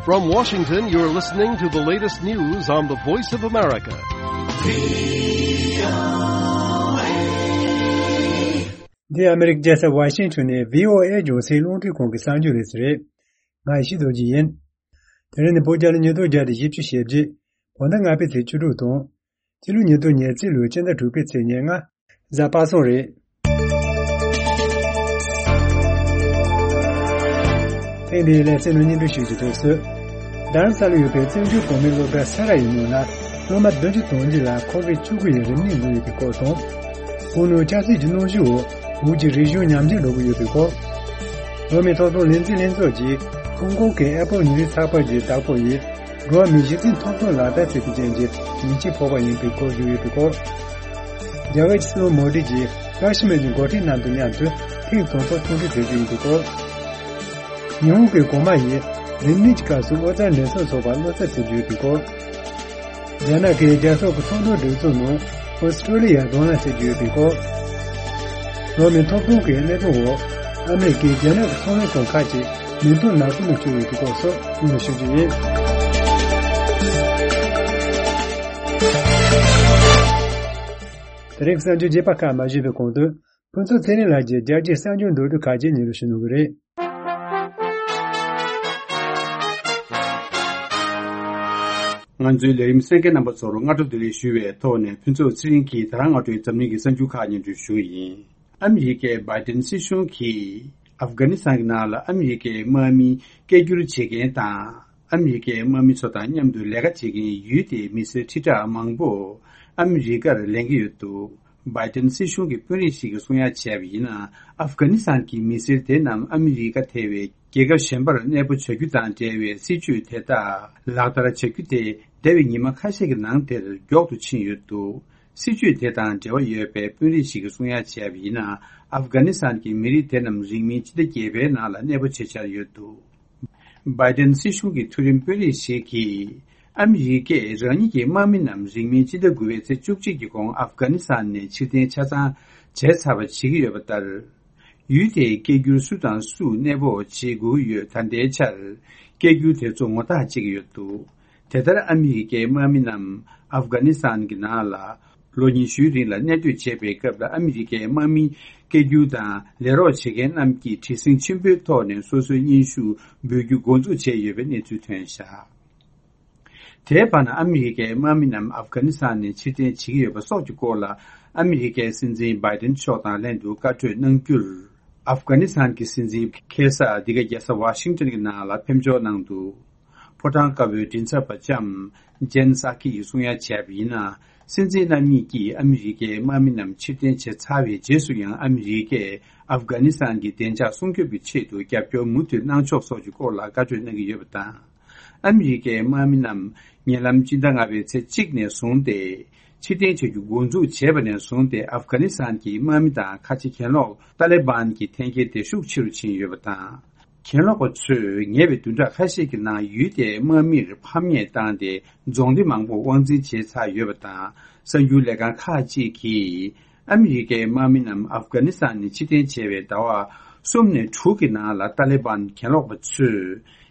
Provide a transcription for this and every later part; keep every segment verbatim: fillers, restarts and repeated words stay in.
From Washington, you're listening to the latest news on the Voice of America. འདི་ཨ་མི་རི་ཀའི་རྒྱལ་ས་ཝ་ཤིང་ཊོན་ནས་བྷི་ཨོ་ཨེ་རྒྱང་སྲིང་རླུང་འཕྲིན་ཁང་གི་གསར་འགྱུར་རེད་ཟེར་རེད། ང་ཡེ་ཤེས་རྡོ་རྗེ་ཡིན། དེ་རིང་ནི་བོད་རྒྱལ་ལོ་ཉིས་སྟོང་བརྒྱ་དང་བཞི་བཅུ་ཞེ་བརྒྱད། བོད་ཟླ་ལྔ་པའི་ཚེས་བཅུ་དྲུག་དང་། སྤྱི་ལོ་ཉིས་སྟོང་ཉེར་གཅིག་ལོའི་སྤྱི་ཟླ་དྲུག་པའི་ཚེས་ཉེར་ལྔ། གཟའ་པ་སངས་རེད། ཐེངས་འདིའི་ལེ་ཚན་ནང་སྙན་སྒྲོན་ཞུ་རྒྱུ་དེ་ཚོ། རྡ་རམ་ས་ལར་ཡོད་པའི་བཙན་བྱོལ་བོད་མིའི་སློབ་གྲྭ་ས་ར་ཡི་ནང་ལ་སློབ་མ་བདུན་ཅུ་དོན་གཅིག་ལ་ཁོ་བིད་བཅུ་དགུ་ཡི་རིམས་ནད་འགོས་ཡོད་པའི་སྐོར་དང་། བོད་ནང་ཆབ་སྲིད་ཀྱི་གནོན་ཤུགས་འོག་བོད་ཀྱི་རིག་གཞུང་ཉམས་ཆག་འགྲོ་གི་ཡོད་པའི་སྐོར། འགྲོ་བ་མིའི་ཐོབ་ཐང་ལས་འཛིན་ལྷན་ཚོགས་ཀྱིས་ཧོང་ཀོང་གི་ཨེ་པོ་ཉིན་རེའི་ཚགས་པར་གྱི་བདག་པོ་ཡིས་འགྲོ་བ་མིའི་གཞི་རྩའི་ཐོབ་ཐང་ལག་བསྟར་བྱེད་པའི་རྐྱེན་གྱིས་ཉེས་ཆད་ཕོག་པ་ཡིན་པའི་སྐོར་བརྗོད་ཡོད་པའི་སྐོར། རྒྱ་གར་གྱི་སྲིད་བློན་མོ་དི་ཇིས་ཀ་ཤི་མིར་གྱི་འགོ་ཁྲིད་རྣམས་དང་མཉམ་དུ་ཐེངས་དང་པོ་ཐུག་འཕྲད་གྲོས་ཀྱི་ཡིན་པའི་སྐོར། ཉི་ཧོང་གི་གོང་མ་ཡིས་རིམས་ནད་ཀྱི་སྐབས་སུ་ཨོ་རྩལ་འགྲན་ཚོགས་འཚོགས་པར་བློ་འཚབ་བྱེད་ཀྱི་ཡོད་པའི་སྐོར། རྒྱ་ནག་གིས་རྒྱལ་ཚོགས་ཀྱི་ཚོགས་འདུ་སྒྲིག་འཛུགས་ནང་ཨོ་སི་ཀྲོ་ལི་ཡར་གདོང་ལེན་བྱེད་ཀྱི་ཡོད་པའི་སྐོར། འགྲོ་བ་མིའི་ཐོབ་ཐང་གི་གནད་དོན་འོག་ཨ་མི་རི་ཀས་རྒྱ་ནག་གི་ཚོང་ལས་ཁང་ཁག་ཅིག་མིང་ཐོ་ནག་པོ་ནང་བཅུག་ཡོད་པའི་སྐོར་སོགས་སྙན་སྒྲོན་ཞུ་རྒྱུ་ཡིན། དེ་རིང་གསར་འགྱུར་རྒྱས་པ་ཁག་མ་ཞུས་པའི་གོང་དུ། ཕུན་ཚོགས་ཚེ་རིང་ལགས་ཀྱིས་རྒྱལ་སྤྱིའི་གསར་འགྱུར་མདོར་བསྡུས་ཁག་ཅིག་སྙན་སྒྲོན་ཞུ་གནང་གི་རེད། ང་ཚོའི་ལས་རིམ་གསན་མཁན་རྣམ་པ་ཚོར་སྔ་དྲོ་བདེ་ལེགས་ཞུ་བའི་ཐོག་ནས། ཕུན་ཚོགས་ཚེ་རིང་གིས་ད་རང་སྔ་དྲོའི་འཛམ་གླིང་གི་གསར་འགྱུར་ཁག་སྙན་སྒྲོན་ཞུ་གི་ཡིན། ཨ་མི་རི་ཀའི་བྷའི་ཏིན་སྲིད་གཞུང་གིས་ཨབ་གྷ་ནི་སི་ཐན་གྱི་ནང་ལ་ཨ་མི་རི་ཀའི་དམག་མི་སྐད་སྒྱུར་བྱེད་མཁན་དང་། ཨ་མི་རི་ཀའི་དམག་མི་ཚོ་དང་མཉམ་དུ་ལས་ཀ་བྱེད་མཁན་ཡུལ་དེའི་མི་སེར་ཁྲི་ཕྲག་མང་པོ་ཨ་མི་རི་ཀར་ལེན་གྱི་ཡོད་འདུག་བྷའི་ཏིན་སྲིད་གཞུང་གི་དཔོན་རིགས་ཤིག་གིས་གསུང་ཡ་བྱས་པ་ཡིན་ན། ཨབ་གྷ་ནི་སི་ཐན་གྱི་མི་སེར་དེ་རྣམས་ཨ་མི་རི་ཀ་ཐེ་བའི་རྒྱལ་ཁབ་གཞན་པར་གནས་སྤོ་བྱ་རྒྱུ་དང་འབྲེལ་བའི་སྲིད་ཇུས་དེ་དག་ལག་བསྟར་བྱ་རྒྱུ་དེ་འདས་པའི་ཉི་མ་ཁ་ཤས་ཀྱི་ནང་དེར་མགྱོགས་སུ་ཕྱིན་ཡོད་འདུག་སྲིད་ཇུས་དེ་དང་འབྲེལ་བ་ཡོད་པའི་དཔོན་རིགས་ཤིག་གིས་གསུང་ཡ་བྱས་པ་ཡིན་ན། ཨབ་གྷ་ནི་སི་ཐན་གྱི་མི་རིགས་དེ་རྣམས་རིང་མིན་སྤྱི་ཟླ་བརྒྱད་པའི་ནང་ལ་གནས་སྤོ་བྱེད་འཆར་ཡོད་འདུག་བྷའི་ཏིན་སྲིད་གཞུང་གི་མཐོ་རིམ་དཔོན་རིགས་ཤིག་གིས། ཨ་མི་རི་ཀས་རང་ཉིད་ཀྱི་དམག་མི་རྣམས་རིང་མིན་སྤྱི་ཟླ་དགུ་པའི་ཚེས་བཅུ་གཅིག་གི་གོང་ཨབ་གྷ་ནི་སི་ཐན་ནས་ཕྱིར་འཐེན་ཆ་ཚང་བྱས་ཚར་བ་བྱེད་ཀྱི་ཡོད་པ་ལྟར། ཡུལ་དེའི་སྐད་སྒྱུར་སུ་དང་སུ་གནས་སྤོ་བྱེད་དགོས་ཀྱི་ཡོད། ད་ལྟའི་ཆར་སྐད་སྒྱུར་དེ་ཚོ་ངོ་རྟགས་བྱེད་ཀྱི་ཡོད་འདུག་དེ་ལྟར་ཨ་མི་རི་ཀའི་དམག་མི་རྣམས་ཨབ་གྷ་ནི་སི་ཐན་གྱི་ནང་ལ་ལོ་ཉི་ཤུའི་རིང་ལ་གནས་སྡོད་བྱས་པའི་སྐབས་ལ། ཨ་མི་རི་ཀའི་དམག་མིའི་སྐད་སྒྱུར་དང་ལས་རོགས་བྱེད་མཁན་རྣམས་ཀྱིས་བྲེལ་ཟིང་ཆེན་པོའི་ཐོག་ནས་སོ་སོའི་སྙན་ཞུ་འབུལ་རྒྱུ་འགོ་འཛུགས་བྱས་ཡོད་པའི་གནས་ཚུལ་ཐོན་བཞག་དེའི་བར་ན་ཨ་མི་རི་ཀའི་དམག་མི་རྣམས་ཨབ་གྷ་ནི་སི་ཐན་ནས་ཕྱིར་འཐེན་བྱེད་ཀྱི་ཡོད་པ་སོགས་ཀྱི་སྐོར་ལ། ཨ་མི་རི་ཀའི་སྲིད་འཛིན་བྷའི་ཏིན་མཆོག་དང་ལྷན་དུ་བཀའ་གྲོས་གནང་རྒྱུར། ཨབ་གྷ་ནི་སི་ཐན་གྱི་སྲིད་འཛིན་ཁ་སར་འདི་ག་རྒྱལ་ས་ཝ་ཤིང་ཏོན་གྱི་ནང་ལ་ཕེབས་འབྱོར་གནང་འདུག་ཕོ་བྲང་དཀར་པོའི་མགྲིན་ཚབ་པ་ལྕམ་ཇེན་སཱ་ཀི་ཡིས་གསུང་ཡ་བྱས་པ་ཡིན་ན། སྲིད་འཛིན་རྣམ་གཉིས་ཀྱིས་ཨ་མི་རི་ཀའི་དམག་མི་རྣམས་ཕྱིར་འཐེན་བྱས་ཚར་བའི་རྗེས་སུ་ཡང་ཨ་མི་རི་ཀས་ཨབ་གྷ་ནི་སི་ཐན་གྱི་བདེ་འཇགས་སྲུང་སྐྱོབ་ཀྱི་ཆེད་དུ་རྒྱབ་སྐྱོར་མུ་མཐུད་གནང་ཕྱོགས་སོགས་ཀྱི་སྐོར་ལ་བཀའ་གྲོས་གནང་གི་ཡོད་པ་དང་། ཨ་མི་རི་ཀའི་དམག་མི་རྣམས་ཉེ་ལམ་སྤྱི་ཟླ་ལྔ་པའི་ཚེས་གཅིག་ནས་བཟུང་སྟེ། ཕྱིར་འཐེན་བྱ་རྒྱུ་འགོ་འཛུགས་བྱས་པ་ནས་བཟུང་སྟེ། ཨབ་གྷ་ནི་སི་ཐན་གྱི་དམག་མི་དང་ཁ་ཆེ་གྱེན་ལོག་ཏཱ་ལི་བན་གྱི་འཐེན་འཁྱེར་དེ་ཤུགས་ཆེ་རུ་ཕྱིན་ཡོད་པ་དང་། གྱེན་ལོག་པ་ཚོས་ཉེ་བའི་བདུན་ཕྲག་ཁ་ཤས་ཀྱི་ནང་ཡུལ་དེའི་དམག་མིར་ཕམ་ཉེས་བཏང་སྟེ། རྫོང་སྡེ་མང་པོ་དབང་འཛིན་བྱས་ཚར་ཡོད་པ་དང་། གསར་འགྱུར་ལས་ཁང་ཁག་ཅིག་གིས་ཨ་མི་རི་ཀའི་དམག་མི་རྣམས་ཨབ་གྷ་ནི་སི་ཐན་ནས་ཕྱིར་འཐེན་བྱས་པའི་ཟླ་བ་གསུམ་ནས་དྲུག་གི་ནང་ལ་ཏཱ་ལི་བན་གྱེན་ལོག་པ་ཚོས་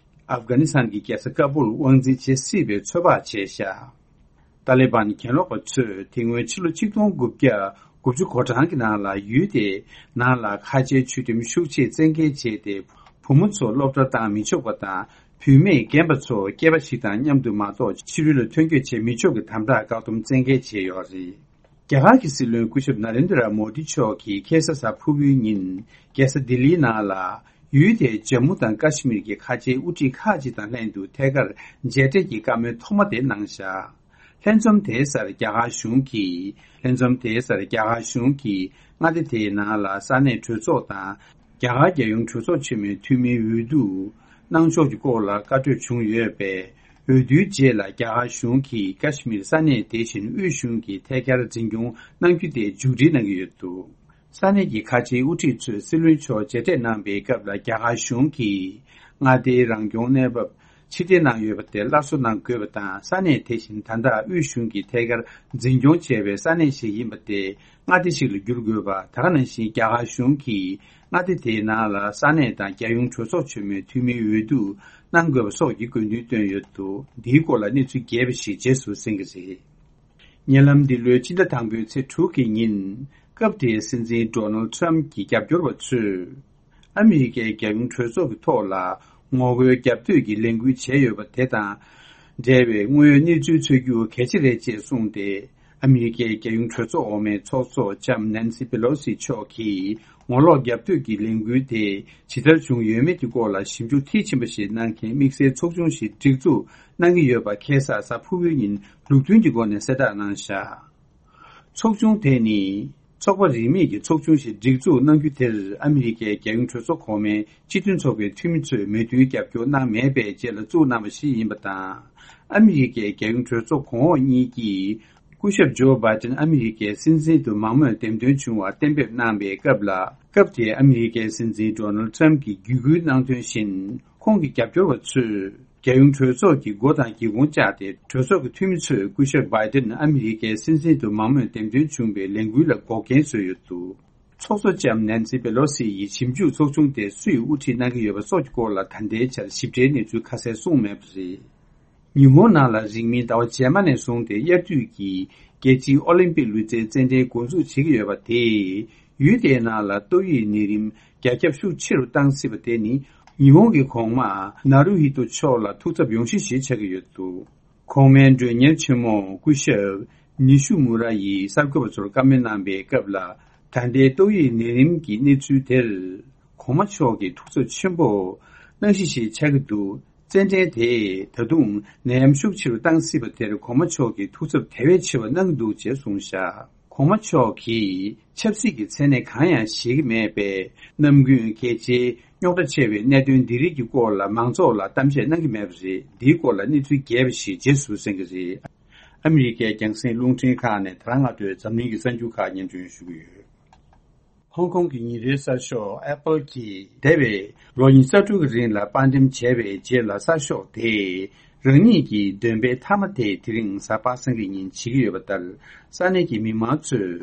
ཨབ་གྷ་ནི་སི་ཐན་གྱི་རྒྱལ་ས་ཀ་སྦུལ་དབང་འཛིན་བྱེད་སྲིད་པའི་ཚོད་དཔག་བྱས་བཞག་ཏཱ་ལི་བན་གྱེན་ལོག་པ་ཚོས་དེ་སྔོན་ཕྱི་ལོ་ཆིག་སྟོང་དགུ་བརྒྱ་དགུ་བཅུ་གོ་གྲངས་ཀྱི་ནང་ལ་ཡུལ་དེའི་ནང་ལ་ཁ་ཆེའི་ཆོས་ཁྲིམས་ཤུགས་ཆེ་བཙན་འགེལ་བྱས་ཏེ། བུ་མོ་ཚོ་སློབ་གྲྭར་བཏང་མི་ཆོག་པ་དང་། བུད་མེད་རྒན་པ་ཚོ་སྐྱེས་པ་ཞིག་དང་མཉམ་དུ་མ་གཏོགས་ཕྱི་རོལ་ལ་ཐོན་སྐྱོད་བྱེད་མི་ཆོག་གི་དམ་དྲག་བཀག་སྡོམ་བཙན་འགེལ་བྱས་ཡོད་རེད། རྒྱ་གར་གྱི་སྲིད་བློན་སྐུ་ཞབས་ན་རེན་དྲ་མོ་དི་མཆོག་གིས་ཁ་སང་གཟའ་ཕུར་བུའི་ཉིན། རྒྱལ་ས་ལྡི་ལིའི་ནང་ལ་ཡུལ་དེའི་ཇམ་མུ་དང་ཀ་ཤི་མིར་གྱི་ཁ་ཆེའི་དབུ་ཁྲིད་ཁག་ཅིག་དང་ལྷན་དུ་ཐད་ཀར་མཇལ་འཕྲད་ཀྱི་བཀའ་མོལ་ཐོག་མ་དེ་གནང་བཞག་ལྷན་འཛོམས་དེའི་སར་རྒྱ་གར་གཞུང་གིས། ལྷན་འཛོམས་དེའི་སར་རྒྱ་གར་གཞུང་གིས་མངའ་སྡེ་དེའི་ནང་ལ་ས་གནས་གྲོས་ཚོགས་དང་། རྒྱ་གར་རྒྱལ་ཡོངས་གྲོས་ཚོགས་ཆེན་མོའི་འཐུས་མིའི་འོས་བསྡུ་གནང་ཕྱོགས་ཀྱི་སྐོར་ལ་བཀའ་གྲོས་བྱུང་ཡོད་པས། འོས་བསྡུའི་རྗེས་ལ་རྒྱ་གར་གཞུང་གིས་ཀ་ཤི་མིར་ས་གནས་དེ་བཞིན་དབུས་གཞུང་གིས་ཐད་ཀར་འཛིན་སྐྱོང་གནང་རྒྱུ་དེ་མཇུག་སྒྲིལ་གནང་གི་ཡོད་འདུག་ས་གནས་ཀྱི་ཁ་ཆེའི་དབུ་ཁྲིད་ཚོས་སྲིད་བློན་མཆོག་མཇལ་འཕྲད་གནང་པའི་སྐབས་ལ། རྒྱ་གར་གཞུང་གིས་མངའ་སྡེའི་རང་སྐྱོང་གནས་བབ་ ཕྱིར་འཐེན་གནང་ཡོད་པ་དེ་སླར་གསོ་གནང་དགོས་པ་དང་། ས་གནས་དེ་བཞིན་ད་ལྟ་དབུས་གཞུང་གིས་ཐད་ཀར་འཛིན་སྐྱོང་བྱས་པའི་ས་གནས་ཤིག་ཡིན་པ་དེ་མངའ་སྡེ་ཞིག་ལ་བསྒྱུར་དགོས་པ། ད་ག་ནང་བཞིན་རྒྱ་གར་གཞུང་གིས་མངའ་སྡེ་དེའི་ནང་ལ་ས་གནས་དང་རྒྱལ་ཡོངས་གྲོས་ཚོགས་ཆེན་མོའི་འཐུས་མིའི་འོས་བསྡུ་གནང་དགོས་པ་སོགས་ཀྱི་དགོས་འདུན་བཏོན་ཡོད་འདུག་འདིའི་སྐོར་ལ་གནས་ཚུལ་རྒྱས་པ་ཞིག་རྗེས་སུ་གསན་གྱི་རེད། ཉེ་ལམ་འདི་ལོའི་སྤྱི་ཟླ་དང་པོའི་ཚེས་དྲུག་གི་ཉིན། སྐབས་དེའི་སྲིད་འཛིན་ཌོ་ནལ་ཊམ་གྱི་རྒྱབ་སྐྱོར་བ་ཚོས། ཨ་མི་རི་ཀའི་རྒྱལ་ཡོངས་གྲོས་ཚོགས་ཀྱི་ཐོག་ལ་ངོ་རྒོལ་རྒྱབ་གཏོད་ཀྱི་ལས་འགུལ་བྱས་ཡོད་པ་དེ་དང་འབྲེལ་བའི་དངོས་ཡོད་གནས་ཚུལ་འཚོལ་རྒྱུ་གལ་ཆེ་རེད་ཅེས་གསུངས་ཏེ། ཨ་མི་རི་ཀའི་རྒྱལ་ཡོངས་གྲོས་ཚོགས་འོག་མའི་ཚོགས་གཙོ་ལྕམ་ནན་སི་པེ་ལོ་སི་མཆོག་གིས་ངོ་ལོག་རྒྱབ་གཏོད་ཀྱི་ལས་འགུལ་དེ་ཇི་ལྟར་བྱུང་ཡོད་མེད་ཀྱི་སྐོར་ལ་ཞིབ་འཇུག་མཐིལ་ཕྱིན་པ་ཞིག་གནང་མཁན་དམིགས་བསལ་ཚོགས་ཆུང་ཞིག་སྒྲིག་འཛུགས་གནང་གི་ཡོད་པ་ཁ་སང་གཟའ་ཕུར་བུའི་ཉིན་ལུགས་མཐུན་གྱི་སྒོ་ནས་གསལ་བསྒྲགས་གནང་བཞག་ཚོགས་ཆུང་དེ་ནི། ཚོགས་པ་རིས་མེད་ཀྱི་ཚོགས་ཆུང་ཞིག་སྒྲིག་འཛུགས་གནང་རྒྱུ་དེར་ཨ་མི་རི་ཀའི་རྒྱལ་ཡོངས་གྲོས་ཚོགས་གོང་མའི་སྤྱི་མཐུན་ཚོགས་པའི་འཐུས་མི་ཚོས་མོས་མཐུན་རྒྱབ་སྐྱོར་གནང་མེད་པའི་རྗེས་ལ་བཙུགས་གནང་བ་ཞིག་ཡིན་པ་དང་། ཨ་མི་རི་ཀའི་རྒྱལ་ཡོངས་གྲོས་ཚོགས་གོང་འོག་གཉིས་ཀྱིས་སྐུ་ཞབས་ཇོ་བྷའི་ཏིན་ཨ་མི་རི་ཀའི་སྲིད་འཛིན་དུ་མང་མོས་འདེམས་ཐོན་བྱུང་བར་གཏན་འབེབས་གནང་པའི་སྐབས་ལ། སྐབས་དེའི་ཨ་མི་རི་ཀའི་སྲིད་འཛིན་ཌོ་ནལ་ཊམ་གྱིས་བརྒྱུད་སྐུལ་གནང་དོན་བཞིན། ཁོང་གི་རྒྱབ་སྐྱོར་བ་ཚོས། རྒྱལ་ཡོངས་གྲོས་ཚོགས་ཀྱི་སྒོ་དང་སྒེའུ་ཁུང་བཅག་སྟེ། གྲོས་ཚོགས་ཀྱི་འཐུས་མི་ཚོས་སྐུ་ཞབས་བྷའི་ཏིན་ཨ་མི་རི་ཀའི་སྲིད་འཛིན་དུ་མང་མོས་འདེམས་ཐོན་བྱུང་བའི་ལས་འགུལ་ལ་འགོག་རྐྱེན་བཟོས་ཡོད་འདུག་ཚོགས་གཙོ་ལྕམ་ནན་སི་པེ་ལོ་སི་ཡིས་ཞིབ་འཇུག་ཚོགས་ཆུང་དེ་སུས་དབུ་ཁྲིད་གནང་གི་ཡོད་པ་སོགས་ཀྱི་སྐོར་ལ་ད་ལྟའི་ཆར་ཞིབ་ཕྲའི་གནས་ཚུལ་ཁ་གསལ་གསུངས་མེད་པ་རེད། ཉི་ཧོང་ནང་ལ་རིང་མིན་ཟླ་བ་རྗེས་མ་ནས་བཟུང་སྟེ་དབྱར་དུས་ཀྱི་རྒྱལ་སྤྱིའི་ཨོ་ལིམ་པིག་ལུས་རྩལ་རྩེད་འགྲན་འགོ་འཛུགས་བྱེད་ཀྱི་ཡོད་པ་དེས། ཡུལ་དེའི་ནང་ལ་ཏོག་དབྱིབས་ནད་རིམས་རྒྱ་ཁྱབ་ཤུགས་ཆེ་རུ་བཏང་སྲིད་པ་དེ་ནི། ཉི་ཧོང་གི་གོང་མ་ནཱ་རུ་ཧི་ཏོ་མཆོག་ལ་ཐུགས་འཚབ་ཡོང་གཞི་ཞིག་ཆགས་ཀྱི་ཡོད་འདུག་གོང་མའི་མགྲོན་གཉེར་ཆེན་མོ་སྐུ་ཞབས་ནི་ཤུ་མུ་ར་ཡིས་གསར་འགོད་པ་ཚོར་བཀའ་མོལ་གནང་པའི་སྐབས་ལ། ད་ལྟའི་ཏོག་དབྱིབས་ནད་རིམས་ཀྱི་གནས་ཚུལ་དེར། གོང་མ་མཆོག་གིས་ཐུགས་འཚབ་ཆེན་པོ་གནང་གཞི་ཞིག་ཆགས་ཀྱི་འདུག་རྩེད་འགྲན་དེས་ད་དུང་ནད་ཡམས་ཤུགས་ཆེ་རུ་བཏང་སྲིད་པ་དེར་གོང་མ་མཆོག་གིས་ཐུགས་འཚབ་དེ་བས་ཆེ་བ་གནང་གི་འདུག་ཅེས་གསུངས་བཞག་གོང་མ་མཆོག་གིས་ཆབ་སྲིད་ཀྱི་མཚན་གནས་གང་ཡང་བཞེས་ཀྱི་མེད་པས། ནམ་རྒྱུན་གལ་ཆེའི་རྙོག་དྲ་ཆེ་བའི་གནད་དོན་འདི་རིགས་ཀྱི་སྐོར་ལ་མང་ཚོགས་ལ་གཏམ་བཤད་གནང་གི་མེད་པ་རེད། འདིའི་སྐོར་ལ་གནས་ཚུལ་རྒྱས་པ་ཞིག་རྗེས་སུ་གསན་གྱི་རེད། ཨ་མི་རི་ཀའི་རྒྱང་སྲིང་རླུང་འཕྲིན་ཁག་ནས་དེ་རིང་སྔ་དྲོའི་འཛམ་གླིང་གི་གསར་འགྱུར་ཁག་སྙན་སྒྲོན་ཞུ་གི་ཡོད། ཧོང་ཀོང་གི་ཉིན་རེའི་གསར་ཤོག་ཨེ་པལ་གྱིས་འདས་པའི་ལོ་ཉི་ཤུ་རྩ་དྲུག་གི་རིང་ལ་དཔར་འགྲེམས་བྱས་པའི་རྗེས་ལ་གསར་ཤོག་དེས་རང་ཉིད་ཀྱི་འདོན་སྤེལ་མཐའ་མ་དེ་དེ་རིང་གཟའ་པ་སངས་ཀྱི་ཉིན་བྱེད་ཀྱི་ཡོད་པ་ལྟར། ས་གནས་ཀྱི་མི་མང་ཚོས་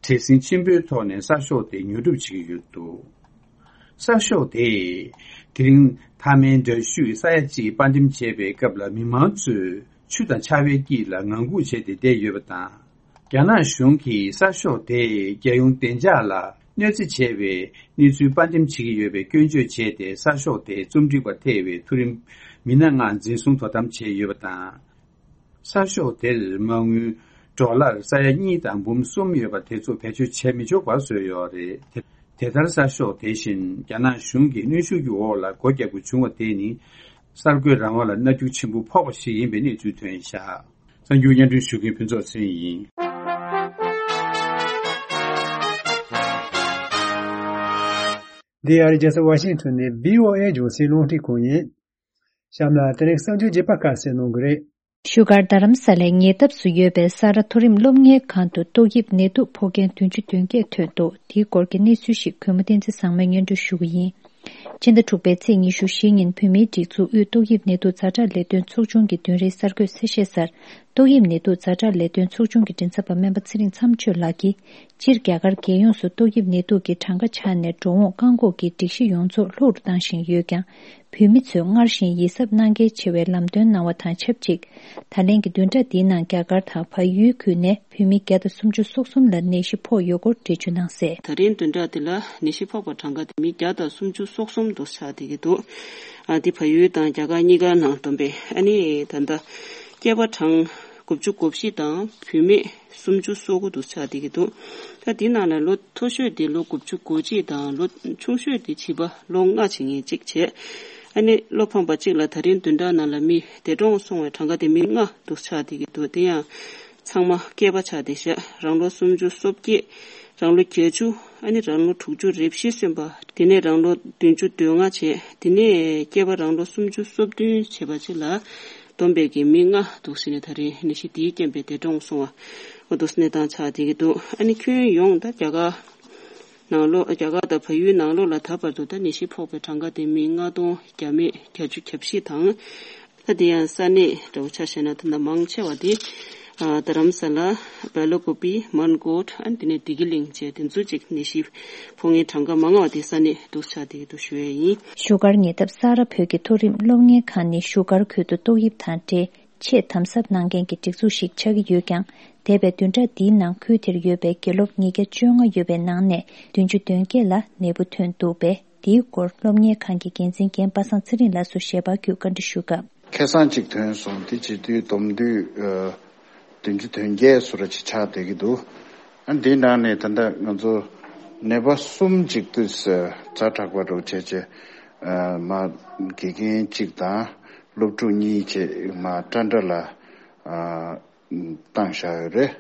བྲེལ་ཟིང་ཆེན་པོའི་ཐོག་ནས་གསར་ཤོག་དེ་ཉོ་སྒྲུབ་བྱེད་ཀྱི་ཡོད་འདུག་གསར་ཤོག་དེས་དེ་རིང་མཐའ་མའི་འདྲ་བཤུས་ས་ཡ་གཅིག་དཔར་འགྲེམས་བྱས་པའི་སྐབས་ལ། མི་མང་ཚོས་ཆུ་དང་ཆར་པའི་དཀྱིལ་ལ་ངང་སྒུག་བྱས་ཏེ་བསྡད་ཡོད་པ་དང་། རྒྱ་ནག་གཞུང་གིས་གསར་ཤོག་དེས་རྒྱལ་ཡོངས་བདེ་འཇགས་ལ་གནོད་འཚེ་བྱས་པའི་གནས་ཚུལ་དཔར་འགྲེམས་བྱེད་ཀྱི་ཡོད་པའི་སྐྱོན་བརྗོད་བྱས་ཏེ། གསར་ཤོག་དེའི་རྩོམ་སྒྲིག་པ་ཐེ་བའི་མཐོ་རིམ་མི་སྣ་ལྔ་འཛིན་བཟུང་དོ་དམ་བྱས་ཡོད་པ་དང་། གསར་ཤོག་དེར་མ་དངུལ་ཌོ་ལར་ས་ཡ་གཉིས་དང་འབུམ་གསུམ་ཡོད་པ་དེ་ཚོ་བེད་སྤྱོད་བྱས་མི་ཆོག་པར་བཟོས་ཡོད་རེད། དེ་དེ་ལྟར་གསར་ཤོག་དེ་བཞིན་རྒྱ་ནག་གཞུང་གི་གནོན་ཤུགས་ཀྱི་འོག་ལ་སྒོ་རྒྱག་དགོས་བྱུང་བ་དེ་ནི། གསར་འགོད་རང་དབང་ལ་མནར་གཅོད་ཆེན་པོ་ཕོག་པ་ཞིག་ཡིན་པའི་གནས་ཚུལ་ཐོན་བཞག་གསར་འགྱུར་སྙན་སྒྲོན་ཞུ་མཁན་ཕུན་ཚོགས་ཚེ་རིང་ཡིན། འདི་ཨ་རིའི་རྒྱལ་ས་ཝ་ཤིང་ཊོན་ནས་བྷི་ཨོ་ཨེ་རྒྱང་སྲིང་རླུང་འཕྲིན་ཁང་ཡིན། གཤམ་ལ་དེ་རིང་གསར་འགྱུར་རྒྱས་པ་ཁ་གསལ་གནང་གི་རེད། བཞུགས་སྒར་རྡ་རམ་ས་ལའི་ཉེ་འདབས་སུ་ཡོད་པའི་ས་རཱ་མཐོ་རིམ་སློབ་གཉེར་ཁང་དུ་ཏོག་དབྱིབས་ནད་དུག་ཕོག་མཁན་བདུན་ཅུ་དོན་བརྒྱད་ཐོན་འདུག་དེའི་སྐོར་གྱི་གནས་ཚུལ་ཞིག་གུས་མོ་བསྟན་འཛིན་བཟང་མོས་སྙན་སྒྲོན་ཞུ་གི་ཡིན། ཕྱི་ཟླ་དྲུག་པའི་ཚེས་ཉི་ཤུ་བཞི་ཉིན་བོད་མིའི་སྒྲིག་འཛུགས་དབུས་ཏོག་དབྱིབས་ནད་དུག་ཛ་དྲག་ལས་དོན་ཚོགས་ཆུང་གི་བདུན་རེའི་གསར་འགོད་གསལ་བཤད་གསར། ཏོག་དབྱིབས་ནད་དུག་ཛ་དྲག་ལས་དོན་ཚོགས་ཆུང་གི་མགྲིན་ཚབ་པ་སྨན་པ་ཚེ་རིང་མཚམས་གཅོད་ལགས་ཀྱིས། སྤྱིར་རྒྱ་གར་རྒྱལ་ཡོངས་སུ་ཏོག་དབྱིབས་ནད་དུག་གི་གྲངས་ཀ་ཆག་ནས་འགྲོ་འོང་བཀག་འགོག་གི་སྒྲིག་གཞི་ཡོངས་རྫོགས་ལྷུག་ཏུ་བཏང་བཞིན་ཡོད་ཀྱང་། བོད་མི་ཚོས་སྔར་བཞིན་ཡིད་གཟབ་གནང་གལ་ཆེ་བའི་ལམ་སྟོན་གནང་བ་དང་ཆབས་ཅིག་ད་ལན་གྱི་བདུན་ཕྲག་འདིའི་ནང་རྒྱ་གར་དང་བལ་ཡུལ་ཁུལ་ནས་བོད་མི་བརྒྱ་དང་སུམ་ཅུ་སོ་གསུམ་ལ་ནད་གཞི་ཕོག་ཡོད་སྐོར་འགྲེལ་བརྗོད་གནང་གསལ། ད་རིང་བདུན་ཕྲག་འདི་ལ་ནད་གཞི་ཕོག་པ་གྲངས་ཀ་དེ་མི་བརྒྱ་དང་སུམ་ཅུ་སོ་གསུམ་དུ་ཆགས་བསྡད་ཀྱི་འདུག་ཨ་དེ་བལ་ཡུལ་དང་རྒྱ་གར་གཉིས་ཀ་ནང་བསྡོམས་པས། ཨ་ནི་ད་ལྟ་སྐྱེས་པ་གྲངས་དགུ་བཅུ་གོ་བཞི་དང་བུད་མེད་སུམ་ཅུ་སོ་དགུ་དུ་ཆགས་བསྡད་ཀྱི་འདུག་ད་དེ་ནང་ལ་ལོ་མཐོ་ཤོས་དེ་ལོ་དགུ་བཅུ་གོ་གཅིག་དང་། ལོ་ཆུང་ཤོས་དེ་བྱིས་པ་ལོ་ལྔ་བྱེད་མཁན་གཅིག་བྱས། ཨ་ནི་བློ་ཕམ་པ་གཅིག་ལ་ད་རིང་བདུན་ཕྲག་ནང་ལ་མི་འདས་གྲོངས་སོང་བའི་གྲངས་ཀ་དེ་མི་ལྔ་དུ་ཆགས་བསྡད་ཀྱི་འདུག་དེ་ཡང་ཚང་མ་སྐྱེས་པ་ཆགས་བསྡད་ཤག་རང་ལོ་སུམ་ཅུ་སོ་བརྒྱད། རང་ལོ་བརྒྱད་ཅུ། ཨ་ནི་རང་ལོ་དྲུག་ཅུ་རེ་བཞི་སོན་པ། དེ་ནས་རང་ལོ་བདུན་ཅུ་དོན་ལྔ་བྱས། དེ་ནས་སྐྱེས་པ་རང་ལོ་སུམ་ཅུ་སོ་བདུན་བྱས་པ་ཅིག་ལ་བསྡོམས་པས་ཀྱི་མི་ལྔ་འདུག་ཟེར་ནས་ད་རིང་ནད་གཞི་དེའི་རྐྱེན་པས་འདས་གྲོངས་སོང་བ། འོ་འདུག་ཟེར་གནས་སྟངས་ཆགས་བསྡད་ཀྱི་འདུག་ཨ་ནི་ཁྱོན་ཡོངས་ད་རྒྱ་གར་ནང་ལོགས། རྒྱ་གར་དང་བལ་ཡུལ་ནང་ལོགས་ལ་ད་བར་དུ་ད་ནད་གཞི་ཕོག་པའི་གྲངས་ཀ་དེ་མི་ལྔ་སྟོང་བརྒྱ་མེད་བརྒྱད་ཅུ་གྱ་བཞི་དང་། ད་དེ་ཡང་ས་གནས་འདྲ་བོ་ཆ་བཞག་ན་ད་ལྟ་མང་ཆེ་བ་དེ་ཨ་རྡ་རམ་ས་ལ། སྦེལ་ཀོབ། མན་གོཊ། ཨ་ནི་དེ་ནས་བདེ་སྐྱིད་གླིང་བཅས་དེ་ཚོ་ཅིག་ནད་གཞི་ཕོག་མཁན་གྲངས་ཀ་མང་བ་དེ་ས་གནས་འདུག་ཆགས་བསྡད་ཀྱི་འདུག་ཞུ་ཡས་ཡིན། བཞུགས་སྒར་ཉེ་འདབས་ས་རཱ་བོད་ཀྱི་མཐོ་རིམ་སློབ་གཉེར་ཁང་ནི་བཞུགས་སྒར་ཁུལ་དུ་ཏོག་དབྱིབས་དང་འབྲེལ་ཆེས་དམ་ཟབ་གནང་མཁན་གྱི་སྒྲིག་འཛུགས་ཤིག་ཆགས་ཀྱི་ཡོད་ཀྱང་། འདས་པའི་བདུན་ཕྲག་འདིའི་ནང་ཁུལ་དེར་ཡོད་པའི་དགེ་སློབ་ཉིས་བརྒྱ་བཅོ་ལྔ་ཡོད་པའི་ནང་ནས་བདུན་ཅུ་དོན་བརྒྱད་ལ་ནད་འབུ་ཐོན་འདུག་པས། འདིའི་སྐོར་སློབ་གཉེར་ཁང་གི་འགན་འཛིན་རྒན་པ་སངས་ཚེ་རིང་ལགས་སུ་ཞལ་པར་བརྒྱུད་བཀའ་འདྲི་ཞུ་སྐབས། ཁ་སང་གཅིག་ཐོན་སོང་། དེ་བྱེད་དུས་བསྡོམས་དུས་ཨ་བདུན་ཅུ་དོན་བརྒྱད་སུ་ར་ཅིག་ཆགས་བསྡད་ཀྱི་འདུག་ཨ་འདིའི་ནང་ནས་ད་ལྟ་ང་ཚོ་ནད་པ་གསུམ་ཅིག་དུས་ཛ་དྲག་པ་འདྲ་བོ་བྱས་བྱས་ཨ་མ་དགེ་རྒན་གཅིག་དང་སློབ་ཕྲུག་གཉིས་བྱས་མ་ཏྲ་འདྲ་ལ་ཨ་བཏང་བཞག་ཡོད་རེད།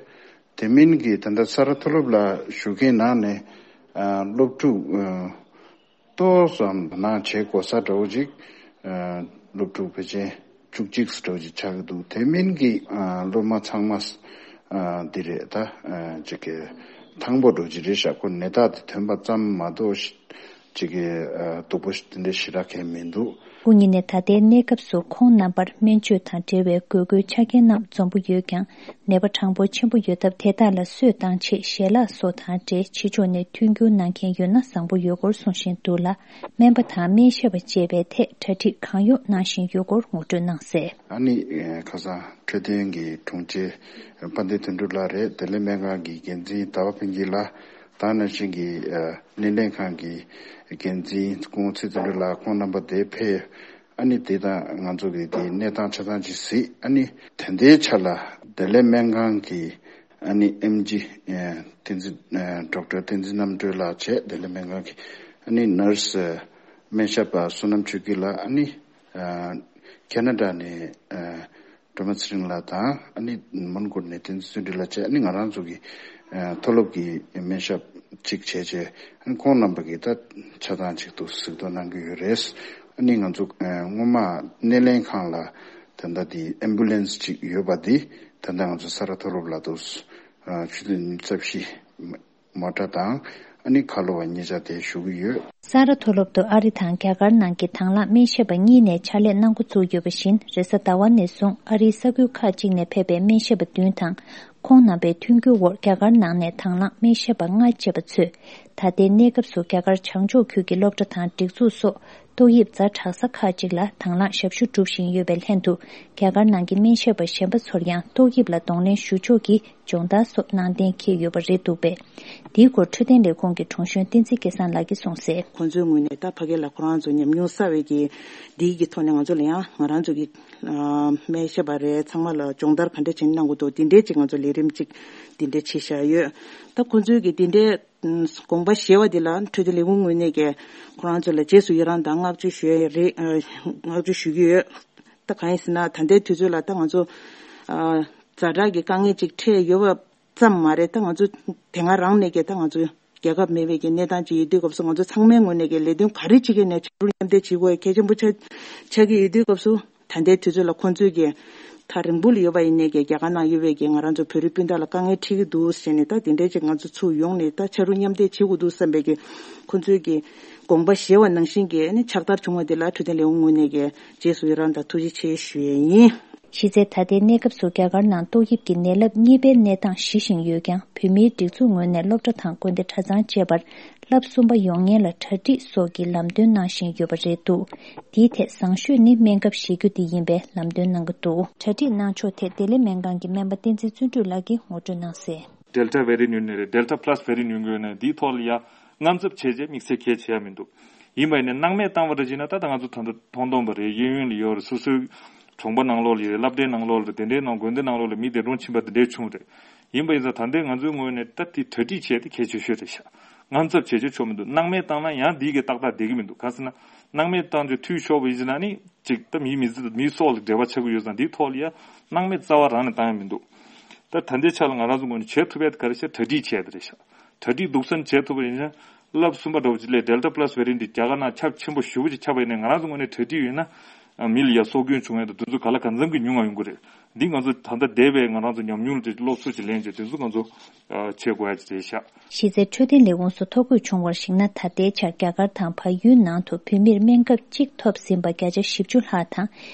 དེ་མིན་གྱི་ད་ལྟ་ས་རཱ་མཐོ་སློབ་ལ་ཞུགས་མཁན་ནང་ནས་ཨ་སློབ་ཕྲུག་ཨ་ཏོག་ཙམ་ནང་བྱེད་དགོས་ས་འདྲ་བོ་ཅིག་ཨ་སློབ་ཕྲུག་ཕལ་ཆེར་བཅུ་གཅིག་འདྲ་བོ་ཅིག་ཆགས་ཀྱི་འདུག་དེ་མིན་གྱི་ཨ་སློབ་མ་ཚང་མ་ཨ་འདི་རེད། ད་ཨ་ཅིག་གི་ཐང་པོ་འདྲ་བོ་ཅིག་རེད་ཤག་ཁོ་ནད་རྟགས་དེ་ཐོན་པ་ཙམ་མ་གཏོགས་ཅིག་གི་ཨ་སྡུག་པོ་དེ་འདྲ་ཞེ་དྲག་གང་ཡང་མི་འདུག་སྐུ་ཉིད་ནས་ད་ལྟའི་གནས་སྐབས་སུ་ཁོང་རྣམ་པར་སྨན་བཅོས་དང་འབྲེལ་བའི་དགོས་མཁོའི་ཆ་རྐྱེན་རྣམས་འཛོམས་པོ་ཡོད་ཀྱང་། ནད་པ་གྲངས་འབོར་ཆེན་པོ་ཡོད་སྟབས། དེ་དག་ལ་གསོས་བཏང་ཆེད་ཞལ་ལག་སོགས་དང་འབྲེལ་ཕྱི་ཕྱོགས་ནས་མཐུན་འགྱུར་གནང་མཁན་ཡོད་ན་བཟང་པོ་ཡོད་སྐོར་གསུང་བཞིན་འདུག་ལ། སྨན་པ་དང་སྨན་ཞབས་པ་བཅས་པའི་ཐད་གྲ་སྒྲིག་གང་ཡོང་གནང་བཞིན་ཡོད་སྐོར་ངོ་སྤྲོད་གནང་གསལ། ཨ་ནི་ཁ་སང་འཕྲོད་བསྟེན་གྱི་དྲུང་ཆེ་དཔལ་ལྡན་དོན་གྲུབ་ལགས་རེད། བདེ་ལེགས་སྨན་ཁང་གི་འགན་འཛིན་ཟླ་བ་ཕུན་སྐྱིད་ལགས་དང་། ནང་བཞིན་གྱི་སྣེ་ལེན་ཁང་གི་འགན་འཛིན་སྐུ་ངོ་ཚེ་བརྟན་ལགས། ཁོང་རྣམ་པ་དེ་ཕེབས། ཨ་ནི་དེ་དང་ང་ཚོ་གི་དེ་གནས་སྟངས་ཆ་ཚང་ཅིག་གཟིགས། ཨ་ནི་དེ་འདྲའི་ཆ་ལ་བདེ་ལེགས་སྨན་ཁང་གི་ཨ་ནི་ཨེམ་ཇི་བསྟན་འཛིན་ཌོག་ཊར་བསྟན་འཛིན་རྣམ་གྲོལ་ལགས་བྱས། བདེ་ལེགས་སྨན་ཁང་གི་ཨ་ནི་ནར་སི་སྨན་ཞབས་པ་བསོད་ནམས་ཆོས་སྐྱིད་ལགས། ཨ་ནི་ཁེ་ན་ཌ་ནས་སྒྲོལ་མ་ཚེ་རིང་ལགས་དང་། ཨ་ནི་མོན་གྷོ་ནས་བསྟན་འཛིན་བརྩོན་འགྲུས་ལགས་བཅས། ཨ་ནི་ང་རང་ཚོ་གི་ཨ་མཐོ་སློབ་ཀྱི་སྨན་ཞབས་གཅིག་བྱས་བྱས། ཨ་ནི་ཁོང་རྣམ་པ་གིས་ད་ཆ་ཚང་གཅིག་ཏུ་གཟིགས་རྟོག་གནང་གི་ཡོད་རེད། ཨ་ནི་ང་ཚོ་ཨ་སྔོན་མ་སྣེ་ལེན་ཁང་ལ་ད་ལྟ་དེ་ཨེམ་བུ་ལན་སི་གཅིག་ཡོད་པ་དེ་ད་ལྟ་ང་ཚོ་ས་རཱ་མཐོ་སློབ་ལ་དུ་ཨ་ཆུ་ཚོད་ཉི་ཤུ་རྩ་བཞི། མོ་ཊ་དང་ཨ་ནི་ཁ་ལོ་བ་གཉིས་ཆ་དེ་ཞུ་གི་ཡོད། ས་རཱ་མཐོ་སློབ་ཏུ་ཨ་རི་དང་རྒྱ་གར་ནང་གི་དང་བླངས་སྨན་ཞབས་པ་གཉིས་ནས་ཕྱག་ལས་གནང་འགོ་བཙུགས་ཡོད་པ་བཞིན། རེས་གཟའ་ཟླ་བ་ནས་བཟུང་ཨ་རིའི་ས་ཁུལ་ཁག་ཅིག་ནས་ཕེབས་པའི་སྨན་ཞབས་པ་བདུན་དང་། ཁོང་རྣམ་པའི་མཐུན་འགྱུར་འོག་རྒྱ་གར་ནང་ནས་དང་བླངས་སྨན་ཞབས་པ་ལྔ་བཅས་པ་ཚོས། ད་ལྟའི་གནས་སྐབས་སུ་རྒྱ་གར་བྱང་ཕྱོགས་ཁུལ་གྱི་སློབ་གྲྭ་དང་སྒྲིག་འཛུགས་སོགས་ཏོག་དབྱིབས་ཛ་དྲག་ས་ཁག་ཅིག་ལ་དང་བླངས་ཞབས་ཞུ་སྒྲུབ་བཞིན་ཡོད་པའི་ལྷན་དུ། རྒྱ་གར་ནང་གི་སྨན་ཞབས་པ་གཞན་པ་ཚོར་ཡང་ཏོག་དབྱིབས་ལ་གདོང་ལེན་ཞུ་ཕྱོགས་ཀྱི་སྦྱོང་བརྡར་སོགས་གནང་གཏན་འཁེལ་ཡོད་པ་རེད་འདུག་པས། འདིའི་སྐོར་འཕྲོད་བསྟེན་ལས་ཁུངས་ཀྱི་དྲུང་གཞོན་བསྟན་འཛིན་སྐལ་བཟང་ལགས་ཀྱིས་གསུངས་གསལ། ཁོང་ཚོའི་ངོས་ནས་ད་ཕ་གི་ལ་ཁོ་རང་ཚོ་ཉམས་མྱོང་བསགས་པའི་གི་འདིའི་གི་ཐོག་ནས་ང་ཚོ་ལ་ཡང་ང་རང་ཚོ་གི་ཨ་སྨན་ཞབས་པ་རེད། ཚང་མ་ལ་སྦྱོང་བརྡར་ག་འདྲ་བྱས་ནས་གནང་དགོས་འདུག་འདི་འདྲའི་ཅིག་ང་ཚོ་ལས་རིམ་ཅིག་འདི་འདྲ་བྱས་བཞག་ཡོད། ད་ཁོང་ཚོའི་གི་འདི་འདྲའི་དགོངས་པ་བཞེས་པ་འདི་ལ་འཕྲོད་བསྟེན་ལས་ཁུངས་ངོས་ནས་ཀྱི་ཁོ་རང་ཚོ་ལ་རྗེས་སུ་ཡི་རང་དང་བསྔགས་བརྗོད་ཞུ་ཡ་རེད། ཨ་བསྔགས་བརྗོད་ཞུ་གི་ཡོད། ད་གང་ཡིན་ཟེར་ན་ད་ལྟའི་དུས་ཚོད་ལ་ད་ང་ཚོ་ཨ་ཛ་དྲག་གི་དཀའ་ངལ་ཅིག་འཕྲད་ཡོད་པ་ཙམ་མ་རེད། ད་ང་ཚོ་དེ་སྔ་རང་ནས་ཀྱི་ད་ང་ཚོ་རྒྱལ་ཁབ་མེད་པའི་གི་གནས་སྟངས་ཅིག་ཡོད་དུས་སྐབས་སུ། ང་ཚོ་ཚང་མའི་ངོས་ནས་ཀྱི་ལས་དོན་ག་རེ་བྱེད་ཀྱི་ནས་ཕྱར་གྲུ་མཉམ་འདེགས་བྱེད་དགོས་གལ་ཆེན་པོ་ཆགས་ཆགས་ཀྱི་ཡོད་དུས་སྐབས་སུ། ད་ལྟའི་དུས་ཚོད་ལ་ཁོང་ཚོས་ཀྱི་ཐག་རིང་པོ་ལ་ཡོད་པ་ཡིན་ནའི་ཀྱི་རྒྱ་གར་ནང་ཡོད་པའི་ཀྱི་ང་རང་ཚོ་བོད་རིགས་སྤུན་ཟླ་ལ་དཀའ་ངལ་འཕྲད་ཀྱི་འདུག་ཟེར་ནས། ད་དེ་འདྲའི་ཅིག་ང་ཚོ་ཚུར་ཡོང་ནས་ད་ཕྱར་གྲུ་མཉམ་འདེགས་བྱེད་དགོས་འདུག་བསམ་པའི་ཀྱི་ཁོང་ཚོའི་ཀྱི་དགོངས་པ་བཞེས་པ་ནང་བཞིན་གྱི་ནི་ཕྱག་བསྟར་བྱུང་བ་འདི་ལ་འཕྲོད་བསྟེན་ལས་ཁུངས་ངོས་ནས་ཀྱི་རྗེས་སུ་ཡི་རང་དང་ཐུགས་རྗེ་ཆེ་ཞུ་ཡས་ཡིན། གཞི་རྩའི་ད་ལྟའི་གནས་སྐབས་སུ་རྒྱ་གར་ནང་ཏོག་དབྱིབས་ཀྱི་ནད་རླབས་གཉིས་པའི་གནས་སྟངས་གཞི་བཞིན་ཡོད་ཀྱང་། བོད་མིའི་སྒྲིག་འཛུགས་ངོས་ནས་སློབ་གྲྭ་དང་དགོན་སྡེ་གྲྭ་ཚང་བཅས་པར་རླབས་གསུམ་པ་ཡོང་ཉེན་ལ་གྲ་སྒྲིག་སོགས་ཀྱི་ལམ་སྟོན་གནང་བཞིན་ཡོད་པ་རེད་འདུག་འདིའི་ཐད་བཟང་ཤོས་ནི་སྨན་ཁབ་བཞེས་རྒྱུ་དེ་ཡིན་པའི་ལམ་སྟོན་གནང་གི་འདུག་གྲ་སྒྲིག་གནང་ཕྱོགས་ཐད་བདེ་ལེགས་སྨན་ཁང་གི་སྨན་པ་བསྟན་འཛིན་བརྩོན་འགྲུས་ལགས་ཀྱིས་ངོ་སྤྲོད་གནང་གསལ། ཌེལ་ཊ་བེ་རི་ནཊ་ཡིན་ནའི་རེད། ཌེལ་ཊ་པ་ལ་སི་བེ་རི་ནཊ་ཡིན་དགོས་ནའི་འདིའི་ཐོག་ལ་ཡ་དངངས་འཚབ་བྱས་རྗེས་དམིགས་བསལ་གལ་ཆེ་ཡ་མི་འདུག་ཡིན་པ་ཡིན་ནའི་སྣང་མེད་བཏང་བ་རེད་བྱས་ན། ད་ལྟ་ང་ཚོ་ད་ལྟ་མཐོང་སྟོན་པ་རེད། གཡས་གཡོན་ལ་ཡོད་རེད། སོ་སོའི་གྲོང་པ་ནང་ལོགས་ལ་ཡོད་རེད། སློབ་གྲྭའི་ནང་ལོགས་ལ་རེད། དེ་འདྲའི་ནང་དགོན་སྡེ་ནང་ལོགས་ལ་མི་དེ་འགྲོ་ཕྱིན་པ་དེ་འདྲའི་བྱུང་རེད། ཡིན་པ་ཡིན་ཙང་ད་ལྟའི་ང་ཚོའི་ངོས་ནས་ད་དེ་གྲ་སྒྲིག་བྱས་ཏེ་གལ་ཆེ་ཤོས་རེད་ཤག་དངངས་འཚབ་བྱས་བྱས་ཆོག་མི་འདུག་སྣང་མེད་བཏང་ན་ཡང་འདིའི་གི་ཏག་ཏག་བསྡད་ཀྱི་མི་འདུག་གང་ཟེར་ན་སྣང་མེད་བཏང་རྗེས་འཐུས་ཤོར་བ་ཡིན་ཟེར་ན་ནི་ཅིག་ད་མིའི་མི་ཚེ་དང་མིའི་སྲོག་ལ་འབྲེལ་བ་ཆགས་ཀྱི་ཡོད་ཙང་། འདིའི་ཐོག་ལ་ཡ་སྣང་མེད་རྩ་བ་རང་ནས་བཏང་ཡ་མི་འདུག་ད་ད་ལྟའི་ཆ་ལ་ང་རང་ཚོ་ངོས་ནས་བྱེད་ཐུབ་ཡ་དེ་ག་རེ་ཤག་གྲ་སྒྲིག་བྱས་དེ་རེད་ཤག་གྲ་སྒྲིག་སྡུག་སན་བྱེད་ཐུབ་པ་ཡིན་ན། རླབས་གསུམ་པ་འདྲ་བོ་ཅིག་སླེབས། ཌེལ་ཊ་པ་ལ་སི་བེ་རི་ནཊ་འདི་རྒྱ་གར་ནང་ཁྱབ་ཆེན་པོ་ཞེ་པོ་ཅིག་ཁྱབ་པ་ཡིན་ན། ང་རང་ཚོ་ངོས་ནས་གྲ་སྒྲིག་ཡོད་ན་ མི་ལ་ཡ་སྲོག་སྐྱོན་བྱུང་ཡ་དང་དེ་ཚོ་ག་ལ་གང་འཚམ་གྱི་ཉུང་ང་ཡོང་གི་རེད། འདི་ང་ཚོ་ད་ལྟ་འདས་པའི་ང་རང་ཚོ་ཉམས་མྱོང་ལ་དེ་སློབ་གསོ་ཅིག་ལེན་བྱས་དེ་ཚོ་ང་ཚོ་བྱེད་དགོས་ཡ་ཅིག་རེད་ཤག་གཞི་རྩའི་འཕྲོད་བསྟེན་ལས་ཁུངས་སུ་ཐོ་འགོད་བྱུང་བར་གཞིགས་ན། ད་ལྟའི་ཆར་རྒྱ་གར་དང་བལ་ཡུལ་ནང་དུ་བོད་མིར་སྨན་ཁབ་གཅིག་ཐོབ་ཟིན་པ་བརྒྱ་ཆ་བཞི་བཅུ་ལྷག་དང་།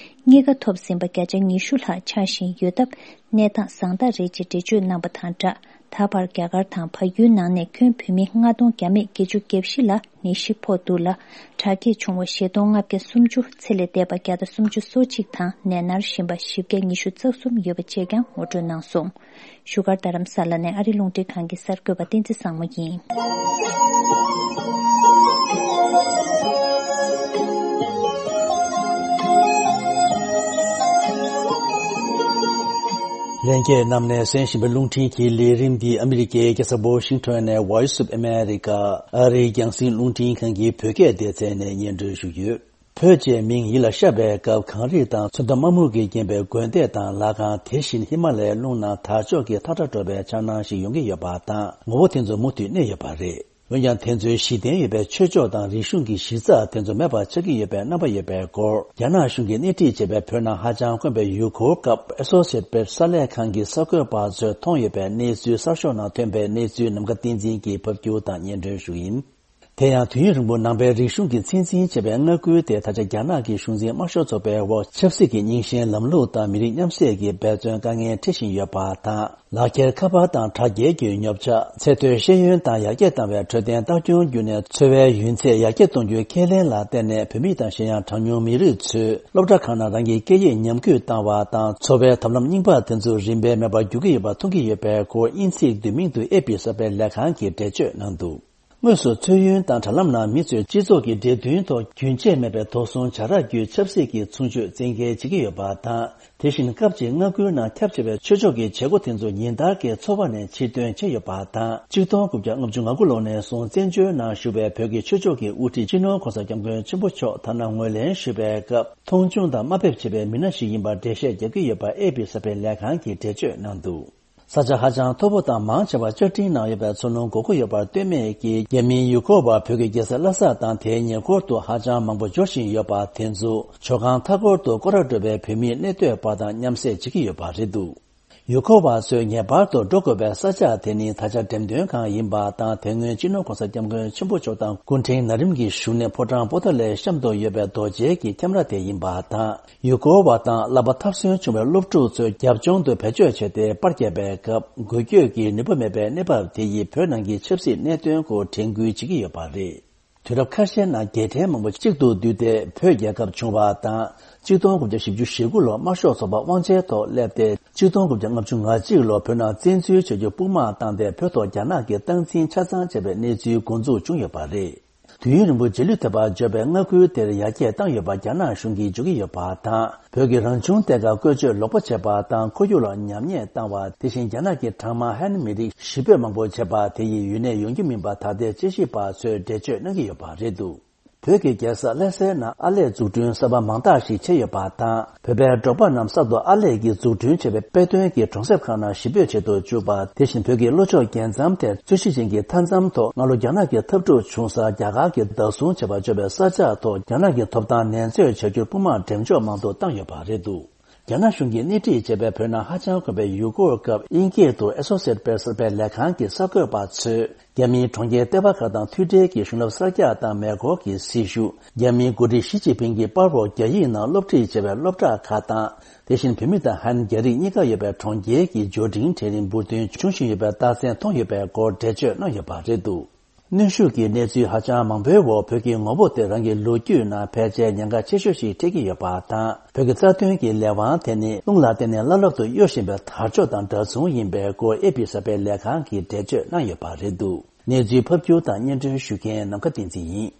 གཉིས་ཀ་ཐོབ་ཟིན་པ་བརྒྱ་ཆ་ཉི་ཤུ་ལྷག་ཆགས་བཞིན་ཡོད་སྟབས། གནས་སྟངས་བཟང་དྲགས་རེད་ཅེས་འགྲེལ་བརྗོད་གནང་བ་དང་སྦྲགས། ད་བར་རྒྱ་གར་དང་བལ་ཡུལ་ནང་ནས་ཁྱོན་བོད་མི་ལྔ་སྟོང་བརྒྱ་མེད་བརྒྱད་ཅུ་གྱ་བཞི་ལ་ནད་གཞི་ཕོག་འདུག་ལ། དྲག་སྐྱེད་བྱུང་བ་བཞི་སྟོང་ལྔ་བརྒྱ་སུམ་ཅུ། ཚེ་ལས་འདས་པ་བརྒྱ་དང་སུམ་ཅུ་སོ་གཅིག་དང་ནད་མནར་བཞིན་པ་བཞི་བརྒྱ་ཉི་ཤུ་རྩ་གསུམ་ཡོད་པ་བཅས་ཀྱང་ངོ་སྤྲོད་གནང་སོང་། བཞུགས་སྒར་རྡ་རམ་ས་ལ་ནས་ཨ་རི་རླུང་འཕྲིན་ཁང་གི་གསར་འགོད་པ་བསྟན་འཛིན་བཟང་མོ་ཡིན། ལྷན་རྒྱས་རྣམས་ནས་གསན་བཞིན་པའི་རླུང་འཕྲིན་གྱི་ལས་རིམ་འདི་ཨ་མི་རི་ཀའི་རྒྱལ་ས་ཝོ་ཤིང་ཊོན་ནས་Voice of America ཨ་རིའི་རྒྱང་སྲིང་རླུང་འཕྲིན་ཁང་གི་བོད་སྐད་སྡེ་ཚན་ནས་སྙན་སྒྲོན་ཞུ་གི་ཡོད། བོད་ཅེས་མིང་ཡིད་ལ་ཤར་བའི་སྐབས། གངས་རི་དང་ཚོན་མདོག་དམར་སྨུག་གིས་བརྒྱན་པའི་དགོན་སྡེ་དང་ལྷ་ཁང་། དེ་བཞིན་ཧི་མ་ལའི་ཀླུང་ནང་དར་ལྕོག་གི་ཐག་སྒྲ་སྒྲོག་པའི་འཆར་སྣང་ཞིག་ཡོང་གི་ཡོད་པ་དང་། ངོ་བོ་དེ་ཚོ་མུ་མཐུད་གནས་ཡོད་པ་རེད། འོན་ཀྱང་། དེ་ཚོའི་གཞི་རྟེན་ཡོད་པའི་ཆོས་ཕྱོགས་དང་རིག་གཞུང་གི་གཞི་རྩ་དེ་ཚོ་མེད་པ་ཆགས་ཀྱི་ཡོད་པའི་རྣམ་པ་ཡོད་པའི་སྐོར། རྒྱ་ནག་གཞུང་གིས་སྣེ་ཁྲིད་བྱས་པའི་བོད་ནང་ཧ་ཅང་དཀོན་པའི་ཡུལ་སྐོར་སྐབས། Associated Press གསར་ལས་ཁང་གི་གསར་འགོད་པ་ཚོས་མཐོང་ཡོད་པའི་གནས་ཚུལ། གསར་ཤོག་ནང་ཐོན་པའི་གནས་ཚུལ། ནམ་མཁའ་བསྟན་འཛིན་གྱིས་ཕབ་སྒྱུར་དང་སྙན་སྒྲོན་ཞུ་ཡིན། དེ་ཡང་། དུས་ཡུན་རིང་པོ་ནང་པའི་རིག་གཞུང་གིས་ཚོད་འཛིན་བྱས་པའི་མངའ་ཁུལ་དེ། ད་ཆ་རྒྱ་ནག་གི་གཞུང་འཛིན་དམར་ཤོག་ཚོགས་པའི་འོག་ཆབ་སྲིད་ཀྱི་རྙིང་ཞེན་ལམ་ལུགས་དང་མི་རིགས་མཉམ་བསྲེས་ཀྱི་འབད་བརྩོན་དཀའ་ངལ་འཕྲད་བཞིན་ཡོད་པ་དང་། ལག་འཁྱེར་ཁ་པར་དང་དྲ་རྒྱའི་བརྒྱུད་ཉོ་ཆ། ཚེ་སྟོད་ཤེས་ཡོན་དང་ཡར་རྒྱས་བཏང་བའི་འཕྲོད་བསྟེན་ལྟ་སྐྱོང་བརྒྱུད་ནས། འཚོ་བའི་ཡུན་ཚད་ཡར་རྒྱས་གཏོང་རྒྱུའི་ཁས་ལེན་ལ་བརྟེན་ནས། བོད་མི་དང་གཞན་ཡང་གྲངས་ཉུང་མི་རིགས་ཚོས་སློབ་གྲྭ་ཁག་ནང་རང་གི་སྐད་ཡིག་ཉམས་རྒུད་བཏང་བ་དང་། འཚོ་བའི་ཐབས་ལམ་རྙིང་པ་དེ་ཚོ་རིམ་པས་མེད་པར་འགྱུར་གྱི་ཡོད་པ་མཐོང་གི་ཡོད་པའི་སྐོར། དབྱིན་ཚིག་བསྡུས་མིང་དུ་ཨེ་པི་གསར་སྤེལ་ལས་ཁང་གིས་འགྲེལ་བརྗོད་གནང་འདུག་དངོས་སུ་མཚོན་ཡུལ་དང་དྲ་ལམ་ནང་མི་ཚོས་སྤྱི་ཚོགས་ཀྱི་འབྲེལ་མཐུན་ཐོག་རྒྱུན་ཆད་མེད་པའི་དོགས་ཟོན་བྱ་ར་བརྒྱུད། ཆབ་སྲིད་ཀྱི་མཚུངས་ཆོས་བཙན་འགེལ་བྱེད་ཀྱི་ཡོད་པ་དང་། དེ་བཞིན་སྐབས་གཅིག་མངའ་ཁུལ་ནང་ཁྱབ་ཆེ་བའི་ཆོས་ཕྱོགས་ཀྱི་བྱེད་སྒོ་དེ་ཚོ་ཉིན་ལྟར་གྱི་འཚོ་བ་ནས་ཕྱིར་ཐོན་བྱས་ཡོད་པ་དང་། ཆིག་སྟོང་དགུ་བརྒྱ་ལྔ་བཅུ་ང་དགུ་ལོ་ནས་བཟུང་བཙན་བྱོལ་ནང་བཞུགས་པའི་བོད་ཀྱི་ཆོས་ཕྱོགས་ཀྱི་དབུ་ཁྲིད་སྤྱི་ནོར་༸གོང་ས་༸སྐྱབས་མགོན་ཆེན་པོ་མཆོག་ཐ་ན་ངོས་ལེན་ཞུ་བའི་སྐབས། མཐོང་ཆུང་དང་དམའ་འབེབས་བྱེད་པའི་མི་སྣ་ཞིག་ཡིན་པར་འགྲེལ་བཤད་རྒྱག་གི་ཡོད་པ་ཨེ་པི་གསར་སྤེལ་ལས་ཁང་གིས་འགྲེལ་བརྗོད་གནང་འདུག་ས་ཆ་ཧ་ཅང་མཐོ་པོ་དང་མང་ཆེ་བ་བཅའ་སྒྲིག་གནང་ཡོད་པའི་མཚོ་ལྷོ་མགོ་སྐོར་ཡོད་པར་ལྟོས་མེད་ཀྱིས། རྒྱ་མིའི་ཡུལ་སྐོར་བ་བོད་ཀྱི་རྒྱལ་ས་ལྷ་ས་དང་དེའི་ཉེ་འཁོར་དུ་ཧ་ཅང་མང་པོ་འབྱོར་བཞིན་ཡོད་པ་དེ་ཚོ། ཇོ་ཁང་མཐའ་འཁོར་དུ་སྐོར་ར་འགྲོ་བའི་བོད་མིའི་གནས་སྡོད་པ་དང་མཉམ་བསྲེས་བྱེད་ཀྱི་ཡོད་པ་རེད་འདུག་ཡུལ་སྐོར་བ་ཚོས་ངེས་པར་དུ་འགྲོ་དགོས་པའི་ས་ཆ་དེ་ནི་ད་ཆ་འགྲེམས་སྟོན་ཁང་ཡིན་པ་དང་། དེ་སྔོན་སྤྱི་ནོར་༸གོང་ས་༸སྐྱབས་མགོན་ཆེན་པོ་མཆོག་དང་སྐུ་ཕྲེང་ན་རིམ་གྱི་བཞུགས་གནས་ཕོ་བྲང་པོ་ཏཱ་ལའི་གཤམ་དུ་ཡོད་པའི་རྡོ་གཅལ་གྱི་ཁྱམས་ར་དེ་ཡིན་པ་དང་། ཡུལ་སྐོར་བ་དང་བསླབ་པ་ཐར་སོན་བྱུང་བའི་སློབ་ཕྲུག་ཚོས་རྒྱབ་ལྗོངས་དུ་བེད་སྤྱོད་བྱས་ཏེ་པར་བརྒྱབ་པའི་སྐབས། འགུལ་སྐྱོད་ཀྱི་ནུས་པ་མེད་པའི་གནས་བབ་དེ་ཡིས་བོད་ནང་གི་ཆབ་སྲིད་གནད་དོན་སྐོར་དྲན་སྐུལ་བྱེད་ཀྱི་ཡོད་པ་རེད། དུས་རབས་ཁ་ཤས་ནང་རྒྱལ་ཕྲན་མང་པོ་གཅིག་ཏུ་བསྡུས་ཏེ་བོད་རྒྱལ་ཁབ་བྱུང་བ་དང་། གཅིག་སྟོང་དགུ་བརྒྱ་བཞི་བཅུ་ཞེ་དགུ་ལོར་དམར་ཤོག་ཚོགས་པ་དབང་ཆའི་ཐོག་སླེབས་ཏེ། གཅིག་སྟོང་དགུ་བརྒྱ་ལྔ་བཅུ་ང་གཅིག་ལོར་བོད་ནང་བཙན་འཛུལ་བྱ་རྒྱུ་དཔུང་དམག་བཏང་སྟེ། བོད་ཐོག་རྒྱ་ནག་གིས་སྟངས་འཛིན་ཆ་ཚང་བྱས་པའི་གནས་ཚུལ་འགོ་འཛུགས་བྱུང་ཡོད་པ་རེད། དུས་ཡུན་རིང་པོ་རྗེས་ལུས་ཐེབས་པར་འབྱོར་བའི་མངའ་ཁུལ་དེར་ཡར་རྒྱས་བཏང་ཡོད་པ་རྒྱ་ནག་གཞུང་གིས་བརྗོད་ཀྱི་ཡོད་པ་དང་། བོད་ཀྱི་རང་བྱུང་གཏེར་ཁ་བཀོལ་སྤྱོད་ལོག་པ་བྱས་པ་དང་། ཁོར་ཡུག་ལ་ཉམས་ཉེས་བཏང་བ། དེ་བཞིན་རྒྱ་ནག་གི་གྲངས་མང་ཧན་མི་རིགས་གཞིས་སྤོས་མང་པོ་བྱས་པ་དེ་ཡིས་ཡུན་གནས་ཡོང་རྒྱུ་མིན་པ་ད་ལྟའི་དཔྱད་ཞིབ་པ་ཚོས་འགྲེལ་བརྗོད་གནང་གི་ཡོད་པ་རེད་འདུག་བོད་ཀྱི་རྒྱལ་ས་ལྷ་སའི་ནང་ཨར་ལས་འཛུགས་སྐྲུན་གསར་པ་མང་དག་ཞིག་བྱས་ཡོད་པ་དང་། བོད་པའི་འབྲོག་པ་རྣམས་གསར་དུ་ཨར་ལས་ཀྱི་འཛུགས་སྐྲུན་བྱས་པའི་དཔེ་སྟོན་གྱི་གྲོང་གསེབ་ཁག་ནང་གཞིས་སྤོས་བྱེད་དུ་བཅུག་པ། དེ་བཞིན་བོད་ཀྱི་ལྷོ་ཕྱོགས་རྒྱལ་མཚམས་དེར་རྩོད་གཞི་ཅན་གྱི་མཐའ་མཚམས་ཐོག་སྔ་ལོ་རྒྱ་ནག་གི་འཐབ་འཁྲུག་བྱུང་སར་རྒྱ་གར་གྱིས་བདག་བཟུང་བྱས་པར་བརྗོད་པའི་ས་ཆ་ཐོག་རྒྱ་ནག་གི་ཐོབ་ཐང་ནན་བརྗོད་བྱ་རྒྱུར་དཔུང་དམག་འགྲེམས་འཇོག་མང་དུ་བཏང་ཡོད་པ་རེད་འདུག་རྒྱ་ནག་གཞུང་གིས་སྣེ་ཁྲིད་བྱས་པའི་བོད་ནང་ཧ་ཅང་དཀོན་པའི་ཡུལ་སྐོར་སྐབས། དབྱིན་སྐད་དུ་Associated Press གསར་སྤེལ་ལས་ཁང་གི་གསར་འགོད་པ་ཚོས། རྒྱ་མིའི་གྲོང་ཁྱེར་ལྟེ་བ་ཁག་དང་མཐུད་འབྲེལ་གྱིས་གཞུང་རབས་གསར་རྒྱག་དང་མེ་འཁོར་གྱི་སྲི་ཞུ། རྒྱ་མིའི་འགོ་ཁྲིད་ཞི་ཅིན་ཕིང་གིས་པར་འོག་རྒྱ་ཡིག་ནང་སློབ་ཁྲིད་བྱས་པའི་སློབ་གྲྭ་ཁག་དང་། དེ་བཞིན་བོད་མི་དང་ཧན་རྒྱ་རིགས་གཉིས་ཀ་ཡོད་པའི་གྲོང་ཁྱེར་གྱི་འབྱོར་འབྲིང་གྲལ་རིམ་འབུར་ཐོན་བྱུང་བཞིན་ཡོད་པའི་རྟགས་མཚན་མཐོང་ཡོད་པའི་སྐོར་འགྲེལ་བརྗོད་གནང་ཡོད་པ་རེད་འདུག་གནོན་ཤུགས་ཀྱི་གནས་ཚུལ་ཧ་ཅང་མང་པོའི་འོག་བོད་ཀྱི་ངོ་བོ་དེ་རང་གི་ལོ་རྒྱུས་ནང་ཕལ་ཆེར་ཉེན་ཁ་ཆེ་ཤོས་ཤིག་འཕྲད་ཀྱི་ཡོད་པ་དང་། བོད་ཀྱི་རྩ་དོན་གྱི་ལས་དབང་དེ་ནི་རླུང་ལ་བརྟེན་ནས་བླ་ལྷག་ཏུ་གཡོ་བཞིན་པའི་དར་ལྕོག་དང་འདྲ་མཚུངས་ཡིན་པའི་སྐོར་ཨེ་པི་གསར་སྤེལ་ལས་ཁང་གིས་འགྲེལ་བརྗོད་གནང་ཡོད་པ་རེད་འདུག་གནས་ཚུལ་ཕབ་སྒྱུར་དང་སྙན་སྒྲོན་ཞུ་མཁན་ནམ་མཁའ་བསྟན་འཛིན་ཡིན།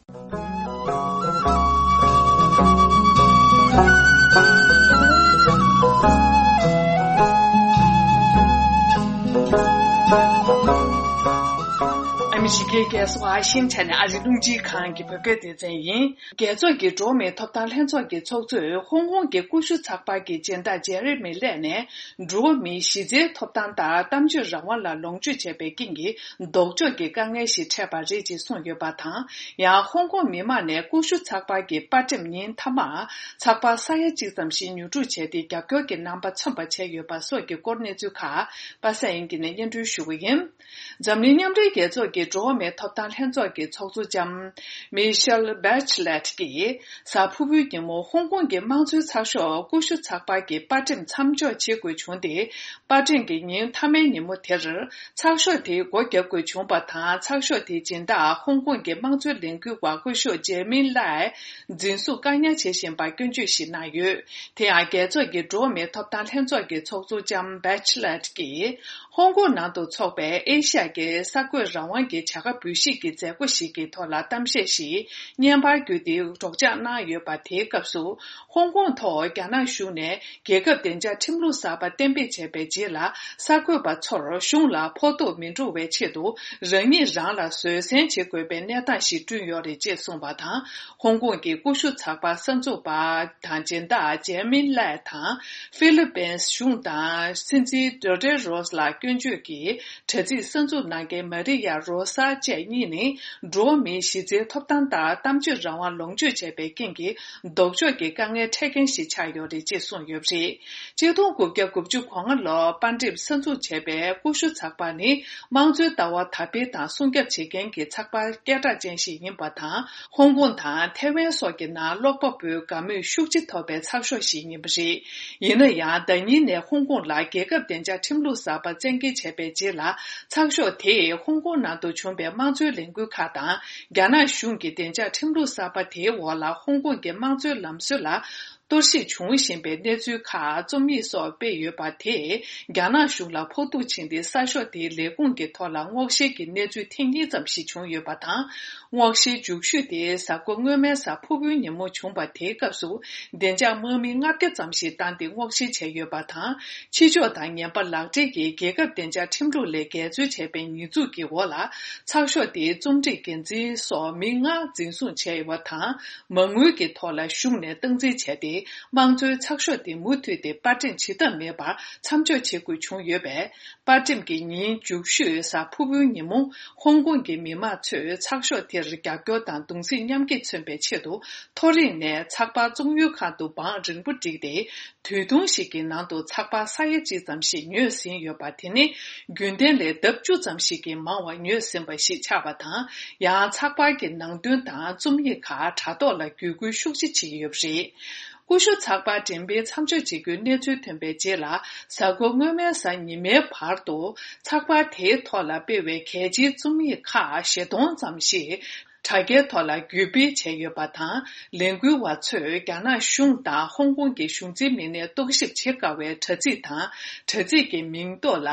ཨ་མི་རི་ཀའི་ རྒྱལ་ས་ཝ་ཤིང་ཊོན་ཨ་རིའི་རླུང་འཕྲིན་ཁང་གི་བོད་སྐད་སྡེ་ཚན་ཡིན། རྒྱལ་ཚོགས་ཀྱི་འགྲོ་བ་མིའི་ཐོབ་ཐང་ལྷན་ཚོགས་ཀྱི་ཚོགས་གཙོས་ཧོང་ཀོང་གི་ཀུ་ཤུ་ཚགས་པར་གྱི་སྦྱིན་བདག་ཇེ་རི་མི་ལེ་ནས། འགྲོ་བ་མིའི་གཞི་རྩའི་ཐོབ་ཐང་དང་གཏམ་བརྗོད་རང་དབང་ལ་ལོངས་སྤྱོད་བྱས་པའི་རྐྱེན་གྱིས་ལྡོག་ཕྱོགས་ཀྱི་དཀའ་ངལ་ཞིག་འཕྲད་པ་རེད་ཅེས་གསུངས་ཡོད་པ་དང་། ཡང་ཧོང་ཀོང་མི་མང་ནས་ཀུ་ཤུ་ཚགས་པར་གྱི་པར་འགྲེམས་ཉིན་མཐའ་མར་ཚགས་པར་ས་ཡ་གཅིག་ཙམ་ཞིག་ཉོ་སྒྲུག་བྱས་ཏེ་རྒྱབ་སྐྱོར་གྱི་རྣམ་པ་མཚོན་པ་བྱས་ཡོད་པ་སོགས་ཀྱི་སྐོར་གནས་ཚུལ་ཁག་པ་སངས་དབྱངས་སྐྱིད་ནས་སྙན་སྒྲོན་ཞུ་གི་ཡིན། འཛམ་གླིང་མཉམ་འབྲེལ་རྒྱལ་ཚོགས་ཀྱི་འགྲོ་བ་མིའི་ཐོབ་ཐང་ལྷན་ཚོགས་ཀྱི་ཚོགས་གཙོ་ལྕམ་མི་ཤེལ་བྷེ་ཆི་ལེད་ཀྱིས་གཟའ་ཕུར་བུའི་ཉིན་མོ་ཧོང་ཀོང་གི་དམངས་གཙོའི་ཚགས་ཤོག་ཀུ་ཤུ་ཚགས་པར་གྱི་པར་འགྲེམས་མཚམས་འཇོག་བྱེད་དགོས་བྱུང་སྟེ། པར་འགྲེམས་ཀྱི་ཉིན་མཐའ་མའི་ཉིན་མོ་དེར་ཚགས་ཤོག་དེའི་སྒོ་བརྒྱབ་དགོས་བྱུང་བ་དང་། ཚགས་ཤོག་དེའི་སྦྱིན་བདག་ཧོང་ཀོང་གི་དམངས་གཙོའི་ལས་འགུལ་བ་སྐུ་ཞབས་ཇེ་མིན་ལའེ་འཛིན་བཟུང་བཀག་ཉར་བྱེད་བཞིན་པར་སྐྱོན་བརྗོད་ཞིག་གནང་ཡོད། དེ་ཡང་རྒྱལ་ཚོགས་ཀྱི་འགྲོ་བ་མིའི་ཐོབ་ཐང་ལྷན་ཚོགས་ཀྱི་ཚོགས་གཙོ་ལྕམ་བྷེ་ཆི་ལེད་ཀྱིས། ཧོང་ཀོང་ནང་དུ་འཚོགས་པའི་ཨེ་ཤ་ཡ་གི་གསར་འགོད་རང་དབང་གི་བྱ་དགའ་འབུལ་བཞེས་ཀྱི་མཛད་སྒོ་ཞིག་གི་ཐོག་ལ་གཏམ་བཤད་ཞིག་བརྙན་པར་བརྒྱུད་དེ་སྒྲོག་སྦྱང་གནང་ཡོད་པ། དེའི་སྐབས་སུ་ཧོང་ཀོང་ཐོག་རྒྱ་ནག་གཞུང་ནས་རྒྱལ་ཁབ་བདེ་འཇགས་ཁྲིམས་ལུགས་གསར་པ་གཏན་འབེབས་བྱས་པའི་རྗེས་ལ། གསར་འགོད་པ་ཚོར་གཞུང་ལ་ཕོག་ཐུག་མི་འགྲོ་བའི་ཆེད་དུ་རང་ཉིད་རང་ལ་བཟོད་བསྲན་བྱེད་དགོས་པའི་གནས་སྟངས་ཤིག་བསྐྲུན་ཡོད་རེད་ཅེས་གསུངས་པ་དང་། ཧོང་ཀོང་གི་ཀུ་ཤུ་ཚགས་པར་གསར་འཛུགས་པ་དང་སྦྱིན་བདག་ཇེ་མིན་ལའེ་དང་། ཧྥི་ལི་པིན་གཞུང་དང་སྲིད་འཛིན་ཌོ་ཏེ་རོས་ལ་སྐྱོན་བརྗོད་ཀྱི་དྲ་ཚིགས་གསར་འཛུགས་གནང་མཁན་མ་རི་ཡ་རོ་ས་བཅས་གཉིས་ནི། འགྲོ་བ་མིའི་གཞི་རྩའི་ཐོབ་ཐང་དང་གཏམ་བརྗོད་རང་དབང་ལོངས་སྤྱོད་བྱས་པའི་རྐྱེན་གྱིས་ལྡོག་ཕྱོགས་ཀྱི་དཀའ་ངལ་འཕྲད་མཁན་ཞིག་ཆགས་ཡོད་རེད་ཅེས་གསུངས་ཡོད་པ་རེད། གཅིག་སྟོང་དགུ་བརྒྱ་དགུ་བཅུ་གོ་ལྔ་ལོར་པར་འགྲེམས་གསར་འཛུགས་བྱས་པའི་ཀུ་ཤུ་ཚགས་པར་ནི། དམངས་གཙོའི་ལྟ་བ་དར་སྤེལ་དང་སྲུང་སྐྱོབ་བྱེད་མཁན་གྱི་ཚགས་པར་སྐད་གྲགས་ཅན་ཞིག་ཡིན་པ་དང་། ཧོང་ཀོང་དང་ཐའེ་ཝན་སོགས་ཀྱི་ནང་ཀློག་པ་པོའི་དགའ་མོས་ཤུགས་ཆེ་ཐོབ་པའི་ཚགས་ཤོག་ཞིག་ཡིན་པ་རེད། ཡིན་ན་ཡང་། ཟླ་ཉིན་ནས་ཧོང་ཀོང་ལ་རྒྱལ་ཁབ་བདེ་འཇགས་ཁྲིམས་ལུགས་གསར་པ་བཙན་འགེལ་བྱས་པའི་རྗེས་ལ། ཚགས་ཤོག་དེས་ཧོང་ཀོང་ནང་དུ་བྱུང་པའི་དམངས་གཙོའི་ལས་འགུལ་ཁག་དང་། རྒྱ་ནག་གཞུང་གི་བདེ་འཇགས་ཁྲིམས་ལུགས་གསར་པ་དེའི་འོག་ལ་ཧོང་ཀོང་གི་དམངས་གཙོའི་ལམ་སྲོལ་ལ་གཏོར་བཤིག་འབྱུང་བཞིན་པའི་གནས་ཚུལ་ཁག་རྩོམ་ཡིག་སོགས་སྤེལ་ཡོད་པ་དེས། རྒྱ་ནག་གཞུང་ལ་ཕོག་ཐུག་ཕྱིན་ཏེ། གསར་ཤོག་དེའི་ལས་ཁུངས་ཀྱི་ཐོག་ལ་སྔོག་བཤེར་གྱི་གནས་ཚུལ་ཐེངས་གཉིས་ཙམ་ཞིག་བྱུང་ཡོད་པ་དང་། སྔོག་བཤེར་མཇུག་ཤོས་དེ་གཟའ་འཁོར་སྔོན་མའི་གཟའ་ཕུར་བུའི་ཉིན་མོ་བྱུང་བ། དེའི་སྐབས་སུ་བདེ་འཇགས་དམག་མི་ལྔ་བརྒྱ་ཙམ་ཞིག་བཏང་སྟེ་སྔོག་བཤེར་བྱས་ཡོད་པ་དང་། ཕྱི་ཕྱོགས་དང་ངན་པ་ལག་འབྲེལ་གྱིས་རྒྱལ་ཁབ་བདེ་འཇགས་ཁྲིམས་ལུགས་ལས་འགལ་འཛོལ་བྱས་པའི་ཉེས་འཛུགས་ཀྱི་འོག་ལ། ཚགས་ཤོག་དེའི་རྩོམ་སྒྲིག་འགན་འཛིན་སོགས་མི་ལྔ་འཛིན་བཟུང་བྱས་ཡོད་པ་དང་། མ་དངུལ་གྱི་ཐོག་ལ་གཞུང་ནས་སྟངས་འཛིན་བྱས་ཏེ། དམངས་གཙོའི་ཚགས་ཤོག་དེ་མུ་མཐུད་དེ་པར་འགྲེམས་བྱེད་ཐབས་མེད་པར་མཚམས་འཇོག་བྱེད་དགོས་བྱུང་ཡོད་པས། པར་འགྲེམས་ཀྱི་ཉིན་མཇུག་ཤོས་གཟའ་ཕུར་བུའི་ཉིན་མོ། ཧོང་ཀོང་གི་མི་མང་ཚོས་ཚགས་ཤོག་དེར་རྒྱབ་སྐྱོར་དང་གདུང་སེམས་མཉམ་སྐྱེད་མཚོན་པའི་ཆེད་དུ། མཐོ་རིམ་ནས་ཚགས་པར་བཙོང་ཡུལ་ཁང་དུ་བང་རིང་པོ་བསྒྲིགས་ཏེ། དུས་ཐུང་ཞིག་གི་ནང་དུ་ཚགས་པར་ས་ཡ་གཅིག་ཙམ་ཞིག་ཉོས་ཟིན་ཡོད་པ། དེ་ནི་རྒྱུན་ལྡན་ལས་ལྡབ་བཅུ་ཙམ་ཞིག་གིས་མང་བ་ཉོས་ཟིན་པ་ཞིག་ཆགས་པ་དང་། ཡང་ཚགས་པར་གྱི་ནང་དོན་དང་རྩོམ་ཡིག་ཁག་དྲ་ཐོག་ལ་བརྒྱུད་སྐུལ་ཤུགས་ཆེ་བྱེད་ཀྱི་ཡོད་པ་རེད། ཀུ་ཤུ་ཚགས་པར་འགྲེམས་སྤེལ་མཚམས་འཇོག་བྱེད་རྒྱུའི་གནས་ཚུལ་ཐོན་པའི་རྗེས་ལ། གཟའ་འཁོར་སྔོན་མའི་གཟའ་ཉི་མའི་བར་དུ། ཚགས་པར་དེའི་ཐོག་ལ་སྤེལ་བའི་གལ་ཆེའི་རྩོམ་ཡིག་ཁག་བཞི་སྟོང་ཙམ་ཞིག་དྲ་རྒྱའི་ཐོག་ལ་བརྒྱུད་སྤེལ་བྱས་ཡོད་པ་དང་། ལས་འགུལ་བ་ཚོས་རྒྱ་ནག་གཞུང་དང་ཧོང་ཀོང་གི་གཞུང་འཛིན་མི་སྣས་རྟོག་ཞིབ་བྱེད་དཀའ་བའི་དྲ་ཚིགས་དང་། དྲ་ཚིགས་ཀྱི་མིང་ཐོག་ལ་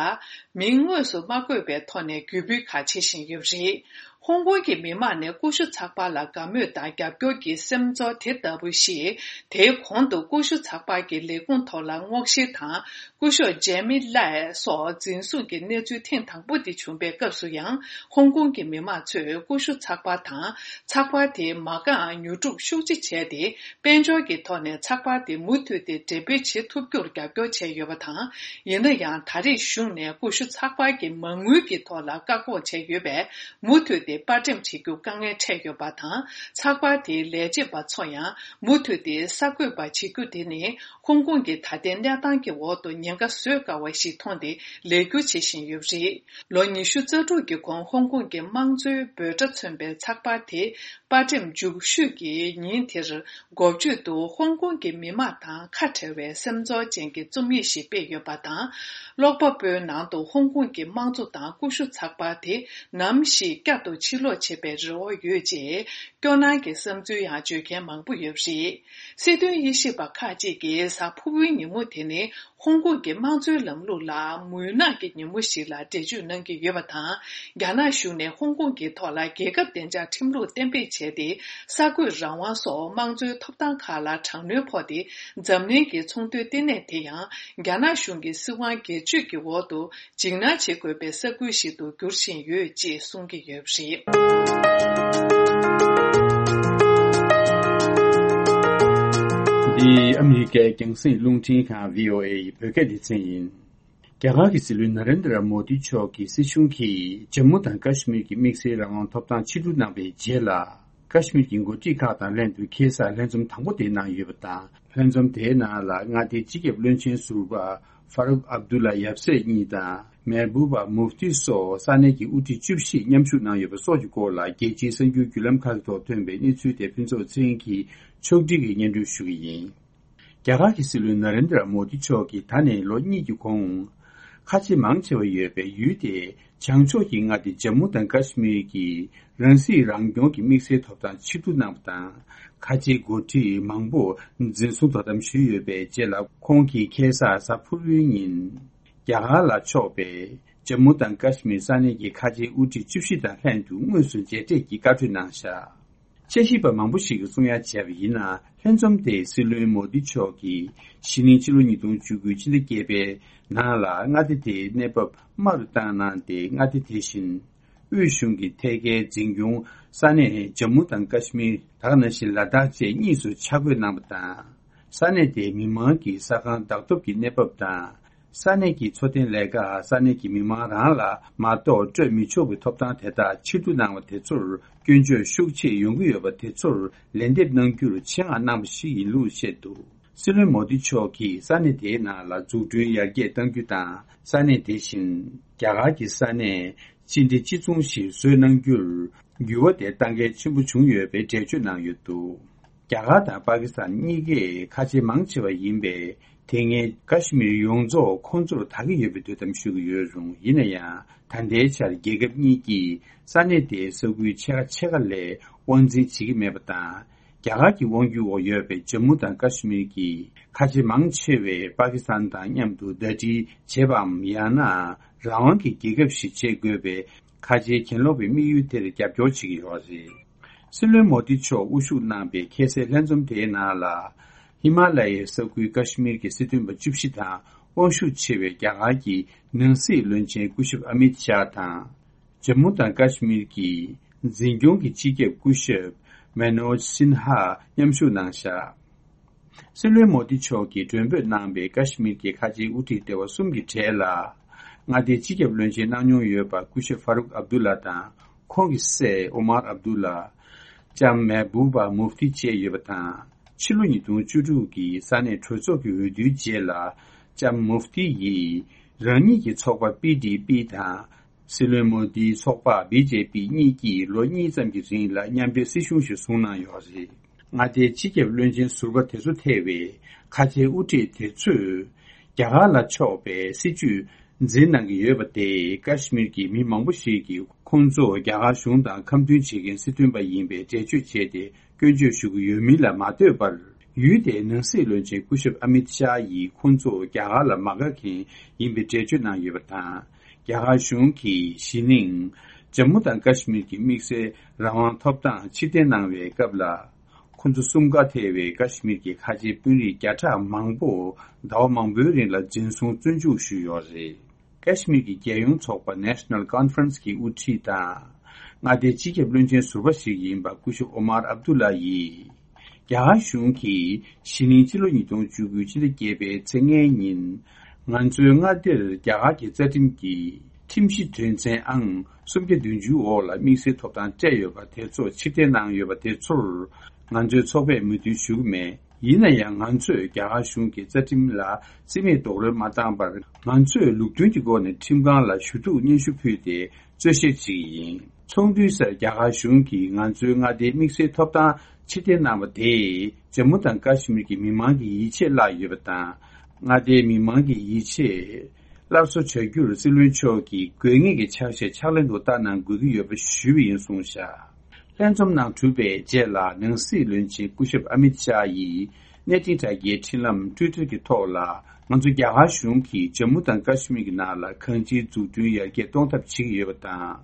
མིང་དངོས་སུ་མ་བཀོད་པའི་ཐོག་ནས་བརྒྱུད་སྤེལ་ཁག་བྱེད་བཞིན་ཡོད་པ་རེད། ཧོང་ཀོང་གི་མི་མང་ནས་ཀུ་ཤུ་ཚགས་པར་ལ་དགའ་མོས་དང་རྒྱབ་སྐྱོར་གྱི་སེམས་ཚོར་དེ་ལྟ་བུ་ཞིག་དེའི་གོང་དུ་ཀུ་ཤུ་ཚགས་པར་གྱི་ལས་ཁུངས་ཐོག་ལ་སྔོག་བཤེར་དང་། སྐུ་ཞབས་ཇེ་མི་ལའེ་སོགས་འཛིན་བཟུང་གི་གནས་ཚུལ་ཐེངས་དང་པོ་དེ་བྱུང་པའི་སྐབས་སུ་ཡང་། ཧོང་ཀོང་གི་མི་མང་ཚོས་ཀུ་ཤུ་ཚགས་པར་དང་། ཚགས་པར་དེའི་མ་རྐང་ཉོ་སྒྲུབ་ཤུགས་ཆེ་བྱས་ཏེ། དཔལ་འབྱོར་གྱི་ཐོག་ནས་ཚགས་པར་དེ་མུ་མཐུད་དེ་འགྲེམས་སྤེལ་བྱེད་ཐུབ་རྒྱུར་རྒྱབ་སྐྱོར་བྱས་ཡོད་པ་དང་། ཡིན་ན་ཡང་། ད་རེས་གཞུང་ནས་ཀུ་ཤུ་ཚགས་པར་གྱི་མ་དངུལ་གྱི་ཐོག་ལ་བཀག་འགོག་བྱས་ཡོད་པས། མུ་མཐུད་དེ་པར་འགྲེམས་བྱེད་རྒྱུ་དཀའ་ངལ་འཕྲད་ཡོད་པ་དང་། ཚགས་པར་དེའི་ལས་བྱེད་པ་ཚོ་ཡང་མུ་མཐུད་དེ་གསར་འགོད་པ་བྱེད་རྒྱུ་དེ་ནི། ཧོང་ཀོང་གི་ད་ལྟའི་གནས་སྟངས་ཀྱི་འོག་ཏུ་ཉེན་ཁ་བཟོད་དཀའ་བ་ཞིག་མཐོང་སྟེ་ལས་སྒྱུར་བྱེད་བཞིན་ཡོད་པ་རེད། ལོ་ཉི་ཤུ་རྩ་དྲུག་གི་གོང་ཧོང་ཀོང་གི་དམངས་གཙོའི་འབོད་སྒྲ་མཚོན་པའི་ཚགས་པར་དེ་པར་འགྲེམས་མཇུག་ཤོས་ཀྱི་ཉིན་དེར་འགོ་བརྗོད་དུ་ཧོང་ཀོང་གི་མི་མང་དང་ཁ་བྲལ་བའི་སེམས་ཚོར་ཅན་གྱི་རྩོམ་ཡིག་ཞིག་སྤེལ་ཡོད་པ་དང་། ཀློག་པ་པོའི་ནང་དུ་ཧོང་ཀོང་གི་དམངས་གཙོ་དང་ཀུ་ཤུ་ཚགས་པར་དེ་ནམ་ཞིག་བསྐྱར་དུ་ཕྱིར་ལོག་བྱེད་པའི་རེ་བ་ཡོད་ཅེས་སྐྱོ་སྣང་གི་བསམ་ཚུལ་ཡང་བརྗོད་མཁན་མང་པོ་ཡོད་པ་རེད། སྲིད་དོན་དབྱེ་ཞིབ་པ་ཁག་ཅིག་གིས་གཟའ་ཕུར་བུའི་ཉིན་མོ་དེ་ནི་ཧོང་ཀོང་གི་དམངས་གཙོའི་ལམ་ལུགས་ལ་མུན་ནག་གི་ཉིན་མོ་ཞིག་ལ་འགྲེལ་བརྗོད་གནང་གི་ཡོད་པ་དང་། རྒྱ་ནག་གཞུང་ནས་ཧོང་ཀོང་གི་ཐོག་ལ་རྒྱལ་ཁབ་བདེ་འཇགས་ཁྲིམས་ལུགས་གཏན་འབེབས་བྱས་ཏེ། གསར་འགོད་རང་དབང་སོགས་དམངས་གཙོའི་ཐོབ་ཐང་ཁག་ལ་དྲག་གནོན་ཕོག་སྟེ། འཛམ་གླིང་གི་ཚོང་དོན་ལྟེ་གནས་དེ་ཡང་རྒྱ་ནག་གཞུང་གི་སྲིད་དབང་སྒེར་གཅོད་ཀྱི་འོག་ཏུ་འཇིགས་སྣང་བྱེད་དགོས་པའི་ས་ཁུལ་ཞིག་ཏུ་འགྱུར་བཞིན་ཡོད་ཅེས་གསུང་གི་ཡོད་པ་རེད། འདི་ཨ་མི་རི་ཀའི་རྒྱང་སྲིང་རླུང་འཕྲིན་ཁང་བྷི་ཨོ་ཨེ་ཡི་བོད་སྐད་སྡེ་ཚན་ཡིན། རྒྱ་གར་གྱི་སྲིད་བློན་ན་རེན་དྲ་མོ་དི་མཆོག་གི་སྲིད་གཞུང་གིས་ཇམ་མུ་དང་ཀ་ཤི་མིར་གྱི་དམིགས་བསལ་རང་དབང་ཐོབ་ཐང་ཕྱིར་བསྡུ་གནང་བའི་རྗེས་ལ། ཀ་ཤི་མིར་གྱི་འགོ་ཁྲིད་ཁག་དང་ལྷན་དུ་ཁ་སང་ལྷན་འཛོམས་དང་པོ་དེ་གནང་ཡོད་པ་དང་། ལྷན་འཛོམས་དེའི་ནང་ལ་མངའ་སྡེའི་སྤྱི་ཁྱབ་བློན་ཆེན་ཟུར་པ་ཧྥ་རུག་ཨབ་དུ་ལ་ཡབ་སྲས་གཉིས་དང་། མེར་བུ་བ་མུབ་ཏི་སོགས་ས་གནས་ཀྱི་དབུ་ཁྲིད་བཅུ་བཞི་མཉམ་ཞུགས་གནང་ཡོད་པ་སོགས་ཀྱི་སྐོར་ལ། རྒྱལ་སྤྱིའི་གསར་འགྱུར་བརྒྱུད་ལམ་ཁག་གི་ཐོག་ཐོན་པའི་གནས་ཚུལ་དེ་ཕུན་ཚོགས་ཚེ་རིང་གིས་ཕྱོགས་སྒྲིག་གིས་སྙན་སྒྲོན་ཞུ་གི་ཡིན། རྒྱ་གར་གྱི་སྲིད་བློན་ན་རེན་དྲ་མོ་དི་མཆོག་གིས་ད་ནས་ལོ་གཉིས་ཀྱི་གོང་། ཁ་ཆེ་མང་ཆེ་བ་ཡོད་པའི་ཡུལ་དེ་བྱང་ཕྱོགས་ཀྱི་མངའ་སྡེ་ཇམ་མུ་དང་ཀ་ཤི་མིར་གྱི་རང་སྲིད་རང་སྐྱོང་གི་དམིགས་བསལ་ཐོབ་ཐང་ཕྱིར་བསྡུ་གནང་བ་དང་། ཁ་ཆེའི་འགོ་ཁྲིད་མང་པོ་འཛིན་བཟུང་དོ་དམ་ཞུས་ཡོད་པའི་རྗེས་ལ། ཁོང་གིས་ཁ་སང་གཟའ་ཕུར་བུའི་ཉིན། རྒྱ་གར་ལ་ཕྱོགས་པའི་ཇམ་མུ་དང་ཀ་ཤི་མིར་ས་གནས་ཀྱི་ཁ་ཆེའི་དབུ་ཁྲིད་བཅུ་བཞི་དང་ལྷན་དུ་དངོས་སུ་མཇལ་འཕྲད་ཀྱིས་བཀའ་གྲོས་གནང་བཞག་དཔྱད་ཞིབ་པ་མང་པོ་ཞིག་གིས་གསུང་ཡ་བྱས་པ་ཡིན་ན། ལྷན་འཛོམས་དེ་སྲིད་བློན་མོ་དི་མཆོག་གིས་གཞེས་ནིང་ཕྱི་ལོ་ཉིས་སྟོང་བཅུ་དགུ་ཕྱི་ཟླ་བརྒྱད་པའི་ནང་ལ་མངའ་སྡེ་དེའི་གནས་བབ་དམའ་རུ་བཏང་གནང་སྟེ། མངའ་སྡེ་དེ་བཞིན་དབུས་གཞུང་གི་ཐད་ཀའི་འཛིན་སྐྱོང་ས་གནས་ཇམ་མུ་དང་ཀ་ཤི་མིར། ད་ག་ནང་བཞིན་ལ་དྭགས་བཅས་གཉིས་སུ་ཆ་བགོས་གནང་བ་དང་། ས་གནས་དེའི་མི་མང་གི་ས་ཁང་བདག་ཐོབ་ཀྱི་གནས་བབ་དང་། ས་གནས་ཀྱི་འཚོ་རྟེན་ལས་ཀ་ས་གནས་ཀྱི་མི་མང་རང་ལ་མ་གཏོགས་སྤྲོད་མི་ཆོག་པའི་ཐོབ་ཐང་དེ་དག་ཕྱིར་བསྡུ་གནང་བ་དེ་ཚོར་སྐྱོན་བརྗོད་ཤུགས་ཆེ་ཡོང་གི་ཡོད་པ་དེ་ཚོར་ལན་འདེབས་གནང་རྒྱུར་ཆེད་མངགས་གནང་བ་ཞིག་ཡིན་ལུགས་བཤད་འདུག་སྲིད་བློན་མོ་དི་མཆོག་གིས་ས་གནས་དེའི་ནང་ལ་འཛུགས་སྐྲུན་ཡར་རྒྱས་གཏང་རྒྱུ་དང་། ས་གནས་དེ་བཞིན་རྒྱ་གར་གྱི་ས་གནས་སྤྱི་བདེ་གཅིག་མཚུངས་ཤིག་བཟོས་གནང་རྒྱུར་འགྱུར་བ་དེ་གཏང་གལ་ཆེན་པོ་བྱུང་ཡོད་པའི་འགྲེལ་བརྗོད་གནང་ཡོད་འདུག་རྒྱ་གར་དང་པ་ཀི་སི་ཐན་གཉིས་ཀས་ཁ་ཆེ་མང་ཆེ་བ་ཡིན་པས། དེ་སྔའི་ཀ་ཤི་མིར་ཡོངས་རྫོགས་ཁོང་ཚོར་བདག་གི་ཡོད་པའི་དོ་དམ་ཞུ་གི་ཡོད་རུང་། ཡིན་ན་ཡང་། ད་ལྟའི་ཆར་རྒྱལ་ཁབ་གཉིས་ཀྱིས་ས་གནས་དེའི་ས་ཁུལ་ཕྱེད་ཀ་ཕྱེད་ཀ་ལས་དབང་འཛིན་བྱེད་ཀྱི་མེད་པ་དང་། རྒྱ་གར་གྱི་དབང་སྒྱུར་འོག་ཡོད་པའི་ཇམ་མུ་དང་ཀ་ཤི་མིར་གྱི་ཁ་ཆེ་མང་ཆེ་བས་པ་ཀི་སི་ཐན་དང་མཉམ་དུ་ཟླ་སྒྲིལ་བྱེད་པའམ། ཡང་ན་རང་དབང་གི་རྒྱལ་ཁབ་ཞིག་བྱེད་དགོས་པའི་ཁ་ཆེའི་གྱེན་ལོག་པའི་དམིགས་ཡུལ་དེར་རྒྱབ་སྐྱོར་བྱེད་ཀྱི་ཡོད་རེད། སྲིད་བློན་མོ་དི་མཆོག་དབུ་བཞུགས་གནང་པའི་ཁ་སའི་ལྷན་འཛོམས་དེའི་ནང་ལ། ཧི་མ་ལ་ཡའི་ས་ཁུལ་ཀ་ཤི་མིར་གྱི་སྲིད་དོན་པ་བཅུ་བཞི་དང་། དབང་ཤུགས་ཆེ་བའི་རྒྱ་གར་གྱི་ནང་སྲིད་བློན་ཆེན་སྐུ་ཞབས་ཨ་མིད་ཤཱ་དང་། ཇམ་མུ་དང་ཀ་ཤི་མིར་གྱི་འཛིན་སྐྱོང་གི་སྤྱི་ཁྱབ་སྐུ་ཞབས་མེ་ནོ་ཇི་སིན་ཧ་མཉམ་ཞུགས་གནང་བཞག་སྲིད་བློན་མོ་དི་མཆོག་གིས་མགྲོན་འབོད་གནང་པའི་ཀ་ཤི་མིར་གྱི་ཁ་ཆེའི་དབུ་ཁྲིད་སྡེ་བ་གསུམ་གྱི་གྲས་ལ། མངའ་སྡེའི་སྤྱི་ཁྱབ་བློན་ཆེན་གནང་མྱོང་ཡོད་པ་སྐུ་ཞབས་ཧྥ་རུག་ཨབ་དུ་ལ་དང་། ཁོང་གི་སྲས་ཨོ་མར་ཨབ་དུ་ལ། ལྕམ་མེ་བུ་བ་མུབ་ཏི་བཅས་ཡོད་པ་དང་། ཕྱི་ལོ་ཉིས་སྟོང་བཅུ་དྲུག་གི་ས་གནས་གྲོས་ཚོགས་ཀྱི་འོས་བསྡུའི་རྗེས་ལ། ལྕམ་མུབ་ཏི་ཡིས་རང་ཉིད་ཀྱི་ཚོགས་པ་པི་ཌི་པི་དང་། སྲིད་བློན་མོ་དིའི་ཚོགས་པ་བི་ཇེ་པི་གཉིས་ཀྱིས་ལོ་གཉིས་ཙམ་གྱི་རིང་ལ་མཉམ་འབྲེལ་སྲིད་གཞུང་ཞིག་བཟུང་གནང་ཡོད་རེད། མངའ་སྡེའི་སྤྱི་ཁྱབ་བློན་ཆེན་ཟུར་པ་དེ་ཚོ་ཐེ་བའི་ཁ་ཆེའི་དབུ་ཁྲིད་དེ་ཚོས། རྒྱ་གར་ལ་ཕྱོགས་པའི་སྲིད་ཇུས་འཛིན་གནང་གི་ཡོད་པ་དེས། ཀ་ཤི་མིར་གྱི་མི་མང་པོ་ཞིག་གིས་ཁོང་ཚོ་རྒྱ་གར་གཞུང་དང་ཁ་མཐུན་བྱེད་མཁན་སྲིད་དོན་པ་ཡིན་པའི་འགྲེལ་བརྗོད་བྱས་ཏེ། སྐྱོན་བརྗོད་ཞུ་གི་ཡོད་མིན་ལ་མ་ལྟོས་པར། ཡུལ་དེའི་ནང་སྲིད་བློན་ཆེན་སྐུ་ཞབས་ཨ་མིད་ཤཱ་ཡིས་ཁོང་ཚོ་རྒྱ་གར་ལ་མ་དགའ་མཁན་ཡིན་པའི་འགྲེལ་བརྗོད་གནང་ཡོད་པ་དང་། རྒྱ་གར་གཞུང་གིས་གཞེས་ནིང་ཇམ་མུ་དང་ཀ་ཤི་མིར་གྱི་དམིགས་བསལ་རང་དབང་ཐོབ་ཐང་ཕྱིར་འཐེན་གནང་བའི་སྐབས་ལ། ཁོ་ཚོ་གསུམ་ཀ་ཐེ་བའི་ཀ་ཤི་མིར་གྱི་ཁ་ཆེའི་དཔོན་རིགས་བརྒྱ་ཕྲག་མང་པོ་ཟླ་བ་མང་པོའི་རིང་ལ་འཛིན་བཟུང་བཙོན་འཇུག་ཞུས་ཡོད་རེད། ཀ་ཤི་མིར་གྱི་རྒྱལ་ཡོངས་ཚོགས་པ་National Conference གི་དབུ་ཁྲིད་དང་། མངའ་སྡེའི་སྤྱི་ཁྱབ་བློན་ཆེན་ཟུར་པ་ཞིག་ཡིན་པ་སྐུ་ཞབས་ཨོ་མར་ཨབ་དུ་ལ་ཡིས། རྒྱ་གར་གཞུང་གིས་གཞེས་ནིང་ཕྱི་ལོ་ཉིས་སྟོང་བཅུ་དགུ་ཕྱི་ཟླ་བརྒྱད་པའི་ཚེས་ལྔའི་ཉིན། ང་ཚོའི་མངའ་སྡེར་རྒྱ་གར་གྱི་རྩ་ཁྲིམས་ཀྱི་ཁྲིམས་གཞི་དོན་ཚན་ཨང་སུམ་བརྒྱ་བདུན་ཅུ་འོག་ལ་དམིགས་བསལ་ཐོབ་ཐང་སྤྲད་ཡོད་པ་དེ་ཚོ་ཕྱིར་འཐེན་གནང་ཡོད་པ་དེ་ཚོར། ང་ཚོའི་ཚོགས་པས་མོས་མཐུན་ཞུ་གི་མེད། ཡིན་ན་ཡང་། ང་ཚོས་རྒྱ་གར་གཞུང་གི་རྩ་ཁྲིམས་ལ་རྩིས་མེད་རྡོག་རོལ་མ་བཏང་བར། ང་ཚོས་ལུགས་མཐུན་གྱི་སྒོ་ནས་ཁྲིམས་ཁང་ལ་ཞུ་གཏུག་སྙན་ཞུ་ཕུལ་ཏེ་རྩོད་བཤེར་བྱེད་ཀྱི་ཡིན། ཚོགས་འདུའི་སར་རྒྱ་གར་གཞུང་གིས་ང་ཚོའི་མངའ་སྡེའི་དམིགས་བསལ་ཐོབ་ཐང་ཕྱིར་འཐེན་གནང་བ་དེས། ཇམ་མུ་དང་ཀ་ཤི་མིར་གྱི་མི་མང་གི་ཡིད་ཆེས་བརླག་ཡོད་པ་དང་། མངའ་སྡེའི་མི་མང་གི་ཡིད་ཆེས་སླར་གསོ་བྱ་རྒྱུར་སྲིད་བློན་མཆོག་གིས་དགོས་ངེས་ཀྱི་ཕྱག་བཞེས་ཕྱག་ལེན་དུ་བསྟར་གནང་དགོས་ཀྱི་ཡོད་པ་ཞུས་པ་ཡིན་གསུངས་བཞག་ལྷན་འཛོམས་ནང་གྲུབ་པའི་རྗེས་ལ། ནང་སྲིད་བློན་ཆེན་སྐུ་ཞབས་ཨ་མིད་ཤཱ་ཡིས་གནས་འཕྲིན་དྲ་རྒྱའི་འཕྲིན་ལམ་Twitter གྱི་ཐོག་ལ། ང་ཚོ་རྒྱ་གར་གཞུང་གིས་ཇམ་མུ་དང་ཀ་ཤི་མིར་གྱི་ནང་ལ་གང་ཅིའི་འཛུགས་སྐྲུན་ཡར་རྒྱས་གཏོང་ཐབས་བྱེད་ཀྱི་ཡོད་པ་དང་།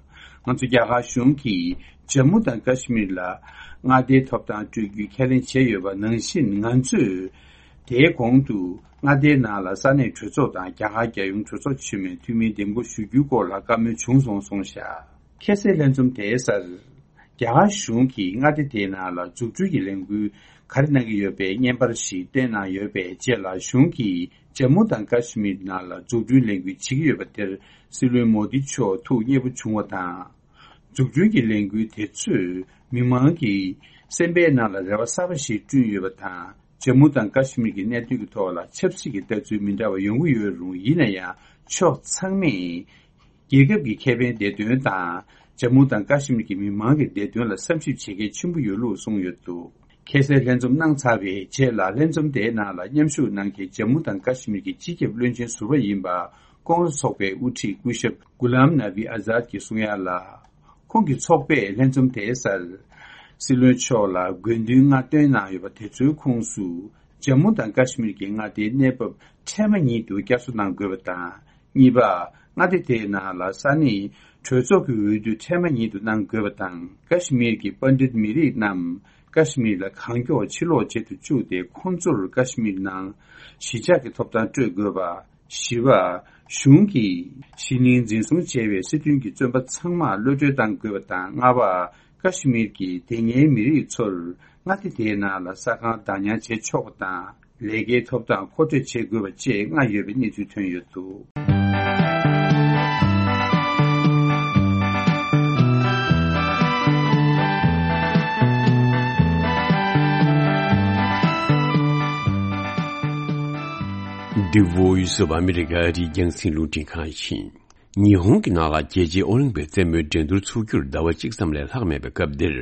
ང་ཚོ་རྒྱ་གར་གཞུང་གིས་ཇམ་མུ་དང་ཀ་ཤི་མིར་ལ་མངའ་སྡེའི་ཐོབ་ཐང་སྤྲོད་རྒྱུའི་ཁས་ལེན་བྱས་ཡོད་པ་ནང་བཞིན། ང་ཚོས་དེའི་གོང་དུ་མངའ་སྡེའི་ནང་ལ་ས་གནས་གྲོས་ཚོགས་དང་། རྒྱ་གར་རྒྱལ་ཡོངས་གྲོས་ཚོགས་ཆེན་མོའི་འཐུས་མིའི་འདེམས་བསྐོ་ཞུ་རྒྱུའི་སྐོར་ལ་བཀའ་མོལ་བྱུང་སོང་གསུངས་བཞག་ཁ་སང་ལྷན་འཛོམས་དེའི་སར། རྒྱ་གར་གཞུང་གིས་མངའ་སྡེ་དེའི་ནང་ལ་འཛུགས་སྐྲུན་གྱི་ལས་འགུལ་ག་རེ་གནང་གི་ཡོད་པའི་བརྙན་པར་ཞིག་བཏོན་གནང་ཡོད་པའི་རྗེས་ལ། གཞུང་གིས་ཇམ་མུ་དང་ཀ་ཤི་མིར་ནང་ལ་འཛུགས་སྐྲུན་ལས་འགུལ་བྱེད་ཀྱི་ཡོད་པ་དེར། སྲིད་བློན་མོ་དི་མཆོག་ཐུགས་མཉེས་པོ་བྱུང་བ་དང་། འཛུགས་སྐྲུན་གྱི་ལས་འགུལ་དེ་ཚོས་མི་མང་གི་སེམས་པའི་ནང་ལ་རེ་བ་གསར་པ་ཞིག་བསྐྲུན་ཡོད་པ་དང་། ཇམ་མུ་དང་ཀ་ཤི་མིར་གྱི་གནད་དོན་གྱི་ཐོག་ལ་ཆབ་སྲིད་ཀྱི་ལྟ་ཚུལ་མི་འདྲ་བ་ཡོང་གི་ཡོད་རུང་། ཡིན་ན་ཡང་ཕྱོགས་ཚང་མས་རྒྱལ་ཁབ་ཀྱི་ཁེ་ཕན་བདེ་དོན་དང་། ཇམ་མུ་དང་ཀ་ཤི་མིར་གྱི་མི་མང་གི་བདེ་དོན་ལ་བསམ་ཞིབ་བྱེད་གལ་ཆེན་པོ་ཡོད་ལུགས་གསུངས་ཡོད་འདུག་ཁ་སང་ལྷན་འཛོམས་གནང་ཚར་བའི་རྗེས་ལ། ལྷན་འཛོམས་དེའི་ནང་ལ་མཉམ་ཞུགས་གནང་མཁན་ཇམ་མུ་དང་ཀ་ཤི་མིར་གྱི་སྤྱི་ཁྱབ་བློན་ཆེན་ཟུར་པ་ཡིན་པ། ཀོང་རེ་སི་ཚོགས་པའི་དབུ་ཁྲིད་སྐུ་ཞབས་གུ་ལམ་ནབ་བི་ཨ་ཛཱད་ཀྱིས་གསུང་ཡ་ལ། ཁོང་གི་ཚོགས་པས་ལྷན་འཛོམས་དེའི་སར། སྲིད་བློན་མཆོག་ལ་དགོས་འདུན་ལྔ་བཏོན་གནང་ཡོད་པ། དེ་ཚོའི་ཁོངས་སུ། ཇམ་མུ་དང་ཀ་ཤི་མིར་གྱི་མངའ་སྡེའི་གནས་བབ་འཕྲལ་མ་ཉིད་དུ་བསྐྱར་གསོ་གནང་དགོས་པ་དང་། གཉིས་པ། མངའ་སྡེ་དེའི་ནང་ལ་ས་གནས་གྲོས་ཚོགས་ཀྱི་འོས་བསྡུ་འཕྲལ་མ་ཉིད་དུ་གནང་དགོས་པ་དང་། ཀ་ཤི་མིར་གྱི་པཎ་ཌིད་མི་རིགས་རྣམས་ཀ་ཤི་མིར་ལ་གང་མགྱོགས་ཕྱིར་ལོག་བྱེད་དུ་བཅུག་སྟེ། ཁོང་ཚོར་ཀ་ཤི་མིར་ནང་གཞིས་ཆགས་ཀྱི་ཐོབ་ཐང་སྤྲོད་དགོས་པ། བཞི་པ། གཞུང་གིས་གཞིས་གླིང་འཛིན་བཟུང་བྱས་པའི་སྲིད་དོན་གྱི་བཙོན་པ་ཚང་མ་གློད་གྲོལ་གཏང་དགོས་པ་དང་། ལྔ་པ། ཀ་ཤི་མིར་གྱི་དེ་སྔའི་མི་རིགས་ཚོར་མངའ་སྡེ་དེའི་ནང་ལ་ས་ཁང་བདག་ཉར་བྱེད་ཆོག་པ་དང་། ལས་ཀའི་ཐོབ་ཐང་མཁོ་སྤྲོད་བྱེད་དགོས་པ་བཅས་ལྔ་ཡོད་པའི་གནས་ཚུལ་ཐོན་ཡོད་འདུག The Voice of America རིགས་རྒྱང་སྲིང་རླུང་འཕྲིན་ཁང་ཡིན། ཉི་ཧོང་གི་ནང་ལ་རྒྱལ་སྤྱིའི་ཨོ་ལིམ་པིག་རྩེད་མོའི་འགྲན་བསྡུར་ཚུགས་རྒྱུར་ཟླ་བ་གཅིག་ཙམ་ལས་ལྷག་མེད་པའི་སྐབས་འདིར།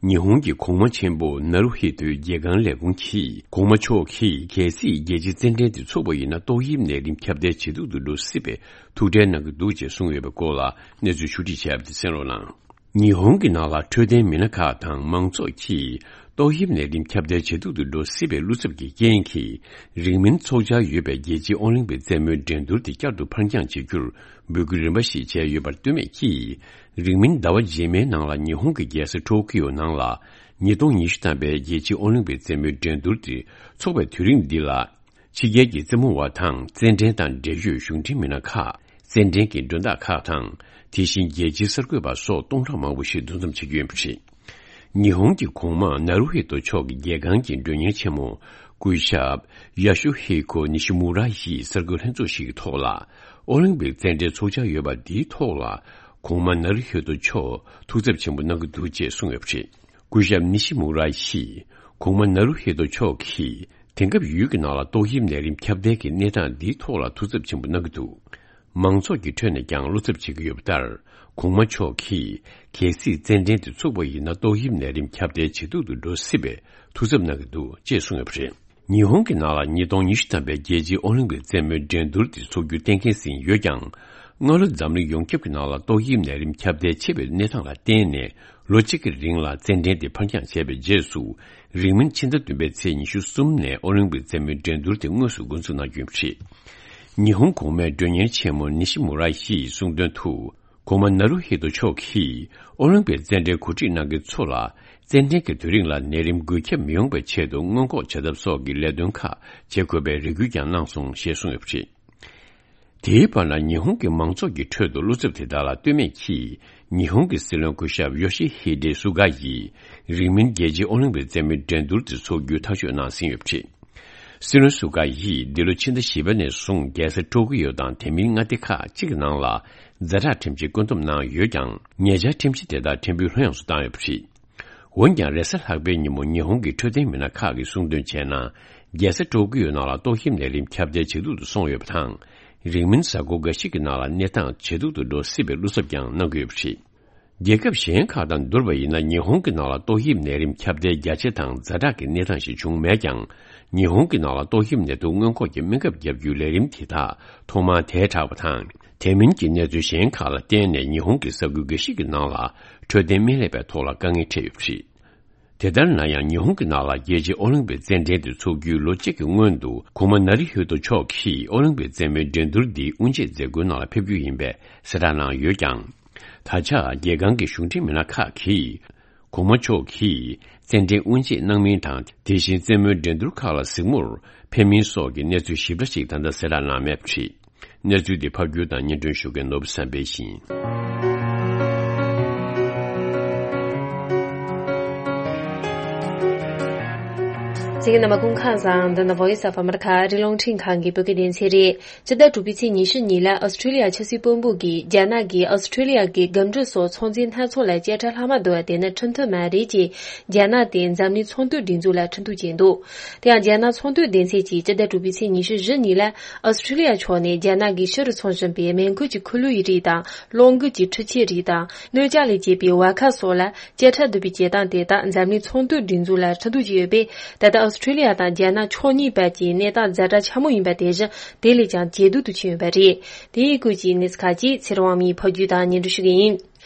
ཉི་ཧོང་གི་གོང་མ་ཆེན་པོ་ནཱ་རུ་ཧི་ཏོའི་རྒྱལ་ཁང་ལས་ཁུངས་ཀྱིས། གོང་མ་མཆོག་གིས་གལ་སྲིད་རྒྱལ་སྤྱིའི་རྩེད་འགྲན་དེ་ཚུགས་པ་ཡིན་ན། ཏོག་དབྱིབས་ནད་རིམས་ཁྱབ་གདལ་ཇེ་སྡུག་ཏུ་འགྲོ་སྲིད་པའི་ཐུགས་ཁྲལ་གནང་གི་འདུག་ཅེས་གསུངས་ཡོད་པའི་སྐོར་ལ་གནས་ཚུལ་ཕྱོགས་སྒྲིག་བྱས་པ་དེ་གསན་རོགས་གནང་། ཉི་ཧོང་གི་ནང་ལ་འཕྲོད་བསྟེན་མི་སྣ་ཁག་དང་མང་ཚོགས་ཀྱིས། ཏོག་དབྱིབས་ནད་རིམས་ཁྱབ་གདལ་ཇེ་སྡུག་ཏུ་འགྲོ་སྲིད་པའི་བློ་འཚབ་ཀྱི་རྐྱེན་གྱིས། རིང་མིན་འཚོགས་འཆར་ཡོད་པའི་རྒྱལ་སྤྱིའི་ཨོ་ལིམ་པིག་རྩེད་མོའི་འགྲན་བསྡུར་དེ་བསྐྱར་དུ་ཕར་འགྱངས་བྱེད་རྒྱུར་འབོད་སྐུལ་རིམ་པ་ཞིག་བྱས་ཡོད་པར་ལྟོས་མེད་ཀྱིས། རིང་མིན་ཟླ་བ་རྗེས་མའི་ནང་ལ་ཉི་ཧོང་གི་རྒྱལ་ས་ཊོ་ཀི་ཡོ་ནང་ལ། ཉིས་སྟོང་ཉི་ཤུ་ཐམ་པའི་རྒྱལ་སྤྱིའི་ཨོ་ལིམ་པིག་རྩེད་མོའི་འགྲན་བསྡུར་དེ་འཚོགས་པའི་དུས་རིམ་འདི་ལ། ཕྱི་རྒྱལ་གྱི་རྩེད་མོ་བ་དང་རྩེད་འགྲན་དང་འབྲེལ་ཡོད་གཞུང་འབྲེལ་མི་སྣ་ཁག་རྩེད་འགྲན་གྱི་མགྲོན་བདག་ཁག་དང་། དེ་བཞིན་རྒྱལ་སྤྱིའི་གསར་འགོད་པ་སོགས་སྟོང་ཕྲག་མང་པོ་ཞིག་འདུ་འཛོམས་བྱེད་ཀྱི་ཡོད་པ་རེད། ཉི་ཧོང་གི་གོང་མ་ནཱ་རུ་ཧི་ཏོ་མཆོག་གི་རྒྱལ་ཁང་གི་མགྲོན་གཉེར་ཆེན་མོ་སྐུ་ཞབས་ཡ་ཤུ་ཧི་ཁོ་ནི་ཤི་མུ་ར་ཡིས་གསར་འགོད་ལྷན་ཚོགས་ཤིག་གི་ཐོག་ལ། ཨོ་ལིམ་པིག་རྩེད་འགྲན་འཚོགས་འཆར་ཡོད་པ་འདིའི་ཐོག་ལ། གོང་མ་ནཱ་རུ་ཧི་ཏོ་མཆོག་ཐུགས་འཚབ་ཆེན་པོ་གནང་གི་འདུག་ཅེས་གསུངས་ཡོད་པ་རེད། སྐུ་ཞབས་ནི་ཤི་མུ་ར་ཡིས་གོང་མ་ནཱ་རུ་ཧི་ཏོ་མཆོག་གིས་དེང་སྐབས་ཡུལ་གྱི་ནང་ལ་ཏོག་དབྱིབས་ནད་རིམས་ཁྱབ་གདལ་གྱི་གནས་སྟངས་འདིའི་ཐོག་ལ་ཐུགས་འཚབ་ཆེན་པོ་གནང་གི་འདུག་མང་ཚོགས་ཀྱི་ཁྲོད་ནས་ཀྱང་བློ་འཚབ་བྱེད་ཀྱི་ཡོད་པ་ལྟར། གོང་མ་མཆོག་གིས་གལ་སྲིད་རྩེད་འགྲན་དེ་ཚུགས་པ་ཡིན་ན། ཏོག་དབྱིབས་ནད་རིམས་ཁྱབ་གདལ་ཇེ་སྡུག་ཏུ་འགྲོ་སྲིད་པའི་ཐུགས་འཚབ་གནང་གི་འདུག་ཅེས་གསུངས་ཡོད་པ་རེད། ཉི་ཧོང་གི་ནང་ལ་ཉིས་སྟོང་ཉི་ཤུ་ཐམ་པའི་རྒྱལ་སྤྱིའི་ཨོ་ལིམ་པིག་རྩེད་མོའི་འགྲན་བསྡུར་དེ་འཚོགས་རྒྱུ་གཏན་འཁེལ་ཟིན་ཡོད་ཀྱང་། སྔ་ལོ་འཛམ་གླིང་ཡོངས་ཁྱབ་ཀྱི་ནང་ལ་ཏོག་དབྱིབས་ནད་རིམས་ཁྱབ་གདལ་ཆེ་བའི་གནས་སྟངས་ལ་བརྟེན་ནས། ལོ་གཅིག་གི་རིང་ལ་རྩེད་འགྲན་དེ་ཕར་འགྱངས་བྱས་པའི་རྗེས་སུ། རིང་མིན་ཕྱི་ཟླ་བདུན་པའི་ཚེས་ཉི་ཤུ་གསུམ་ནས་ཨོ་ལིམ་པིག་རྩེད་མོའི་འགྲན་བསྡུར་དེ་དངོས་སུ་འགོ་འཛུགས་གནང་རྒྱུ་ཡིན་པ་རེད། ཉི་ཧོང་གོང་མའི་མགྲོན་གཉེར་ཆེན་མོ་ནི་ཤི་མུ་ར་ཡིས་གསུངས་དོན་དུ། གོང་མ་ནཱ་རུ་ཧི་ཏོ་མཆོག་གིས་ཨོ་ལིམ་པིག་རྩེད་འགྲན་གོ་སྒྲིག་གནང་མཁན་ཚོ་ལ། རྩེད་འགྲན་གྱི་དུས་རིང་ལ་ནད་རིམས་འགོས་ཁྱབ་མི་ཡོང་བའི་ཆེད་དུ་སྔོན་འགོག་བྱ་ཐབས་སོགས་ཀྱི་ལས་དོན་ཁག་བྱེད་དགོས་པའི་རེ་སྐུལ་ཀྱང་གནང་སོང་ཞེས་གསུངས་ཡོད་པ་རེད། དེའི་བར་ན། ཉི་ཧོང་གི་མང་ཚོགས་ཀྱི་ཁྲོད་དུ་བློ་འཚབ་དེ་དག་ལ་ལྟོས་མེད་ཀྱིས། ཉི་ཧོང་གི་སྲིད་བློན་སྐུ་ཞབས་ཡོ་ཤི་ཧི་ཌེ་སུ་ག་ཡིས། རིང་མིན་རྒྱལ་སྤྱིའི་ཨོ་ལིམ་པིག་རྩེད་མོའི་འགྲན་བསྡུར་དེ་འཚོགས་རྒྱུ་ཐག་གཅོད་གནང་ཟིན་ཡོད་པ་རེད། སྲིད་བློན་སུ་ག་ཡིས་འདི་ལོ་ཕྱི་ཟླ་བཞི་པ་ནས་བཟུང་རྒྱལ་ས་ཀྲོ་ཀི་ཡོ་དང་དེ་མིན་མངའ་སྡེ་ཁག་ཅིག་གི་ནང་ལ་ཛ་དྲག་ཁྲིམས་ཆད་བཀོད་འདོམས་གནང་ཡོད་ཀྱང་། ཉེ་ཆར་ཁྲིམས་གཞི་དེ་དག་ཕྲན་བུ་ལྷོད་ཡངས་སུ་བཏང་ཡོད་པ་རེད། འོན་ཀྱང་། རེས་གཟའ་ལྷག་པའི་ཉིན་མོ་ཉི་ཧོང་གི་འཕྲོད་བསྟེན་མི་སྣ་ཁག་གིས་གསུངས་དོན་བྱས་ན། རྒྱལ་ས་ཀྲོ་ཀི་ཡོ་ནང་ལ་ཏོག་དབྱིབས་ནད་རིམས་ཁྱབ་གདལ་ཇེ་སྡུག་ཏུ་སོང་ཡོད་པ་དང་། རིང་མིན་གཟའ་འཁོར་འགའ་ཞིག་གི་ནང་ལ་གནས་སྟངས་ཇེ་སྡུག་ཏུ་འགྲོ་སྲིད་པའི་བློ་འཚབ་ཀྱང་གནང་གི་ཡོད་པ་རེད། རྒྱལ་ཁབ་གཞན་ཁག་དང་བསྡུར་བ་ཡིན་ན། ཉི་ཧོང་གི་ནང་ལ་ཏོག་དབྱིབས་ནད་རིམས་ཁྱབ་གདལ་རྒྱ་ཆེ་དང་ཛ་དྲག་གི་གནས་སྟངས་ཤིག་བྱུང་མེད་ཀྱང་། ཉི་ཧོང་གི་ནང་ལ་ཏོག་དབྱིབས་ནད་དུག་སྔོན་འགོག་གི་སྨན་ཁབ་བརྒྱབ་རྒྱུའི་ལས་རིམ་དེ་དག་ཐོག་མར་དལ་དྲགས་པ་དང་། དེ་མིན་གྱི་གནས་ཚུལ་གཞན་ཁག་ལ་བརྟེན་ནས། ཉི་ཧོང་གི་ས་ཁུལ་འགའ་ཞིག་གི་ནང་ལ་འཕྲོད་བསྟེན་སྨན་ལས་པའི་ཐོག་ལ་དཀའ་ངལ་འཕྲད་ཡོད་པ་རེད། དེ་ལྟར་ན་ཡང་། ཉི་ཧོང་གི་ནང་ལ་རྒྱལ་སྤྱིའི་ཨོ་ལིམ་པིག་རྩེད་འགྲན་དེ་འཚོགས་རྒྱུའི་ལོ་གཅིག་གི་སྔོན་དུ། གོང་མ་ནཱ་རུ་ཧི་ཏོ་མཆོག་གིས་ཨོ་ལིམ་པིག་རྩེད་མོའི་འགྲན་བསྡུར་འདི་དབུ་འབྱེད་མཛད་སྒོའི་ནང་ལ་ཕེབས་རྒྱུ་ཡིན་པའི་གསལ་བསྒྲགས་གནང་ཡོད་ཀྱང་། ད་ཆ་རྒྱལ་ཁང་གི་གཞུང་འབྲེལ་མི་སྣ་ཁག་གིས། གོང་མ་མཆོག་གིས་རྩེད་འགྲན་དབུ་འབྱེད་གནང་མིན་དང་། དེ་བཞིན་རྩེད་མོའི་འགྲན་བསྡུར་ཁག་ལ་གཟིགས་མོར་ཕེབས་མིན་སོགས་ཀྱི་གནས་ཚུལ་ཞིབ་ཕྲ་ཞིག་ད་ལྟ་གསལ་བསྒྲགས་གནང་མེད་པ་རེད། གནས་ཚུལ་འདི་ཕབ་སྒྱུར་དང་སྙན་སྒྲོན་ཞུ་མཁན་ནོར་བུ་བསམ་འཕེལ་ཡིན། གསན་མཁན་རྣམ་པ་སྐུ་ཁམས་བཟང་། འདི་ནི་Voice of America ཨ་རིའི་རླུང་འཕྲིན་ཁང་གི་བོད་སྐད་སྡེ་ཚན་རེད། སྤྱི་ཟླ་དྲུག་པའི་ཚེས་ཉི་ཤུ་གཉིས་ལ་ཨོ་སི་ཁྲུ་ལི་ཡ་ཆབ་སྲིད་དཔོན་པོ་གིས་རྒྱ་ནག་གིས་ཨོ་སི་ཁྲུ་ལི་ཡ་གི་རྒུ་འབྲུམ་སོགས་ཚོང་རྫས་སྣ་ཚོགས་ལ་བཅད་ཁྲ་ལྷག་མ་བསྡུ་བ་དེ་ནི་ཁྲིམས་མཐུན་མ་རེད་ཅེས་རྒྱ་ནག་དེ་འཛམ་གླིང་ཚོང་དོན་སྒྲིག་འཛུགས་ལ་ཁྲིམས་གཏུག་བྱས་འདུག་དེ་ཡང་རྒྱ་ནག་ཚོང་དོན་སྡེ་ཚན་གྱིས་སྤྱི་ཟླ་དྲུག་པའི་ཚེས་ཉི་ཤུ་བཞི་ཉིན་ལ་ཨོ་སི་ཁྲུ་ལི་ཡ་ཕྱོགས་ནས་རྒྱ་ནག་གིས་ཕྱི་རུ་འཚོང་བཞིན་པའི་མེ་འཁོར་གྱི་འཁོར་ལོའི་རིགས་དང་གློག་འགུལ་གྱི་འཕྲུལ་ཆས་རིགས་དང་སྣོད་ཆས་ལས་བྱེད་པའི་བ་ཁ་སོགས་ལ། བཅད་ཁྲ་བསྡུ་བའི་བྱེད་སྟངས་དེ་དག་འཛམ་གླིང་ཚོང་དོན་སྒྲིག་འཛུགས་ལ་ཁྲིམས་གཏུག་བྱས་ཡོད་པས། ད་ལྟ་ཨོ་སི་ཁྲུ་ལི་ཡ་དང་རྒྱ་ནག་ཕྱོགས་གཉིས་བར་གྱི་གནས་སྟངས་ཛ་དྲག་ཆེན་མོ་ཡིན་པ་དེ་བཞིན་དེ་ལས་ཀྱང་ཇེ་སྡུག་ཏུ་ཕྱིན་ཡོད་པ་རེད། དེའི་སྐོར་གྱི་གནས་ཚུལ་ཁག་ཅིག་ཚེ་རིང་དབང་མོས་ཕབ་སྒྱུར་དང་སྙན་སྒྲོན་ཞུ་གི་ཡིན།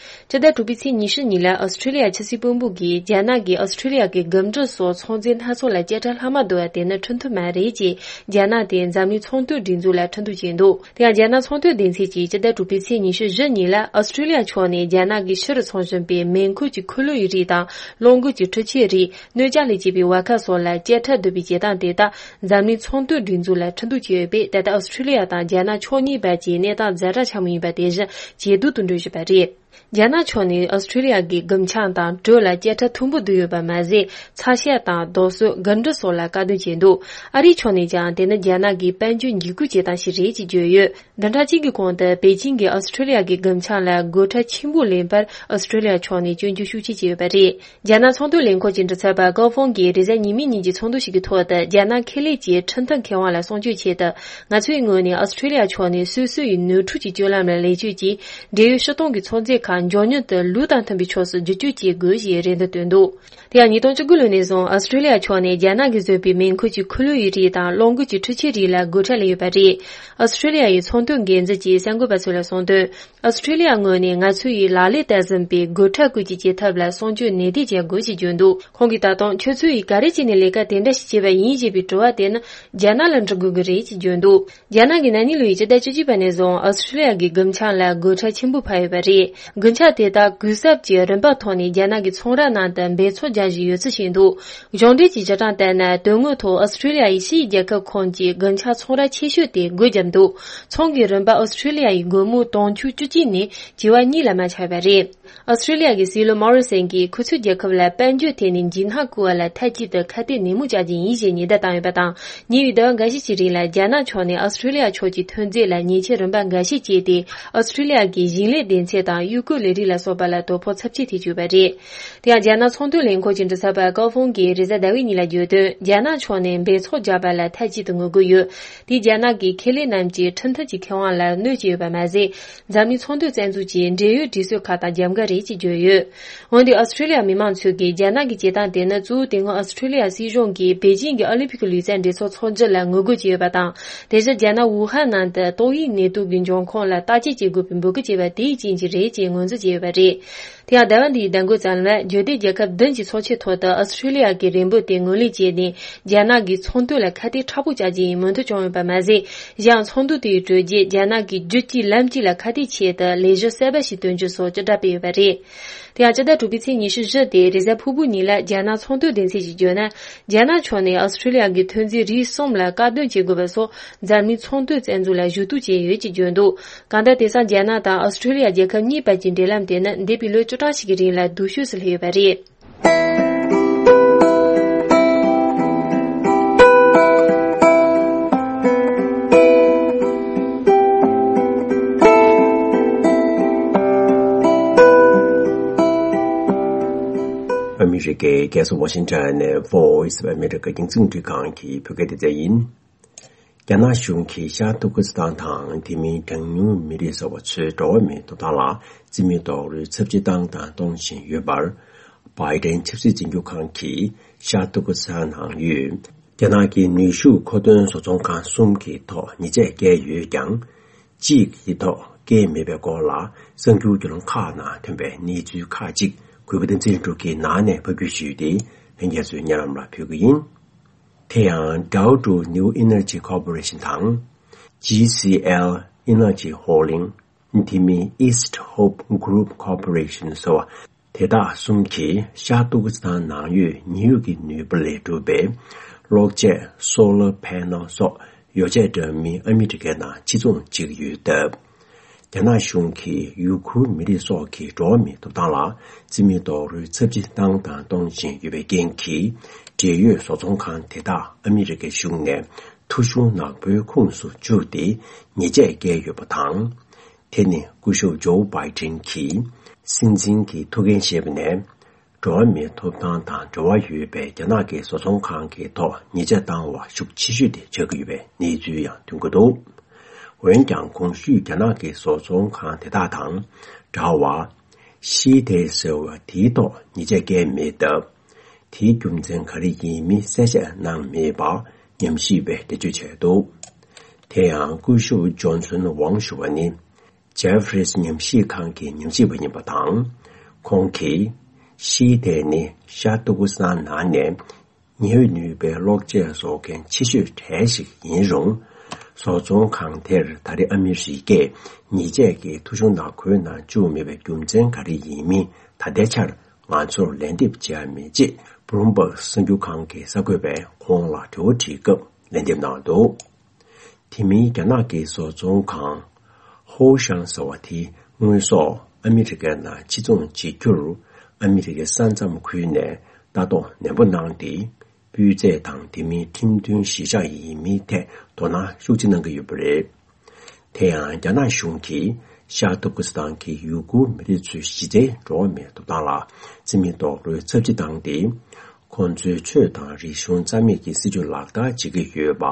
སྤྱི་ཟླ་དྲུག་པའི་ཚེས་ཉི་ཤུ་གཉིས་ལ་ཨོ་སི་ཁྲུ་ལི་ཡ་ཆབ་སྲིད་དཔོན་པོ་གིས་རྒྱ་ནག་གིས་ཨོ་སི་ཁྲུ་ལི་ཡ་གི་རྒུ་འབྲུམ་སོགས་ཚོང་རྫས་སྣ་ཚོགས་ལ་བཅད་ཁྲ་ལྷག་མ་བསྡུ་བ་དེ་ནི་ཁྲིམས་མཐུན་མ་རེད་ཅེས་རྒྱ་ནག་དེ་འཛམ་གླིང་ཚོང་དོན་སྒྲིག་འཛུགས་ལ་ཁྲིམས་གཏུག་བྱས་འདུག་དེ་ཡང་རྒྱ་ནག་ཚོང་དོན་སྡེ་ཚན་གྱིས་སྤྱི་ཟླ་དྲུག་པའི་ཚེས་ཉི་ཤུ་བཞི་ཉིན་ལ་ཨོ་སི་ཁྲུ་ལི་ཡ་ཕྱོགས་ནས་རྒྱ་ནག་གིས་ཕྱི་རུ་འཚོང་བཞིན་པའི་མེ་འཁོར་གྱི་འཁོར་ལོའི་རིགས་དང་གློག་འགུལ་གྱི་འཕྲུལ་ཆས་རིགས། སྣོད་ཆས་ལས་བྱེད་པའི་བ་ཁ་སོགས་ལ་བཅད་ཁྲ་བསྡུ་བའི་བྱེད་སྟངས་དེ་དག་འཛམ་གླིང་ཚོང་དོན་སྒྲིག་འཛུགས་ལ་ཁྲིམས་གཏུག་བྱས་ཡོད་པས། ད་ལྟ་ཨོ་སི་ཁྲུ་ལི་ཡ་དང་རྒྱ་ནག་ཕྱོགས་གཉིས་བར་གྱི་གནས་སྟངས་ཛ་དྲག་ཆེན་མོ་ཡིན་པ་དེ་བཞིན་ཇེ་སྡུག་ཏུ་འགྲོ་བཞིན་པ་རེད། རྒྱ་ནག་ཕྱོགས་ནས་ཨོ་སི་ཁྲུ་ལི་ཡ་གི་རྒུན་ཆང་དང་དྲོད་ལ་བཅད་ཁྲ་མཐོན་པོ་བསྡུས་ཡོད་པ་མ་ཟད། ཚ་ཤ་དང་རྡོ་སོལ། རྒུན་འབྲུམ་སོགས་ལ་བཀག་སྡོམ་བྱས་འདུག་ཨ་རིའི་ཕྱོགས་ནས་ཀྱང་དེ་ནི་རྒྱ་ནག་གི་དཔལ་འབྱོར་འཇིགས་སྐུལ་བྱེད་སྟངས་ཤིག་རེད་ཅེས་བརྗོད་ཡོད། བདུན་ཕྲག་གཅིག་གི་གོང་དུ་པེ་ཅིང་གིས་ཨོ་སི་ཁྲུ་ལི་ཡ་གི་རྒུན་ཆང་ལ་བགོ་ཁྲ་ཆེན་པོ་ལེན་པར་ཨོ་སི་ཁྲུ་ལི་ཡ་ཕྱོགས་ནས་སྐྱོན་བརྗོད་ཤུགས་ཆེ་བྱས་ཡོད་པ་རེད། རྒྱ་ནག་ཚོང་དོན་ལས་ཁུངས་ཀྱི་མགྲིན་ཚབ་པ་ཀའོ་ཧྥུང་གིས་རེས་གཟའ་ཉི་མའི་ཉིན་གྱི་ཚོགས་འདུ་ཞིག་གི་ཐོག་ཏུ། རྒྱ་ནག་ཁེ་ལས་ཀྱི་ཁྲིམས་མཐུན་ཁེ་དབང་ལ་སྲུང་སྐྱོབ་ཆེད་དུ། ང་ཚོའི་ངོས་ནས་ཨོ་སི་ཁྲུ་ལི་ཡ་ཕྱོགས་ནས་སོ་སོ་ཡི་ནོར་འཁྲུལ་གྱི་སྤྱོད་ལམ་ལ་ལེགས་བཅོས་ཀྱིས། འབྲེལ་ཡོད་ཕྱི་གཏོང་གི་ཚོང་རྫས་ཁག་མགྱོགས་མྱུར་དུ་ལུགས་དང་མཐུན་པའི་ཕྱོགས་སུ་བསྒྱུར་བཅོས་བྱེད་དགོས་ཞེས་རེ་འདུན་བཏོན་འདུག་དེ་ཡང་ཉིས་སྟོང་བཅུ་དགུ་ལོ་ནས་བཟུང་ཨོ་སི་ཁྲུ་ལི་ཡ་ཕྱོགས་ནས་རྒྱ་ནག་གིས་བཟོས་པའི་མེ་འཁོར་གྱི་འཁོར་ལོ་ཡི་རིགས་དང་གློག་འགུལ་གྱི་འཕྲུལ་ཆས་རིགས་ལ་བགོ་ཁྲ་ལེན་ཡོད་པ་རེད། ཨོ་སི་ཁྲུ་ལི་ཡ་ཡི་ཚོང་དོན་འགན་འཛིན་གྱིས་གསར་འགོད་པ་ཚོ་ལ་གསུངས་དོན། ཨོ་སི་ཁྲུ་ལི་ཡ་ངོས་ནས་ང་ཚོ་ཡིས་ལག་ལེན་བསྟར་ཟིན་པའི་བགོ་ཁྲ་བཀོད་ཀྱི་བྱེད་ཐབས་ལ་སྲུང་སྐྱོབ་ནན་ཏན་བྱེད་དགོས་ཞེས་བརྗོད་འདུག་ཁོང་གིས་ད་དུང་ཁྱོད་ཚོ་ཡིས་ག་རེ་བྱས་ནས་ལས་ཀ་དེ་འདྲ་ཞིག་བྱས་པ་ཡིན་ཞེས་པའི་དྲི་བ་དེ་ནི་རྒྱ་ནག་ལ་འདྲི་དགོས་ཀྱི་རེད་ཅེས་བརྗོད་འདུག་རྒྱ་ནག་གིས་ན་ནིང་ལོའི་སྤྱི་ཟླ་བཅུ་གཅིག་པ་ནས་བཟུང་ཨོ་སི་ཁྲུ་ལི་ཡ་གི་རྒུན་ཆང་ལ་བགོ་ཁྲ་ཆེན་པོ་ཕབ་ཡོད་པ་རེད། རྒུན་ཆང་དེ་དག་གུན་གསབ་ཀྱི་རིན་པ་ཐོག་ནས་རྒྱ་ནག་གི་ཚོང་ར་ནང་དུ་འབེལ་ཚོགས་རྒྱག་བཞིན་ཡོད་ཚུལ་བཤད་འདུག་གཞུང་འབྲེལ་གྱི་བྱེད་སྟངས་ལྟར་ན། དོན་དངོས་ཐོག་ཨོ་སི་ཁྲུ་ལི་ཡ་ཡི་ཕྱིའི་རྒྱལ་ཁབ་ཁོངས་ཀྱི་རྒུན་ཆང་ཚོང་ར་ཆེ་ཤོས་དེ་སྒོ་བརྒྱབ་འདུག་ཚོང་གི་རིན་པ་ཨོ་སི་ཁྲུ་ལི་ཡ་ཡི་སྒོར་མོ་དུང་ཕྱུར་བཅུ་གཅིག་ནས་བྱེ་བ་གཉིས་ལ་མ་ཆག་པ་རེད། ཨོ་སི་ཁྲུ་ལི་ཡ་གི་སྲིད་བློན་མོ་རི་སན་གྱིས་ཁོ་ཚོའི་རྒྱལ་ཁབ་ལ་དཔལ་འབྱོར་ཐད་ནས་འཇིགས་སྣང་བསྐུལ་བ་ལ་མཐའ་གཅིག་ཏུ་ཁ་གཏད་ནན་མོ་བྱ་རྒྱུ་ཡིན་ཞེས་ཉེན་བརྡ་བཏང་ཡོད་པ་དང་། ཉེ་བའི་ཟླ་བ་འགའ་ཤས་ཀྱི་རིང་ལ་རྒྱ་ནག་ཕྱོགས་ནས་ཨོ་སི་ཁྲུ་ལི་ཡ་ཕྱོགས་ཀྱི་ཐོན་རྫས་ལ་ཉེས་ཆད་རིམ་པ་འགའ་ཤས་བཅད་དེ། ཨོ་སི་ཁྲུ་ལི་ཡ་གི་ཞིང་ལས་སྡེ་ཚན་དང་གཡུག་རྒོལ་ལས་རིགས་ལ་སོགས་པ་ལ་དོ་ཕོག་ཚབས་ཆེ་ཐེབས་ཡོད་པ་རེད། དེ་ཡང་རྒྱ་ནག་ཚོང་དོན་ལས་ཁུངས་ཀྱི་མགྲིན་ཚབ་པ་ཀའོ་ཧྥུང་གིས་རེས་གཟའ་ཟླ་བའི་ཉིན་ལ་བརྗོད་དོན། རྒྱ་ནག་ཕྱོགས་ནས་འབེལ་ཚོགས་རྒྱག་པ་ལ་མཐའ་གཅིག་ཏུ་ངོ་རྒོལ་ཡོད། དེས་རྒྱ་ནག་གི་ཁེ་ལས་རྣམས་ཀྱི་ཁྲིམས་མཐུན་གྱི་ཁེ་དབང་ལ་གནོད་ཀྱི་ཡོད་པ་མ་ཟད། འཛམ་གླིང་ཚོང་དོན་རྩ་འཛུགས་ཀྱི་འབྲེལ་ཡོད་སྒྲིག་སྲོལ་ཁག་དང་རྒྱབ་འགལ་རེད་ཅེས་བརྗོད་ཡོད། འོན་ཏེ་ཨོ་སི་ཁྲུ་ལི་ཡ་མི་མང་ཚོས་ཀྱིས་རྒྱ་ནག་གི་བྱེད་སྟངས་དེ་ནི་གཙོ་བོ་དེ་སྔོན་ཨོ་སི་ཁྲུ་ལི་ཡ་སྲིད་གཞུང་གིས་པེ་ཅིང་གི་ཨོ་ལིམ་ཕིག་ལུས་རྩལ་འགྲན་ཚོགས་འཚོགས་རྒྱུ་ལ་ངོ་རྒོལ་བྱས་ཡོད་པ་དང་། དེ་བཞིན་རྒྱ་ནག་ཝུ་ཧན་ནང་དུ་ཏོག་དབྱིབས་ནད་དུག་གི་འབྱུང་ཁུངས་ལ་བརྟག་དཔྱད་བྱེད་དགོས་པའི་འབོད་སྐུལ་བྱས་པ་དེའི་རྐྱེན་གྱིས་རེད་ཅེས་ངོས་འཛིན་བྱས་ཡོད་པ་རེད། དེ་ཡང་ཟླ་བ་འདིའི་ཟླ་འགོའི་མཚམས་ལ་འབྱོར་ལྡན་རྒྱལ་ཁབ་བདུན་གྱི་ཚོགས་ཆེན་ཐོག་ཏུ་ཨོ་སི་ཁྲུ་ལི་ཡ་གི་རེ་འབོད་དེ་ངོས་ལེན་བྱས་ནས། རྒྱ་ནག་གིས་ཚོང་དོན་ལ་ཁ་གཏད་མཁྲེགས་པོ་བྱ་རྒྱུ་ཡིན་མོས་མཐུན་བྱུང་ཡོད་པ་མ་ཟད། གཞན་ཡང་ཚོགས་འདུ་དེའི་གྲོལ་རྗེས་རྒྱ་ནག་གིས་རྒྱུད་གཅིག་ལམ་གཅིག་ལ་ཁ་གཏད་ཆེད་དུ་ལས་གཞི་གསར་པ་ཞིག་སྟོན་རྒྱུ་སོགས་ཅི་འདྲ་སྤེལ་ཡོད་པ་རེད། དེ་ཡང་སྤྱི་ཟླ་དྲུག་པའི་ཚེས་ཉི་ཤུ་བཞི་སྟེ་རེས་གཟའ་ཕུར་བུ་ཉིན་ལ་རྒྱ་ནག་ཚོང་དོན་སྡེ་ཚན་གྱིས་བརྗོད་ན། རྒྱ་ནག་ཕྱོགས་ནས་ཨོ་སི་ཁྲུ་ལི་ཡ་གི་ཐོན་རྫས་རིགས་གསུམ་ལ་བཀག་སྡོམ་བྱེད་དགོས་པ་སོགས་འཛམ་གླིང་ཚོང་དོན་རྩ་འཛུགས་ལ་ཞུ་གཏུག་བྱས་ཡོད་ཅེས་བརྗོད་འདུག་གང་ལྟར་དེང་སང་རྒྱ་ནག་དང་ཨོ་སི་ཁྲུ་ལི་ཡ་རྒྱལ་ཁབ་གཉིས་བར་གྱི་འབྲེལ་ལམ་དེ་ནི་འདས་པའི་ལོ་བཅུ་གྲངས་ཤིག་གི་རིང་ལ་སྡུག་ཤོས་སུ་སླེབས་ཡོད་པ་རེད། ཨ་མི་རི་ཀའི་རྒྱལ་ས་ཝ་ཤིང་ཊོན་ནས་Voice of America རྒྱང་སྲིང་འཕྲིན་ཁང་གི་བོད་སྐད་སྡེ་ཚན་ཡིན། རྒྱ་ནག་གཞུང་གིས་ཤར་ཏུར་ཀི་སི་ཐན་དང་དེ་མིན་གྲངས་ཉུང་མི་རིགས་ཟེར་བ་ཚོའི་འགྲོ་བ་མིའི་ཐོབ་ཐང་ལ་རྩིས་མེད་རྡོག་རོལ་ཚབས་ཆེ་བཏང་དང་གཏོང་བཞིན་ཡོད་པར། བྷའི་ཏན་ཆབ་སྲིད་འཛིན་སྐྱོང་ཁང་གིས་ཤར་ཏུར་ཀི་སི་ཐན་ནང་ཡོད་རྒྱ་ནག་གི་ནུས་ཤུགས་མཁོ་འདོན་བཟོ་ཚོང་ཁང་གསུམ་གྱི་ཐོག་ཉེས་ཆད་བཀལ་ཡོད་ཀྱང་། གཅིག་གི་ཐོག་བཀལ་མེད་པའི་སྐོར་ལ་གསར་འགྱུར་བརྒྱུད་ལམ་ཁག་ནང་ཐོན་པའི་གནས་ཚུལ་ཁག་ཅིག་གུས་པ་བསྟན་འཛིན་འབྲུག་གིས་ནང་ནས་ཕབ་སྒྱུར་ཞུས་ཏེ་ལྷན་རྒྱས་ཚོའི་སྙན་ལམ་ལ་ཕུལ་གྱི་ཡིན། དེ་ཡང་Dow Jones New Energy Corporation དང་། G C L Energy Holding། དེ་མིན་East Hope Group Corporation སོགས་དེ་དག་གསུམ་གྱིས་ཤར་ཏུར་ཀི་སི་ཐན་ནང་ཡོད་ཉི་འོད་ཀྱི་ནུས་པ་ལས་གྲུབ་པའི་གློག་ཆས་Solar Panel སོགས་ཡོ་བྱད་འདྲ་མིན་ཨ་མི་རི་ཀའི་ནང་ཕྱིར་ཚོང་བྱེད་ཀྱི་ཡོད་སྟབས། རྒྱ་ནག་གཞུང་གིས་ཡུ་གུར་མི་རིགས་སོགས་ཀྱི་འགྲོ་བ་མིའི་ཐོབ་ཐང་ལ་རྩིས་མེད་རྡོག་རོལ་ཚབས་ཆེ་བཏང་དང་གཏོང་བཞིན་ཡོད་པའི་རྐྱེན་གྱིས། འབྲེལ་ཡོད་བཟོ་ཚོང་ཁང་དེ་དག་ཨ་མི་རི་ཀའི་གཞུང་ནས་ཐོ་གཞུང་ནག་པོའི་ཁོངས་སུ་བཅུག་སྟེ་ཉེས་ཆད་བཀལ་ཡོད་པ་དང་། དེ་ནི་སྐུ་ཞབས་ཇོ་བྷའི་ཏིན་གྱིས་སྲིད་འཛིན་གྱི་ཐུགས་འགན་བཞེས་པ་ནས། འགྲོ་བ་མིའི་ཐོབ་ཐང་དང་འབྲེལ་བ་ཡོད་པའི་རྒྱ་ནག་གི་བཟོ་ཚོང་ཁང་གི་ཐོག་ཉེས་ཆད་བཏང་བ་ཤུགས་ཆེ་ཤོས་དེ་ཆགས་ཀྱི་ཡོད་པའི་གནས་ཚུལ་ཡང་ཐོན་གྱི་འདུག་འོན་ཀྱང་གོང་ཞུས་རྒྱ་ནག་གི་བཟོ་ཚོང་ཁང་དེ་དག་དང་འདྲ་བར། ཤི་ཐེ་ཟེར་བ་དེའི་ཐོག་ཉེས་ཆད་བཀལ་མེད་སྟབས། དེའི་རྒྱུ་མཚན་ག་རེ་ཡིན་མིན་གསལ་བཤད་གནང་མེད་པར་ཉམས་ཞིབ་པས་འགྲེལ་བརྗོད་བྱས་འདུག་དེ་ཡང་སྐུ་ཞབས་ཇོན་སོན་ཝང་ཞུ་བ་ནི། ཇེ་ཧྥ་རིས་ཉམས་ཞིབ་ཁང་གི་ཉམས་ཞིབ་པ་ཡིན་པ་དང་། ཁོང་གིས། ཤི་ཐེ་ནི་ཤར་ཏུར་ཀི་སི་ཐན་ནང་ནས་ཉེ་བའི་ནུས་པའི་གློག་ཆས་བཟོ་མཁན་ཆེ་ཤོས་གྲས་ཤིག་ཡིན་རུང་། བཟོ་ཚོང་ཁང་དེར་ད་རེས་ཨ་མི་རི་ཀས་ཉེས་ཆད་ཀྱི་ཐོ་གཞུང་ནག་ཁུལ་ནང་བཅུག་མེད་པའི་རྒྱུ་མཚན་ག་རེ་ཡིན་མིན་ད་ལྟའི་ཆར་ང་ཚོར་ལན་འདེབས་བྱས་མེད་ཅེས་བྷུ་ལུམ་བྷག་གསར་འགྱུར་ཁང་གི་གསར་འགོད་པས་ཁོང་ལ་དྲི་བ་དྲིས་སྐབས་ལན་འདེབས་གནང་འདུག་དེ་མིན་རྒྱ་ནག་གི་བཟོ་ཚོང་ཁང་ཧོ་ཤང་ཟེར་བ་དེའི་དངོས་ཟོག་ཨ་མི་རི་ཀའི་ནང་ཕྱིར་ཚོང་བྱེད་རྒྱུར་ཨ་མི་རི་ཀའི་ས་མཚམས་ཁུལ་ནས་ལྟ་རྟོག་ནན་པོ་གནང་སྟེ། སྤུས་ཚད་དང་དེ་མིན་ཁྲིམས་མཐུན་གཞིས་ཆགས་ཡིན་མིན་ཐད་དོ་སྣང་ཤུགས་ཆེ་གནང་གི་ཡོད་པ་རེད། དེ་ཡང་རྒྱ་ནག་གཞུང་གིས་ཤར་ཏུར་ཀི་སི་ཐན་གྱི་ཡུ་གུར་མི་རིགས་ཚོའི་གཞི་རྩའི་འགྲོ་བ་མིའི་ཐོབ་ཐང་ལ་བརྩི་མེད་རྡོག་རོལ་ཚབས་ཆེ་བཏང་སྟེ། ཁོང་ཚོའི་ཆོས་དང་རིག་གཞུང་རྩ་མེད་ཀྱི་སྲིད་བྱུས་ལག་བསྟར་བྱེད་ཀྱི་ཡོད་པ་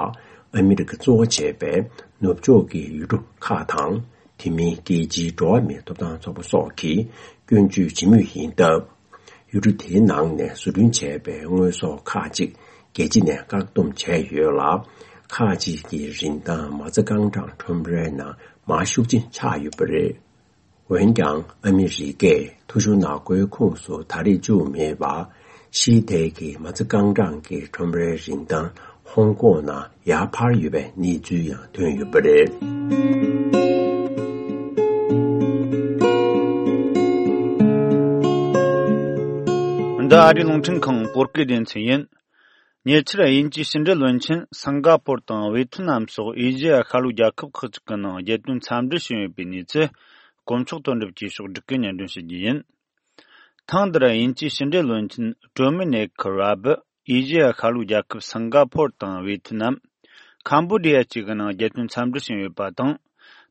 ཨ་མི་རི་ཀ་གཙོ་བོ་བྱས་པའི་ནུབ་ཕྱོགས་ཀྱི་ཡུལ་གྲུ་ཁག་དང་། དེ་མིན་རྒྱལ་སྤྱིའི་འགྲོ་བ་མིའི་ཐོབ་ཐང་ཚོགས་པ་སོགས་ཀྱིས་སྐྱོན་བརྗོད་བྱེད་མུས་ཡིན་སྟབས། ཡུལ་གྲུ་དེའི་ནང་ནས་བཟོ་སྐྲུན་བྱས་པའི་དངོས་ཟོག་ཁག་ཅིག་རྒྱལ་སྤྱི་ནས་བཀག་སྡོམ་བྱས་ཡོད་ལ། ཁག་ཅིག་གི་རིན་ཐང་མ་རྩ་རྐང་གྲངས་ཁྲོམ་རའི་ནང་མར་ཤུགས་ཆེན་ཆགས་ཡོད་པ་རེད། འོན་ཀྱང་ཨ་མི་རི་ཀས་ཐོ་གཞུང་ནག་པོའི་ཁོངས་སུ་ད་རེས་བཅུག་མེད་པར། ཤི་ཐེ་གི་མ་རྩ་རྐང་གྲངས་ཀྱི་ཁྲོམ་རའི་རིན་ཐང་ཧོང་ཀོང་ནང་ཡར་འཕར་ཡོད་པའི་གནས་ཚུལ་ཡང་ཐོན་ཡོད་པ་རེད། འདི་ཨ་རིའི་རླུང་འཕྲིན་ཁང་བོད་སྐད་སྡེ་ཚན་ཡིན། ཉེ་ཆར་དབྱིན་ཇིའི་ཕྱི་འབྲེལ་བློན་ཆེན་སིང་ག་པོར་དང་ཝེ་ཐི་ནམ་སོགས་ཨེ་ཤེ་ཡ་ཤར་ལྷོའི་རྒྱལ་ཁབ་ཁག་ཅིག་གི་ནང་རྒྱལ་དོན་འཚམས་འདྲི་བྱུང་ཡོད་པའི་གནས་ཚུལ། དཀོན་མཆོག་དོན་གྲུབ་ཀྱིས་ཕྱོགས་བསྒྲིགས་ཀྱིས་སྙན་སྒྲོན་ཞུ་རྒྱུ་ཡིན། ཐེངས་འདིར་དབྱིན་ཇིའི་ཕྱི་འབྲེལ་བློན་ཆེན་ཏྲོ་མི་ནེ་ཁི་ར་བི་ཨེ་ཤེ་ཡ་ཤར་ལྷོའི་རྒྱལ་ཁབ་སིང་ག་པོར་དང་ཝེ་ཐི་ནམ། ཁམ་བོ་ཌི་ཡ་བཅས་ཀྱི་ནང་རྒྱལ་དོན་འཚམས་འདྲི་བྱུང་ཡོད་པ་དང་།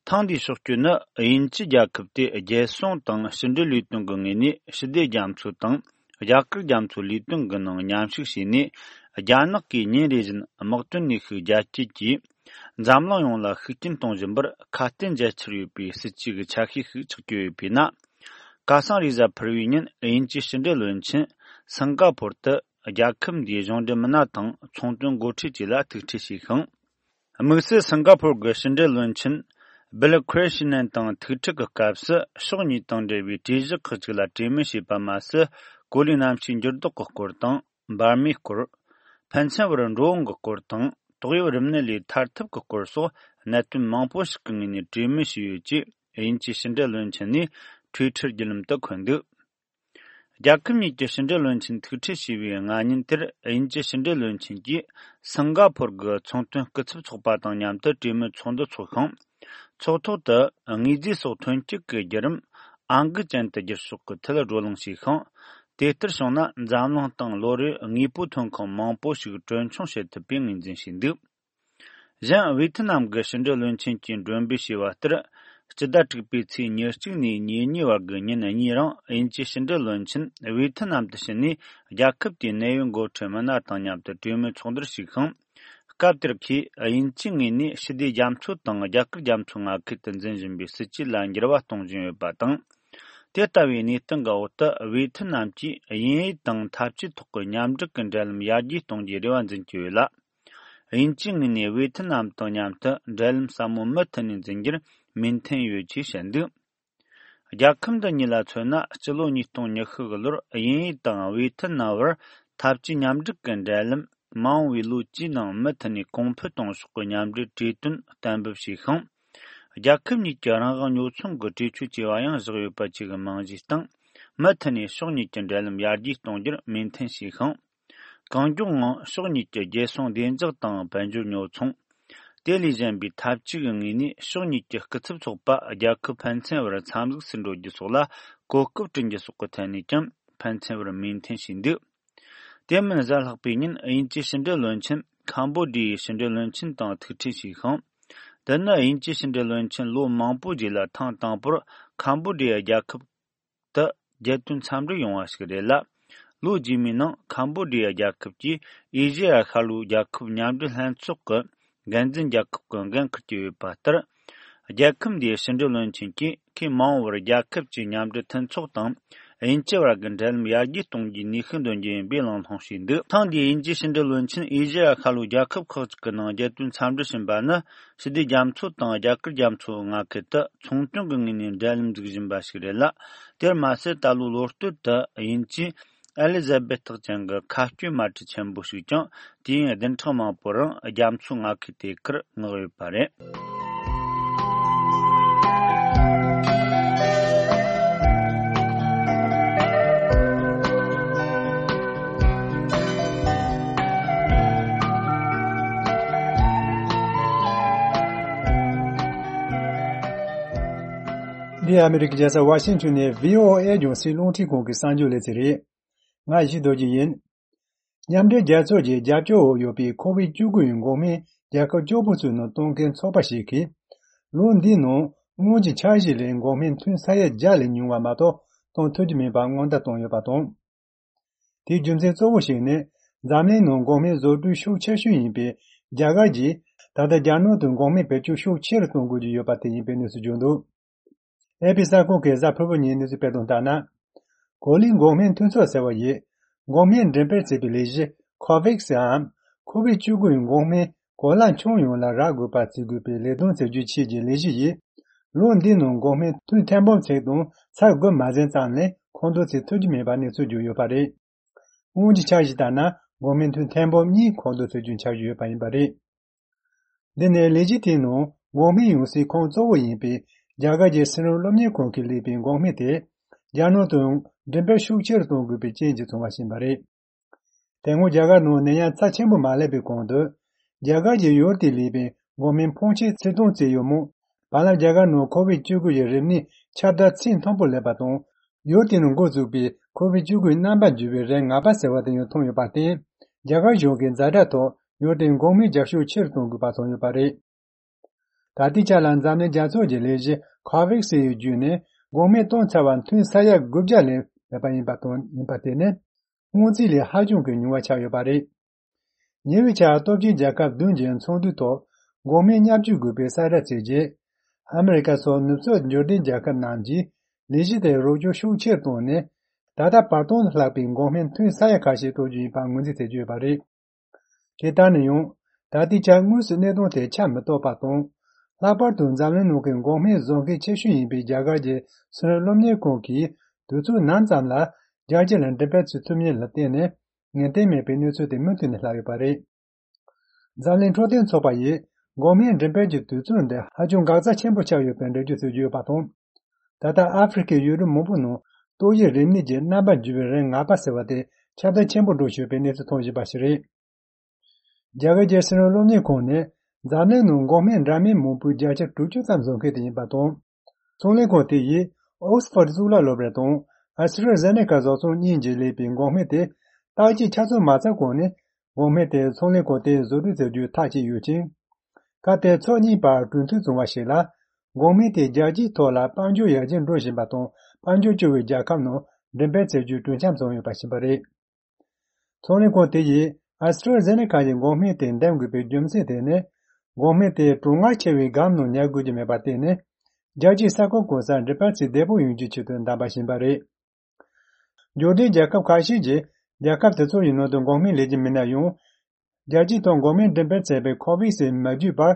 ཐེངས་འདིའི་ཕྱོགས་བསྐྱོད་ནི་དབྱིན་ཇི་རྒྱལ་ཁབ་དེ་རྒྱལ་སྲུང་དང་ཕྱི་འབྲེལ་ལས་དོན་གྱི་ངོས་ནས་ཞི་བདེ་རྒྱ་མཚོ་དང་རྒྱ་གར་རྒྱ་མཚོའི་ལས་དོན་གྱི་ནང་མཉམ་ཞུགས་བྱས་ནས། རྒྱ་ནག་གིས་ཉིན་རེ་བཞིན་དམག་དོན་ནུས་ཤུགས་རྒྱ་སྐྱེད་ཀྱིས་འཛམ་གླིང་ཡོངས་ལ་ཤུགས་རྐྱེན་གཏོང་བཞིན་པར་ཁ་གཏད་འཇལ་འཆར་ཡོད་པའི་སྲིད་ཇུས་ཀྱི་ཆ་ཤས་ཤིག་ཆགས་ཀྱི་ཡོད་པས་ན། ཁ་སང་རེས་གཟའ་ཕུར་བུའི་ཉིན་དབྱིན་ཇིའི་ཕྱི་འབྲེལ་བློན་ཆེན་སིང་ག་པོར་དུ་རྒྱལ་ཁབ་འདིའི་གཞུང་འབྲེལ་མི་སྣ་དང་ཚོང་དོན་འགོ་ཁྲིད་བཅས་ལ་ཐུག་འཕྲད་བྱས་ཤིང་། དམིགས་བསལ་སིང་ག་པོར་གྱི་ཕྱི་འབྲེལ་བློན་ཆེན་སྦིལ་ཁྲེ་ཤི་ནན་དང་ཐུག་འཕྲད་ཀྱི་སྐབས་སུ་ཕྱོགས་གཉིས་དང་འབྲེལ་བའི་གྲོས་གཞི་ཁག་ཅིག་ལ་གྲོས་མོལ་བྱས་པ་མ་ཟད། གོ་ལའི་གནམ་གཤིས་འགྱུར་ལྡོག་གི་སྐོར་དང་། འབར་མའི་སྐོར། ཕན་ཚུན་བར་འགྲོ་འོང་གི་སྐོར་དང་། ཏོག་དབྱིབས་རིམས་ནད་ལས་ཐར་ཐབས་ཀྱི་སྐོར་སོགས་གནད་དོན་མང་པོ་ཞིག་གི་ངོས་ནས་གྲོས་མོལ་བྱས་ཡོད་ཅེས་དབྱིན་ཇིའི་ཕྱི་འབྲེལ་བློན་ཆེན་ནས་ཊུའི་ཊར་བརྒྱུད་ལམ་དུ་འཁོད་འདུག་རྒྱལ་ཁབ་གཉིས་ཀྱི་ཕྱི་འབྲེལ་བློན་ཆེན་ཐུག་འཕྲད་བྱས་པའི་སྔ་ཉིན་དེར་དབྱིན་ཇིའི་ཕྱི་འབྲེལ་བློན་ཆེན་གྱིས་སིང་ག་པོར་གྱི་ཚོང་དོན་སྐུ་ཚབ་ཚོགས་པ་དང་མཉམ་དུ་གྲོས་མོལ་ཚོགས་འདུ་འཚོགས་ཤིང་། ཚོགས་ཐོག་ཏུ་དངོས་རྫས་སོགས་ཐོན་སྐྱེད་ཀྱི་བརྒྱུད་རིམ་ཨང་ཀི་ཅན་དུ་བསྒྱུར་ཕྱོགས་ཀྱི་ཐད་བགྲོ་གླེང་བྱས་ཤིང་། དེ་ལྟར་བྱུང་ན་འཛམ་གླིང་སྟེང་ལོ་རེར་དངོས་པོ་ཐོན་ཁུངས་མང་པོ་ཞིག་གྲོན་ཆུང་བྱེད་ཐུབ་པའི་ངོས་འཛིན་བྱས་འདུག་གཞན་ཝེ་ཐི་ནམ་གྱི་ཕྱི་འབྲེལ་བློན་ཆེན་གྱིས་མགྲོན་འབོད་བྱས་པ་ལྟར། སྤྱི་ཟླ་དྲུག་པའི་ཚེས་ཉེར་གཅིག་ནས་ཉེར་གཉིས་བར་གྱི་ཉིན་གཉིས་རིང་དབྱིན་ཇིའི་ཕྱི་འབྲེལ་བློན་ཆེན་ཝེ་ཐི་ནམ་དུ་ཕྱིན་ནས་རྒྱལ་ཁབ་དེའི་གནད་ཡོད་འགོ་ཁྲིད་མི་སྣ་དང་མཉམ་དུ་གྲོས་མོལ་ཚོགས་འདུར་ཞུགས་ཤིང་། སྐབས་དེར་ཁོས་དབྱིན་ཇིའི་ངོས་ནས་ཞི་བདེ་རྒྱ་མཚོ་དང་རྒྱ་གར་རྒྱ་མཚོ་མངའ་ཁུལ་དུ་འཛིན་བཞིན་པའི་སྲིད་ཇུས་ལ་འགྱུར་བ་གཏོང་བཞིན་ཡོད་པ་དང་། དེ་ལྟ་བུའི་གནས་སྟངས་ཀྱི་འོག་ཏུ་ཝེ་ཐི་ནམ་གྱིས་དབྱིན་ཡུལ་དང་འཐབ་ཇུས་ཐོག་གི་མཉམ་འབྲེལ་གྱི་འབྲེལ་ལམ་ཡར་རྒྱས་གཏོང་རྒྱུའི་རེ་བ་འཛིན་གྱི་ཡོད་ལ། དབྱིན་ཇིའི་ངོས་ནས་ཝེ་ཐི་ནམ་དང་མཉམ་དུ་འབྲེལ་ལམ་ཟབ་མོ་མུ་མཐུད་ནས་འཛིན་རྒྱུར་མོས་མཐུན་ཡོད་ཅེས་བཤད་འདུག་རྒྱལ་ཁབ་འདི་གཉིས་ལ་མཚོན་ན། སྤྱི་ལོ་ཉིས་སྟོང་ཉི་ཤུ་གི་ལོར་དབྱིན་ཡུལ་དང་ཝེ་ཐི་ནམ་བར་འཐབ་ཇུས་མཉམ་འབྲེལ་གྱི་འབྲེལ་ལམ་མ་འོངས་པའི་ལོ་བཅུའི་ནང་མུ་མཐུད་ནས་གོང་འཕེལ་གཏོང་ཕྱོགས་ཀྱི་མཉམ་འབྲེལ་གྲོས་དོན་གཏན་འབེབས་བྱས་ཤིང་། རྒྱལ་ཁབ་གཉིས་ཀྱི་རང་དབང་ཉོ་ཚོང་གི་གྲོས་ཆོད་བཅས་པ་ཡང་བཞག་ཡོད་པ་བཅས་ཀྱི་རྨང་གཞིའི་སྟེང་མུ་མཐུད་ནས་ཕྱོགས་གཉིས་ཀྱི་འབྲེལ་ལམ་ཡར་རྒྱས་གཏོང་རྒྱུར་མོས་མཐུན་བྱས་ཤིང་། གང་མགྱོགས་ངང་ཕྱོགས་གཉིས་ཀྱི་རྒྱལ་སྲུང་བདེ་འཇགས་དང་དཔལ་འབྱོར་ཉོ་ཚོང་། དེ་ལས་གཞན་པའི་འཐབ་ཇུས་ཀྱི་ངོས་ནས་ཕྱོགས་གཉིས་ཀྱི་སྐུ་ཚབ་ཚོགས་པ་རྒྱལ་ཁབ་ཕན་ཚུན་བར་འཚམས་གཟིགས་སུ་འགྲོ་རྒྱུ་སོགས་ལ་གོ་སྐབས་བསྐྲུན་རྒྱུ་སོགས་ཀྱི་ཐད་ནས་ཀྱང་ཕན་ཚུན་བར་མོས་མཐུན་བྱས་འདུག་དེ་མིན་གཟའ་ལྷག་པའི་ཉིན་དབྱིན་ཇིའི་ཕྱི་འབྲེལ་བློན་ཆེན་ཁམ་བོ་ཌི་ཡའི་ཕྱི་འབྲེལ་བློན་ཆེན་དང་ཐུག་འཕྲད་བྱས་ཤིང་། འདི་ནི་དབྱིན་ཇིའི་ཕྱི་འབྲེལ་བློན་ཆེན་ལོ་མང་པོའི་རྗེས་ལ་ཐེངས་དང་པོར་ཁམ་བོ་ཌི་ཡ་རྒྱལ་ཁབ་ཏུ་རྒྱལ་དོན་འཚམས་འདྲིར་ཡོང་བ་ཞིག་རེད་ལ། ལོ་རྗེས་མའི་ནང་ཁམ་བོ་ཌི་ཡ་རྒྱལ་ཁབ་ཀྱིས་ཨེ་ཤེ་ཡ་ཤར་ལྷོའི་རྒྱལ་ཁབ་མཉམ་འབྲེལ་ལྷན་ཚོགས་ཀྱི་འགན་འཛིན་རྒྱལ་ཁབ་ཀྱི་འགན་འཁུར་གྱི་ཡོད་པ་ལྟར། རྒྱལ་ཁབ་འདིའི་ཕྱི་འབྲེལ་བློན་ཆེན་གྱིས་ཁོས་མ་འོངས་པར་རྒྱལ་ཁབ་ཀྱི་མཉམ་འབྲེལ་མཐུན་ཚོགས་དང་དབྱིན་ཇི་བར་གྱི་འབྲེལ་ལམ་ཡར་རྒྱས་གཏོང་རྒྱུའི་ནུས་ཤུགས་འདོན་རྒྱུ་ཡིན་པའི་གླེང་སློང་བྱས་འདུག་ཐེངས་འདིའི་དབྱིན་ཇིའི་ཕྱི་འབྲེལ་བློན་ཆེན་ཨེ་ཤེ་ཡ་ཤར་ལྷོའི་རྒྱལ་ཁབ་ཁག་ཅིག་གི་ནང་རྒྱལ་དོན་འཚམས་འདྲིར་ཕྱིན་པ་ནི། ཞི་བདེ་རྒྱ་མཚོ་དང་རྒྱ་གར་རྒྱ་མཚོའི་མངའ་ཁུལ་དུ་ཚོང་དོན་གྱི་ངོས་ནས་འབྲེལ་ལམ་འཛུགས་བཞིན་པ་ཞིག་རེད་ལ། དེར་མ་ཟད་ད་ལོའི་ལོ་སྟོད་དུ་དབྱིན་ཇིའི་ཨེ་ལི་ཛ་བེ་ཐགས་ཅན་གྱི་མཁའ་སྐྱོད་དམག་གྲུ་ཆེན་པོ་ཞིག་ཀྱང་དུས་ཡུན་བདུན་ཕྲག་མང་པོའི་རིང་རྒྱ་མཚོའི་མངའ་ཁུལ་དེ་ཁར་མངགས་ཡོད་པ་རེད། འདི་ཨ་མི་རི་ཀའི་རྒྱལ་ས་ཝ་ཤིང་ཊོན་ནས་ཝི་ཨོ་ཨེ་རྒྱང་སྲིང་རླུང་འཕྲིན་ཁང་གི་གསར་འགྱུར་ལེ་ཚན་རེད། ང་ཡེ་ཤེས་རྡོ་རྗེ་ཡིན། མཉམ་འབྲེལ་རྒྱལ་ཚོགས་ཀྱི་རྒྱབ་སྐྱོར་འོག་ཡོད་པའི་ཁོ་ཝིད་བཅུ་དགུ་ཡི་འགོག་སྨན་རྒྱལ་ཁབ་བཅུ་དགུ་ཚོའི་ནང་གཏོང་མཁན་ཚོགས་པ་ཞིག་གིས། ལོ་འདིའི་ནང་སྔོན་གྱི་འཆར་གཞི་ལས་འགོག་སྨན་ཐོན་ས་ཡ་བརྒྱ་ལས་ཉུང་བ་མ་གཏོགས་གཏོང་ཐུབ་ཀྱི་མེད་པ་སྔོན་བརྡ་བཏང་ཡོད་པ་དང་། དེའི་རྒྱུ་མཚན་གཙོ་བོ་ཞིག་ནི། འཛམ་གླིང་ནང་འགོག་སྨན་བཟོ་སྐྲུན་ཤུགས་ཆེ་ཤོས་ཡིན་པའི་རྒྱ་གར་གྱིས། ད་ལྟ་རྒྱ་ནག་ཏུ་འགོག་སྨན་བེད་སྤྱོད་ཤུགས་ཆེ་རུ་གཏོང་དགོས་ཀྱི་ཡོད་པ་དེ་ཡིན་པའི་གནས་ཚུལ་བརྗོད་འདུག་ཨེ་པི་གསར་ཁང་གིས་གཟའ་ཕུར་བུ་ཉིན་གནས་ཚུལ་སྤེལ་དོན་ལྟར་ན། གོ་ལའི་འགོག་སྨན་མཐུན་ཚོགས་ཟེར་བ་ཡིས། འགོག་སྨན་འགྲེམས་སྤེལ་བྱེད་པའི་ལས་གཞི་ཁོ་ཝེག་སི་འམ། ཁོ་ཝིད་བཅུ་དགུ་ཡི་འགོག་སྨན་གོ་ལ་ཁྱོན་ཡོངས་ལ་རག་དགོས་པ་བརྩི་དགོས་པའི་ལས་དོན་བྱེད་རྒྱུའི་ཆེད་ཀྱི་ལས་གཞི་ཡིས། ལོ་འདིའི་ནང་འགོག་སྨན་ཐོན་ཐེར་འབུམ་ཚད་དང་ཚད་དགུ་མ་ཟིན་ཙམ་ལས་མཁོ་འདོན་བྱེད་ཐུབ་ཀྱི་མེད་པ་གནས་ཚུལ་བརྗོད་ཡོད་པ་རེད། སྔོན་གྱི་འཆར་གཞི་ལྟར་ན་འགོག་སྨན་ཐོན་ཐེར་འབུམ་གཉིས་མཁོ་འདོན་བྱེད་རྒྱུའི་འཆར་གཞི་ཡོད་པ་ཡིན་པ་རེད། འདི་ནི་ལས་གཞི་དེའི་ནང་འགོག་སྨན་ཡོང་སའི་ཁོངས་གཙོ་བོ་ཡིན་པའི་རྒྱ་གར་གྱི་སྲིད་བློན་སློབ་གཉེར་ཁང་གིས་ལས་པའི་འགོག་སྨན་དེ་རྒྱ་ནག་ཏུ་འགྲེམས་སྤེལ་ཤུགས་ཆེ་རུ་གཏོང་དགོས་པའི་རྐྱེན་གྱིས་བྱུང་བ་ཞིག་ཡིན་པ་རེད། དེ་སྔོན་རྒྱ་གར་ནང་ནད་ཡམས་ཚབས་ཆེན་པོ་མ་སླེབས་པའི་གོང་དུ། རྒྱ་གར་གྱིས་ཡུལ་དེར་ལས་པའི་འགོག་སྨན་ཕོན་ཆེ་ཚད་གཏོང་བྱས་ཡོད་མོད། བར་ལ་རྒྱ་གར་ནང་ཁོ་ཝིད་བཅུ་དགུ་ཡི་རིམས་ནད་ཁྱབ་གདལ་ཚད་མཐོན་པོ་སླེབས་པ་དང་། ཡུལ་དེ་ནང་འགོ་བཙུགས་པའི་ཁོ་ཝིད་བཅུ་དགུ་ཡི་རྣམ་པར་འགྱུར་བའི་རིགས་ངན་པ་ཟེར་བ་དེ་ཡང་ཐོན་ཡོད་པར་བརྟེན། རྒྱ་གར་གཞུང་གིས་ཛ་དྲག་ཐོག་ཡུལ་དེར་འགོག་སྨན་རྒྱག་ཤུགས་ཆེ་རུ་གཏོང་དགོས་པ་བྱུང་ཡོད་པ་རེད། ད་ལྟའི་ཆ་ལ་འཛམ་གླིང་རྒྱལ་ཚོགས་ཀྱི་ལས་གཞི་ཁོ་ཝེག་སི་ཡི་བརྒྱུད་ནས་འགོག་སྨན་གཏོང་ཚར་བ་ཐོན་ས་ཡ་དགུ་བརྒྱ་ལས་མེད་པ་ཡིན་པ་དང་ཡིན་པ་དེ་ནི་སྔོན་རྩིས་ལས་ཧ་ཅང་གི་ཉུང་བ་ཆགས་ཡོད་པ་རེད། ཉེ་བའི་ཆར་སྟོབས་ཆེན་རྒྱལ་ཁབ་བདུན་གྱི་ཚོགས་འདུའི་ཐོག་འགོག་སྨན་མཉམ་སྤྱོད་དགོས་པའི་གསལ་བསྒྲགས་བྱས་རྗེས། ཨ་མི་རི་ཀ་སོགས་ནུབ་ཕྱོགས་འབྱོར་ལྡན་རྒྱལ་ཁབ་རྣམས་ཀྱིས་ལས་གཞི་དེར་རོགས་སྐྱོར་ཤུགས་ཆེར་བཏང་ནས། ད་ལྟ་བར་སྟོང་ལྷག་པའི་འགོག་སྨན་ཐོན་ས་ཡ་ཁ་ཤས་གཏོང་རྒྱུ་ཡིན་པར་ངོས་འཛིན་བྱེད་ཀྱི་ཡོད་པ་རེད། དེ་ལྟར་ན་ཡང་། ད་ལྟའི་ཆར་དངོས་སུ་གནད་དོན་དེ་ཆ་མི་རྟོགས་པ་དང་། ལྷག་པར་དུ་འཛམ་གླིང་ནང་གི་འགོག་སྨན་བཟོ་མཁན་ཆེ་ཤོས་ཡིན་པའི་རྒྱ་གར་གྱི་སྲིད་བློན་སློབ་གཉེར་ཁང་གིས་དུས་ཚོད་ནམ་ཙམ་ལ་རྒྱལ་སྤྱི་ལ་འགྲེམས་སྤེལ་བྱེད་ཐུབ་མིན་ལ་བརྟེན་ནས་ངེས་གཏན་མེད་པའི་གནས་ཚུལ་དེ་མུ་མཐུད་ནས་ལྷག་ཡོད་པ་རེད། འཛམ་གླིང་འཕྲོད་བསྟེན་ཚོགས་པ་ཡིས་འགོག་སྨན་འགྲེམས་སྤེལ་གྱི་དུས་ཚོད་འདི་ཧ་ཅང་འགག་རྩ་ཆེན་པོ་ཆགས་ཡོད་པའི་འགྲེལ་བརྗོད་བྱེད་ཀྱི་ཡོད་པ་དང་། ད་ལྟ་ཨ་ཧྥེ་རི་ཁའི་ཡུལ་གྲུ་མང་པོ་ནང་ཏོག་དབྱིབས་རིམས་ནད་ཀྱི་རྣམ་པར་འགྱུར་བའི་རིགས་ངན་པ་ཟེར་བ་དེ་ཁྱབ་གདལ་ཆེན་པོ་འགྲོ་བཞིན་པའི་གནས་ཚུལ་ཐོན་བཞིན་པ་ཞིག་རེད། རྒྱ་གར་གྱི་སྲིད་བློན་སློབ་གཉེར་ཁང་ནི་འཛམ་གླིང་ནང་འགོག་སྨན་འདྲ་མིན་མང་པོའི་བརྒྱ་ཆ་དྲུག་ཅུ་ཙམ་བཟོ་མཁན་དེ་ཡིན་པ་དང་། ཚོང་ལས་ཁང་དེ་ཡིས་ཨོག་སི་ཕོར་གཙུག་ལག་སློབ་གྲྭ་དང་ཨ་སི་ཊྲ་ཟེ་ནེ་ཀ་བཟོ་ཚོང་གཉིས་ཀྱིས་ལས་པའི་འགོག་སྨན་དེ་བརྟག་དཔྱད་ཆ་ཚང་མ་ཚར་གོང་ནས། འགོག་སྨན་དེ་ཚོང་ལས་ཁང་དེས་བཟོ་སྐྲུན་བྱ་རྒྱུའི་ཐག་བཅད་ཡོད་ཅིང་། ཁ་གཏད་ཚོ་གཉིས་བར་གྲོས་མཐུན་བྱུང་བ་ཞིག་ལ། འགོག་སྨན་དེ་རྒྱལ་སྤྱིའི་ཐོག་ལ་དཔལ་འབྱོར་ཡར་རྒྱས་འགྲོ་བཞིན་པ་དང་དཔལ་འབྱོར་སྐྱོ་བའི་རྒྱལ་ཁབ་ནང་འགྲེམས་སྤེལ་བྱ་རྒྱུའི་གྲོས་འཆམ་བྱུང་ཡོད་པ་ཞིག་ཡིན་པ་རེད། ཚོང་ལས་ཁང་དེ་ཡིས་ཨ་སི་ཊྲ་ཟེ་ནེ་ཀ་ཡི་འགོག་སྨན་དེ་འདེམས་དགོས་པའི་རྒྱུ་མཚན་དེ་ནི། འགོག་སྨན་དེ་གྲང་ངར་ཆེ་བའི་སྒམ་ནང་ཉར་དགོས་ཀྱི་མེད་པར་བརྟེན་ནས། རྒྱལ་སྤྱིའི་ས་ཁུལ་གང་སར་འགྲེམས་སྤེལ་བྱེད་བདེ་པོ་ཡོང་རྒྱུའི་ཆེད་དུ་བདམས་པ་ཡིན་པ་རེད། འབྱོར་ལྡན་རྒྱལ་ཁབ་ཁ་ཤས་ཀྱིས་རྒྱལ་ཁབ་དེ་ཚོ་ཡི་ནང་དུ་འགོག་སྨན་ལེན་གྱི་མིན་ན་ཡང་། རྒྱལ་སྤྱིའི་ཐོག་འགོག་སྨན་འགྲེམས་སྤེལ་བྱས་པའི་ཁོ་ཝེག་སི་མ་བརྒྱུད་པར།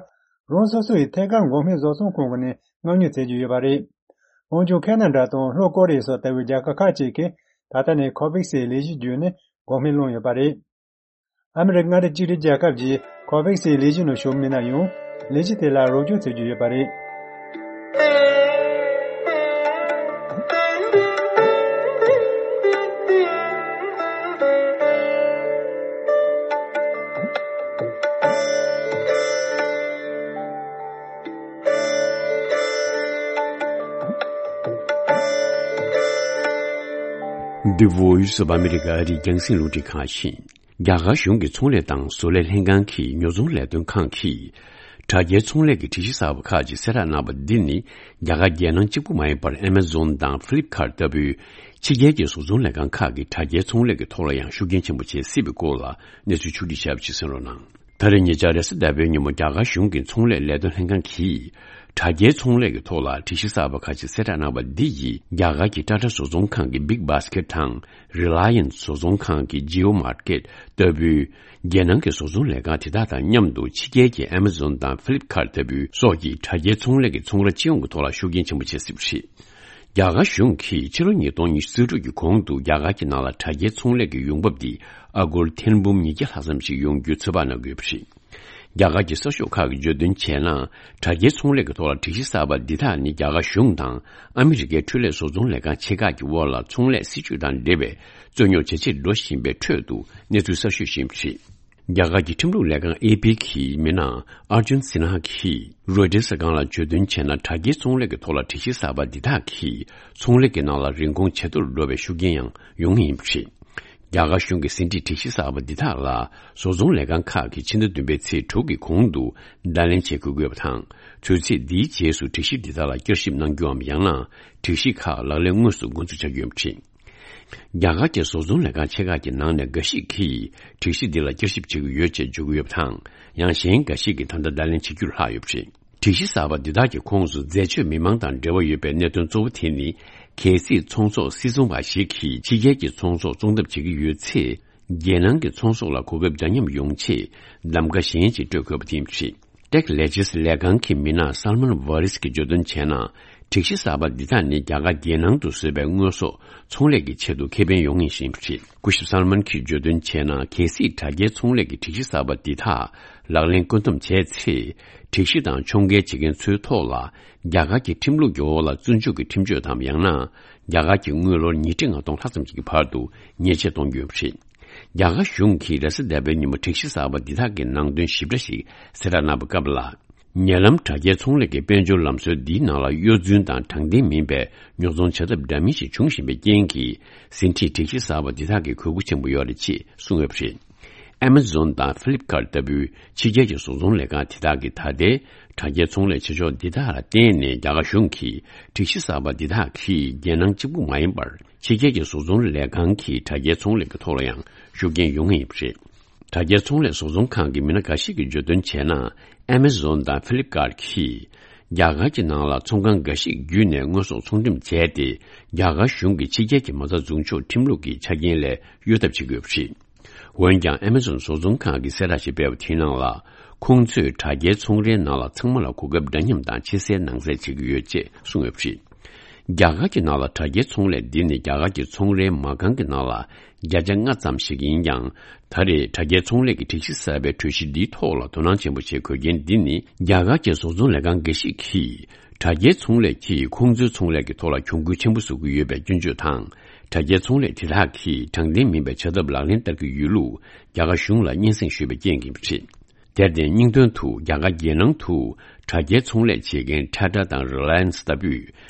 རང་སོ་སོ་ཡི་ཐད་ཀར་འགོག་སྨན་བཟོ་ཚོང་ཁང་གི་ནས་མངགས་ཉོ་བྱེད་ཀྱི་ཡོད་པ་རེད། འོན་ཀྱང་ཁེ་ན་ཌ་དང་ལྷོ་ཀོ་རི་ཡ་སོགས་ལྟ་བུའི་རྒྱལ་ཁབ་ཁག་ཅིག་གིས་ད་ལྟ་ནས་ཁོ་ཝེག་སིའི་ལས་གཞི་བརྒྱུད་ནས་འགོག་སྨན་བླངས་ཡོད་པ་རེད། ཨ་མི་རི་ཀ་མངའ་སྡེ་གཅིག་སྒྲིལ་རྒྱལ་ཁབ་ཀྱིས་ཁོ་ཝེག་སིའི་ལས་གཞི་ནང་ཞུགས་མིན་ན་ཡང་། ལས་གཞི་དེ་ལ་རོགས་སྐྱོར་བྱེད་རྒྱུ་ཡོད་པ་རེད། The Voice of America ཨ་རིའི་རྒྱང་སྲིང་རླུང་འཕྲིན་ཁང་ཡིན། རྒྱ་གར་གཞུང་གི་ཚོང་ལས་དང་བཟོ་ལས་ལྷན་ཁང་གི་ཉོ་ཚོང་ལས་དོན་ཁང་གིས། དྲ་རྒྱའི་ཚོང་ལས་ཀྱི་སྒྲིག་གཞི་གསར་པ་ཁག་ཅིག་གསལ་བསྒྲགས་གནང་བ་འདི་ནི། རྒྱ་གར་རྒྱལ་ནང་གཅིག་པུ་མ་ཡིན་པར་Amazon་དང་Flipkart་ལྟ་བུའི་ཕྱི་རྒྱལ་གྱི་བཟོ་ཚོང་ལས་ཁང་ཁག་གིས་དྲ་རྒྱའི་ཚོང་ལས་ཀྱི་ཐོག་ལ་ཡང་ཤུགས་རྐྱེན་ཆེན་པོ་བྱེད་སྲིད་པའི་སྐོར་ལ་གནས་ཚུལ་ཕྱོགས་སྒྲིག་བྱས་པ་ཞིག་གསན་རོགས་གནང་། ད་རེས་ཉེ་ཆར་རེས་གཟའ་ཟླ་བའི་ཉིན་མོ་རྒྱ་གར་གཞུང་གི་ཚོང་ལས་ལས་དོན་ལྷན་ཁང་གིས། དྲ་རྒྱའི་ཚོང་ལས་ཀྱི་ཐོག་ལ་སྒྲིག་གཞི་གསར་པ་ཁག་ཅིག་གསལ་བསྒྲགས་གནང་བ་འདི་ཡིས་རྒྱ་གར་གྱི་ཊ་ཊ་བཟོ་ཚོང་ཁང་གི་Big Basket་དང་Reliance་བཟོ་ཚོང་ཁང་གི་Jio Market་ལྟ་བུའི་རྒྱལ་ནང་གི་བཟོ་ཚོང་ལས་ཁང་དེ་དག་དང་མཉམ་དུ་ཕྱི་རྒྱལ་གྱི་Amazon་དང་Flipkart་ལྟ་བུའི་སོགས་ཀྱི་དྲ་རྒྱའི་ཚོང་ལས་ཀྱི་ཚོང་ར་སྤྱི་ཡོངས་ཀྱི་ཐོག་ལ་ཤུགས་རྐྱེན་ཆེན་པོ་བྱེད་སྲིད་པ་རེད། རྒྱ་གར་གཞུང་གིས་ཕྱི་ལོ་ཉིས་སྟོང་ཉི་ཤུ་རྩ་དྲུག་གི་གོང་དུ་རྒྱ་གར་གྱི་ནང་ལ་དྲ་རྒྱའི་ཚོང་ལས་ཀྱི་ཡོང་འབབ་འདི་ཨ་སྒོར་ཐེར་འབུམ་ཉིས་བརྒྱ་ལྷག་ཙམ་ཞིག་ཡོང་རྒྱུའི་ཚོད་དཔག་གནང་གི་ཡོད་པ་རེད། རྒྱ་གར་གྱི་གསར་ཤོག་ཁག་གིས་བརྗོད་དོན་བྱས་ན། དྲ་རྒྱའི་ཚོང་ལས་ཀྱི་ཐོག་ལ་སྒྲིག་གཞི་གསར་པ་འདི་དག་ནི་རྒྱ་གར་གཞུང་དང་ཨ་མི་རི་ཀའི་འཕྲུལ་ལས་བཟོ་ཚོང་ལས་ཁང་ཆེ་ཁག་གི་དབར་ལ་ཚོང་ལས་སྲིད་ཇུས་དང་འབྲེལ་བའི་རྩོད་རྙོག་ཇེ་ཆེར་འགྲོ་བཞིན་པའི་ཁྲོད་དུ་གནས་ཚུལ་གསར་ཤོས་ཤིག་ཡིན་པ་རེད། རྒྱ་གར་གྱི་ཁྲིམས་ལུགས་ལས་ཁང་ཨེ་པི་གི་མི་སྣ་ཨར་ཇུན་སི་ན་ཧ་གིས་རོའི་ཊར་གསར་ཁང་ལ་བརྗོད་དོན་བྱས་ན། དྲ་རྒྱའི་ཚོང་ལས་ཀྱི་ཐོག་ལ་སྒྲིག་གཞི་གསར་པ་འདི་དག་གིས་ཚོང་ལས་ཀྱི་ནང་ལ་རིན་གོང་ཇེ་མཐོར་འགྲོ་བའི་ཤུགས་རྐྱེན་ཡང་ཡོང་ངེས་ཡིན་པ་རེད། རྒྱ་གར་གཞུང་གི་ཟིན་བྲིས་སྒྲིག་གཞི་གསར་པ་འདི་དག་ལ་བཟོ་ཚོང་ལས་ཁང་ཁག་གིས་ཕྱི་ཟླ་བདུན་པའི་ཚེས་དྲུག་གི་གོང་དུ་བརྡ་ལན་བྱེད་དགོས་ཀྱི་ཡོད་པ་དང་། དུས་ཚིགས་འདིའི་རྗེས་སུ་སྒྲིག་གཞི་འདི་དག་ལ་བསྐྱར་ཞིབ་གནང་རྒྱུའམ་ཡང་ན་སྒྲིག་གཞི་ཁག་ལག་ལེན་དངོས་སུ་འགོ་འཛུགས་བྱ་རྒྱུ་ཡིན་པ་རེད། རྒྱ་གར་གྱི་བཟོ་ཚོང་ལས་ཁང་ཆེ་ཁག་གི་ནང་ནས་འགའ་ཞིག་གིས་སྒྲིག་གཞི་འདི་ལ་བསྐྱར་ཞིབ་བྱེད་ཀྱི་ཡོད་ཅེས་བརྗོད་ཀྱི་ཡོད་པ་དང་། ཡང་གཞན་འགའ་ཞིག་གིས་ད་ལྟ་བརྡ་ལན་བྱེད་རྒྱུར་ལྷག་ཡོད་པ་རེད། སྒྲིག་གཞི་གསར་པ་འདི་དག་གི་ཁོངས་སུ་འཛད་སྤྱོད་མི་མང་དང་འབྲེལ་བ་ཡོད་པའི་གནད་དོན་གཙོ་བོ་དེ་ནི། གལ་སྲིད་ཚོང་ཟོག་སིལ་ཚོང་པ་ཞིག་གིས་ཕྱི་རྒྱལ་གྱི་ཚོང་ཟོག་བཙོང་ཐབས་བྱེད་ཀྱི་ཡོད་ཚེ། རྒྱལ་ནང་གི་ཚོང་ཟོག་ལ་གོ་སྐབས་འདྲ་མཉམ་ཡོང་ཆེད་གདམ་ག་གཞན་ཞིག་སྤྲོད་དགོས་པ་དེ་ཡིན་པ་རེད། Tech Legends་ལས་ཁང་གི་མི་སྣ་Salman Varis་གིས་བརྗོད་དོན་བྱས་ན། སྒྲིག་གཞི་གསར་པ་འདི་དག་ནི་རྒྱ་གར་རྒྱལ་ནང་དུ་བཟོས་པའི་དངོས་ཟོག་ཚོང་ལས་ཀྱི་ཆེད་དུ་ཁེ་ཕན་ཡོང་ངེས་ཤིག་ཡིན་པ་རེད། སྐུ་ཞབས་Salman་གྱིས་བརྗོད་དོན་བྱས་ན། གལ་སྲིད་དྲ་རྒྱའི་ཚོང་ལས་ཀྱི་སྒྲིག་གཞི་གསར་པ་འདི་དག་ལག་ལེན་བཀོད་འདོམས་བྱས་ཚེ། སྒྲིག་གཞི་དང་ཕྱོགས་འགལ་བྱེད་མཁན་ཚོའི་ཐོག་ལ་རྒྱ་གར་གྱི་ཁྲིམས་ལུགས་ཀྱི་འོག་ལ་བཙོན་འཇུག་གི་ཁྲིམས་གཅོད་དམ། ཡང་ན་རྒྱ་གར་གྱི་དངུལ་ལོར་ཉིས་ཁྲི་ལྔ་སྟོང་ལྷག་ཙམ་ཞིག་གི་བར་དུ་ཉེས་ཆད་གཏོང་རྒྱུ་ཡིན་པ་རེད། རྒྱ་གར་གཞུང་གིས་རེས་གཟའ་ཟླ་བའི་ཉིན་མོ་སྒྲིག་གཞི་གསར་པ་འདི་དག་གི་ནང་དོན་ཞིབ་ཕྲ་ཞིག་གསལ་བསྒྲགས་གནང་བའི་སྐབས་ལ། ཉེ་ལམ་དྲ་རྒྱའི་ཚོང་ལས་ཀྱི་དཔལ་འབྱོར་ལམ་སྲོལ་འདིའི་ནང་ལ་གཡོ་རྫུན་དང་དྲང་བདེན་མིན་པའི་ཉོ་ཚོང་བྱ་ཐབས་འདྲ་མིན་ཞིག་འབྱུང་བཞིན་པའི་རྐྱེན་གྱིས། ཟིན་བྲིས་སྒྲིག་གཞི་གསར་པ་འདི་དག་གིས་གུས་བཀུར་ཆེན་པོ་ཡོད་རེད་ཅེས་གསུངས་ཡོད་པ་རེད། Amazon་དང་Flipkart་ལྟ་བུའི་ཕྱི་རྒྱལ་གྱི་བཟོ་ཚོང་ལས་ཁང་དེ་དག་གིས་ད་ལྟའི་དྲ་རྒྱའི་ཚོང་ལས་བྱེད་ཕྱོགས་འདི་དག་ལ་བརྟེན་ནས། རྒྱ་གར་གཞུང་གིས་སྒྲིག་གཞི་གསར་པ་འདི་དག་གིས་རྒྱལ་ནང་གཅིག་པུ་མ་ཡིན་པར། ཕྱི་རྒྱལ་གྱི་བཟོ་ཚོང་ལས་ཁང་གི་དྲ་རྒྱའི་ཚོང་ལས་ཀྱི་ཐོག་ལ་ཡང་ཤུགས་རྐྱེན་ཡོང་ངེས་ཡིན་པ་རེད། དྲ་རྒྱའི་ཚོང་ལས་བཟོ་ཚོང་ཁང་གི་མི་སྣ་འགའ་ཞིག་གིས་བརྗོད་དོན་བྱས་ན། Amazon་དང་Flipkart་གིས་རྒྱ་གར་གྱི་ནང་ལ་ཚོང་ཁང་འགའ་ཞིག་བརྒྱུད་ནས་དངོས་ཟོག་ཚོང་འགྲེམས་བྱས་ཏེ། རྒྱ་གར་གཞུང་གི་ཕྱི་རྒྱལ་གྱི་མ་རྩ་འཛུགས་འཇོག་ཁྲིམས་ལུགས་ཀྱི་ཆ་རྐྱེན་ལས་གཡོལ་ཐབས་བྱེད་ཀྱི་ཡོད་པ་རེད། འོན་ཀྱང་། Amazon་བཟོ་ཚོང་ཁང་གིས་གསལ་བསྒྲགས་ཤིག་སྤེལ་བ་དེའི་ནང་ལ། ཁོང་ཚོས་དྲ་རྒྱའི་ཚོང་རའི་ནང་ལ་ཚང་མ་ལ་གོ་སྐབས་འདྲ་མཉམ་དང་ཕྱི་གསལ་ནང་གསལ་བྱེད་ཀྱི་ཡོད་ཅེས་གསུངས་ཡོད་པ་རེད། རྒྱ་གར་གྱི་ནང་ལ་དྲ་རྒྱའི་ཚོང་ལས་འདི་ནི་རྒྱ་གར་གྱི་ཚོང་རའི་མ་རྐང་གི་ནང་ལ་བརྒྱ་ཆ་ལྔ་ཙམ་ཞིག་ཡིན་ཀྱང་། ད་རེས་དྲ་རྒྱའི་ཚོང་ལས་ཀྱི་སྒྲིག་གཞི་གསར་པའི་གྲོས་གཞི་འདིའི་ཐོག་ལ་དོ་སྣང་ཆེན་པོ་བྱེད་དགོས་རྐྱེན་འདི་ནི། རྒྱ་གར་གྱི་བཟོ་ཚོང་ལས་ཁང་འགའ་ཞིག་གིས་དྲ་རྒྱའི་ཚོང་ལས་ཀྱིས་ཁོང་ཚོའི་ཚོང་ལས་ཀྱི་ཐོག་ལ་གྱོང་གུན་ཆེན་པོ་བཟོ་གི་ཡོད་པའི་སྐྱོན་བརྗོད་དང་། དྲ་རྒྱའི་ཚོང་ལས་དེ་དག་གིས་དྲང་བདེན་མིན་པའི་བྱ་ཐབས་ལག་ལེན་བསྟར་གྱི་ཡོད་ལུགས་རྒྱ་གར་གཞུང་ལ་སྙན་སེང་ཞུས་པའི་རྐྱེན་ཡིན་པ་རེད། དེར་བརྟེན། སྙིང་དོན་དུ་རྒྱ་གར་རྒྱལ་ནང་དུ་དྲ་རྒྱའི་ཚོང་ལས་བྱེད་མཁན་Tata་དང་Reliance་ལྟ་བུས་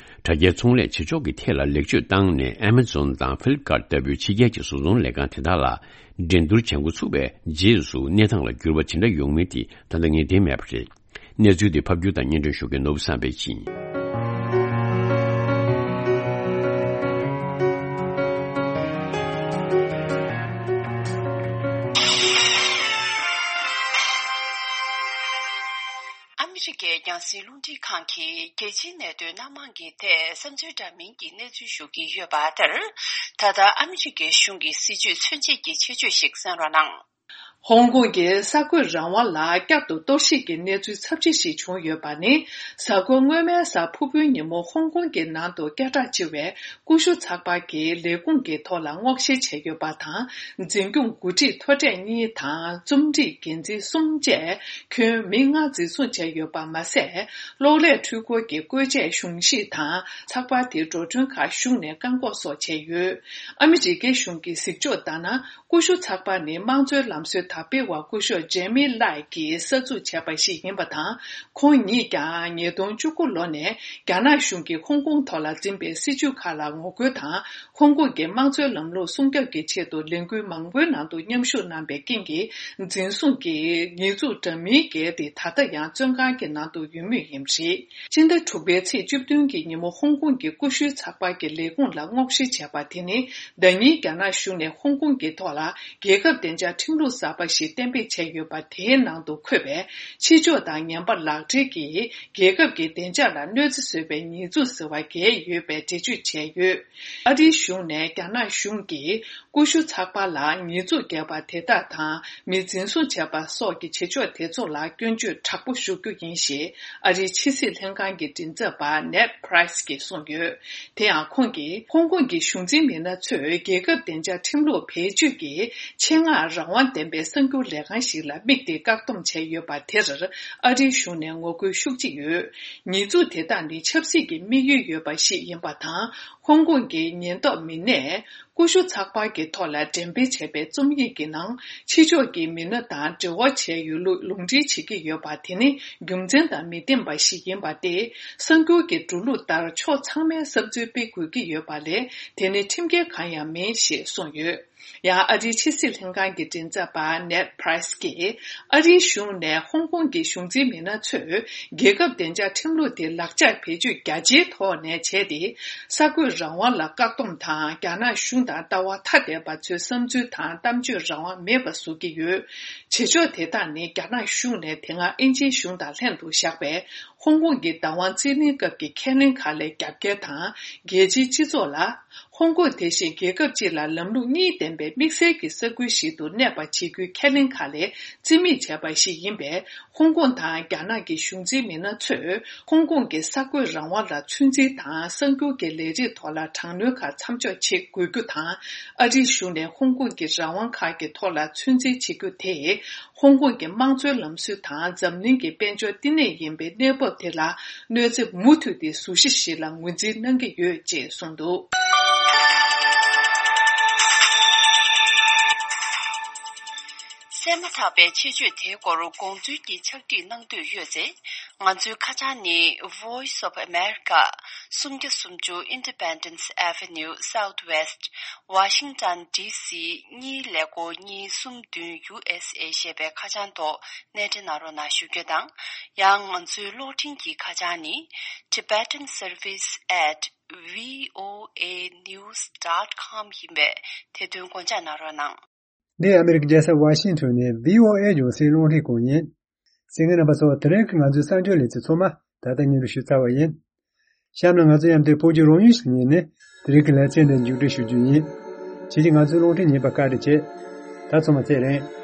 དྲ་རྒྱའི་ཚོང་ལས་བྱེད་ཕྱོགས་ཀྱི་ཐད་ལ་ལེགས་བཅོས་བཏང་ནས། Amazon་དང་Flipkart་ལྟ་བུའི་ཕྱི་རྒྱལ་གྱི་བཟོ་ཚོང་ལས་ཁང་དེ་དག་ལ་འགྲན་བསྡུར་བྱེད་འགོ་ཚུགས་པའི་རྗེས་སུ་གནས་སྟངས་ལ་འགྱུར་བ་ཇི་འདྲ་ཡོང་མིན་དེ་ད་ལྟ་ངེས་གཏན་མེད་པ་རེད། གནས་ཚུལ་འདི་ཕབ་སྒྱུར་དང་སྙན་སྒྲོན་ཞུ་མཁན་ནོར་བུ་བསམ་འཕེལ་ཡིན། ཨ་མི་རི་ཀའི་རྒྱང་སྲིང་རླུང་འཕྲིན་ཁང་གིས་རྒྱལ་སྤྱིའི་གནད་དོན་སྣ་མང་གི་ཐད་བསམ་ཚུལ་འདྲ་མིན་གྱི་གནས་ཚུལ་ཞུ་གི་ཡོད་པ་ལྟར། ད་ལྟ་ཨ་མི་རི་ཀའི་གཞུང་གི་སྲིད་བྱུས་མཚོན་བྱེད་ཀྱི་ཆེད་བརྗོད་ཞིག་གསན་རོགས་གནང་། ཧོང་ཀོང་གི་གསར་འགོད་རང་དབང་ལ་བསྐྱར་དུ་གཏོར་བཤིག་གི་གནས་ཚུལ་ཚབས་ཆེ་ཞིག་བྱུང་ཡོད་པ་ནི། གཟའ་འཁོར་སྔོན་མའི་གཟའ་ཕུར་བུའི་ཉིན་མོ་ཧོང་ཀོང་གི་ནང་དུ་སྐད་གྲགས་ཆེ་བའི་ཀུ་ཤུ་ཚགས་པར་གྱི་ལས་ཁུངས་ཀྱི་ཐོག་ལ་སྔོག་བཤེར་བྱས་ཡོད་པ་དང་། འཛིན་སྐྱོང་འགོ་ཁྲིད་མཐོ་གྲས་གཉིས་དང་རྩོམ་སྒྲིག་འགན་འཛིན་གསུམ་བཅས་ཁྱོན་མི་ལྔ་འཛིན་བཟུང་བྱས་ཡོད་པ་མ་ཟད། གློག་ཀླད་འཕྲུལ་འཁོར་གྱི་བཀོལ་ཆས་གཞུང་བཞེས་དང་ཚགས་པར་དེའི་འགྲོ་གྲོན་ཁག་ཞུགས་ནས་བཀག་འགོག་སོགས་བྱས་ཡོད། ཨ་མི་རི་ཀའི་གཞུང་གི་གཟིགས་ཕྱོགས་ལྟར་ན། ཀུ་ཤུ་ཚགས་པར་ནི་དམངས་གཙོའི་ལམ་སྲོལ་ དར་སྤེལ་བ་སྐུ་ཞབས་ཇེ་མི་ལའེ་གིས་གསར་འཛུགས་བྱས་པ་ཞིག་ཡིན་པ་དང་། ཁོང་ཉིད་ཀྱང་ཉིས་སྟོང་བཅུ་དགུ་ལོ་ནས་རྒྱ་ནག་གཞུང་གིས་ཧོང་ཀོང་ཐོག་ལ་འཛིན་པའི་སྲིད་བྱུས་ཁག་ལ་ངོ་རྒོལ་དང་། ཧོང་ཀོང་གི་དམངས་གཙོའི་ལམ་ལུགས་སྲུང་སྐྱོབ་ཀྱི་ཆེད་དུ་ལས་འགུལ་མང་པོའི་ནང་དུ་མཉམ་ཞུགས་གནང་པའི་རྐྱེན་གྱིས། འཛིན་བཟུང་གིས་ཉེས་འཛུགས་འདྲ་མིན་བཀལ་ཏེ། ད་ལྟ་ཡང་བཙོན་ཁང་གི་ནང་དུ་ཡོད་མུས་ཡིན་པ་རེད། སྤྱི་ཟླ་དྲུག་པའི་ཚེས་བཅུ་བདུན་གྱི་ཉིན་མོ་ཧོང་ཀོང་གི་ཀུ་ཤུའི་ཚགས་པར་གྱི་ལས་ཁུངས་ལ་སྔོག་བཤེར་བྱས་པ་དེ་ནི། ཟླ་ཉིན་རྒྱ་ནག་གཞུང་ནས་ཧོང་ཀོང་གི་ཐོག་ལ་རྒྱལ་ཁབ་བདེ་འཇགས་ཁྲིམས་ལུགས་གསར་པ་ཞིག་གཏན་འབེབས་བྱས་ཡོད་པ། དེའི་ནང་དུ་འཁོད་པའི་ཕྱི་ཕྱོགས་དང་ངན་པ་ལག་འབྲེལ་གྱིས་རྒྱལ་ཁབ་ཀྱི་བདེ་འཇགས་ལ་གནོད་འཚེ་བཟོས་པའི་ཉེས་འཛུགས་ཟེར་བ་བཀལ་ཡོད་པའི་འགྲེལ་བརྗོད་བྱས་ཡོད། ཨ་རིའི་གཞུང་ནས་རྒྱ་ནག་གཞུང་གིས་ཀུ་ཤུ་ཚགས་པར་ལ་ཉེས་འཛུགས་བཀལ་བ་དེ་དག་དང་། མི་འཛིན་བཟུང་བྱས་པ་སོགས་ཀྱི་བྱེད་ཕྱོགས་དེ་ཚོ་ལ་སྐྱོན་བརྗོད་དྲག་པོ་ཞུ་རྒྱུ་ཡིན་ཞེས་ཨ་རིའི་ཕྱི་སྲིད་ལྷན་ཁང་གི་མགྲིན་ཚབ་པ་ནེད་པྲེས་ཀྱིས་གསུངས་ཡོད། དེ་ཡང་ཁོང་གིས་ཧོང་ཀོང་གི་གཞུང་འཛིན་མི་སྣ་ཚོས་རྒྱལ་ཁབ་བདེ་འཇགས་ཁྲིམས་ལུགས་བེད་སྤྱོད་ཀྱིས་ཆེད་མངགས་རང་དབང་ལྡན་པའི་གསར་འགྱུར་ལས་ཁང་ཞིག་ལ་དམིགས་ཏེ་བཀག་སྡོམ་བྱས་ཡོད་པ་དེར། ཨ་རིའི་གཞུང་ནས་ངོ་རྒོལ་ཤུགས་ཆེ་ཡོད། ཉེས་འཛུགས་དེ་དག་ནི་ཆབ་སྲིད་ཀྱི་དམིགས་ཡུལ་ཡོད་པ་ཞིག་ཡིན་པ་དང་། ཧོང་ཀོང་གི་ཉེན་རྟོག་མི་སྣས་ཀུ་ཤུ་ཚགས་པར་གྱི་ཐོག་ལ་འགྲེམས་སྤེལ་བྱས་པའི་རྩོམ་ཡིག་གི་ནང་། ཕྱི་ཕྱོགས་ཀྱི་མི་སྣ་དང་འབྲེལ་བ་བྱས་ཡོད་ལུགས་ལུང་འདྲེན་བྱེད་ཀྱི་ཡོད་པ། དེ་ནི་རྒྱུ་མཚན་དང་མི་མཐུན་པ་ཞིག་ཡིན་པ་སྟེ། གསར་འགྱུར་གྱི་འགྲོ་ལུགས་ལྟར་ཕྱོགས་ཚང་མས་བསམ་ཚུལ་སྤེལ་དགོས་ཀྱི་ཡོད་པ་ལས། དེ་ནི་ཁྲིམས་འགལ་གང་ཡང་མིན་ཞེས་གསུངས་ཡོད། ཡང་ཨ་རིའི་ཕྱི་སྲིད་ལྷན་ཁང་གི་མགྲིན་ཚབ་པ་ནེད་པྲེས་ཀྱིས། ཨ་རིའི་གཞུང་ནས་ཧོང་ཀོང་གི་གཞུང་འཛིན་མི་སྣ་ཚོས་རྒྱལ་ཁབ་བདེ་འཇགས་ཁྲིམས་ལུགས་དེ་ལག་ཆ་བེད་སྤྱོད་རྒྱ་ཆེའི་ཐོག་ནས་བྱས་ཏེ། གསར་འགོད་རང་དབང་ལ་བཀག་སྡོམ་དང་། རྒྱ་ནག་གཞུང་དང་ལྟ་བ་ཐ་དད་པ་ཚོའི་བསམ་ཚུལ་དང་གཏམ་བརྗོད་རང་དབང་མེད་པ་བཟོ་གི་ཡོད། བྱེད་ཕྱོགས་དེ་དག་ནི་རྒྱ་ནག་གཞུང་ནས་དེ་སྔ་ཨིན་ཇིའི་གཞུང་དང་ལྷན་དུ་བཞག་པའི་ཧོང་ཀོང་གི་བདག་དབང་རྩིས་ལེན་སྐབས་ཀྱི་ཁས་ལེན་ཁག་ལས་རྒྱབ་འགལ་དང་། རྒྱལ་སྤྱིའི་སྤྱི་ཚོགས་ལ། ཧོང་ཀོང་དེ་བཞིན་རྒྱལ་ཁབ་སྤྱི་ལ་ལམ་ལུགས་གཉིས་ལྡན་པའི་དམིགས་བསལ་གྱི་ས་ཁུལ་ཞིག་ཏུ་གནས་པ་བྱེད་རྒྱུའི་ཁས་ལེན་ཁག་ལས་རྩིས་མེད་བྱས་པ་ཞིག་ཡིན་པས། ཧོང་ཀོང་དང་རྒྱ་ནག་གི་གཞུང་འཛིན་མི་སྣ་ཚོས་ཧོང་ཀོང་གི་གསར་འགོད་རང་དབང་ལ་ཚོད་འཛིན་དང་། གསར་འགྱུར་གྱི་ལས་རིགས་ཐོག་ལ་དྲག་གནོན་ཁག་མཚམས་འཇོག་བྱེད་དགོས་རྒྱུ་དང་། ཨ་རིའི་གཞུང་ནས་ཧོང་ཀོང་གི་རང་དབང་ཁག་གི་ཐོག་ལ་ཚོད་འཛིན་བྱེད་རྒྱུ་དེས། ཧོང་ཀོང་གི་དམངས་གཙོའི་ལམ་སྲོལ་དང་འཛམ་གླིང་གི་དཔལ་འབྱོར་བསྟི་གནས་ཡིན་པའི་གནས་བབ་དེ་ལ་གནོད་འཚེ་མུ་མཐུད་དེ་བཟོ་གཞི་ཞིག་ལ་ངོས་འཛིན་གནང་གི་ཡོད་ཅེས་གསུངས་འདུག། གསན་མ་ཐག་པའི་ཆེད་བརྗོད་དེའི་སྐོར་དགོངས་ཚུལ་གྱི་ཕྱག་བྲིས་གནང་འདོད་ཡོད་ཚེ། ང་ཚོའི་ཁ་བྱང་ནི། Voice of America། སུམ་བརྒྱ་སུམ་ཅུ་Independence Avenue Southwest། Washington D C གཉིས་ཀླད་ཀོར་གཉིས་གསུམ་བདུན། U S A ཞེས་པའི་ཁ་བྱང་ཐོག་གནས་འབྲེལ་གནང་རོགས་གནང་ཞུ་རྒྱུ་དང་། ཡང་ང་ཚོའི་གློག་འཕྲིན་གྱི་ཁ་བྱང་ནི། Tibetan Service at V O A News dot com ཡིན་པས། དེ་དོན་དགོངས་འཇགས་གནང་རོགས་གནང་། འདི་ཨ་མེ་རི་ཀའི་རྒྱལ་ས་ཝ་ཤིང་ཊོན་ནས་V O A རྒྱང་སྲིང་རླུང་འཕྲིན་ཁང་ཡིན། གསན་མཁན་རྣམ་པ་ཚོ། དེ་རིང་གི་ང་ཚོའི་གསར་འགྱུར་ལེ་ཚན་ཚང་མ་ད་ལྟ་སྙན་སྒྲོན་ཞུས་ཚར་བ་ཡིན། གཤམ་ལ་ང་ཚོ་མཉམ་དུ་བོད་ཀྱི་རང་ཡུལ་ཞིག་ཉིད་ནས་དེ་རིང་གི་ལེ་ཚན་འདི་མཇུག་སྒྲིལ་ཞུ་རྒྱུ་ཡིན། ཁྱེད་ཀྱིས་ང་ཚོའི་རླུང་འཕྲིན་ཉན་པར་བཀའ་དྲིན་ཆེ། ད་ཚང་མ་ཚེ་རིང་།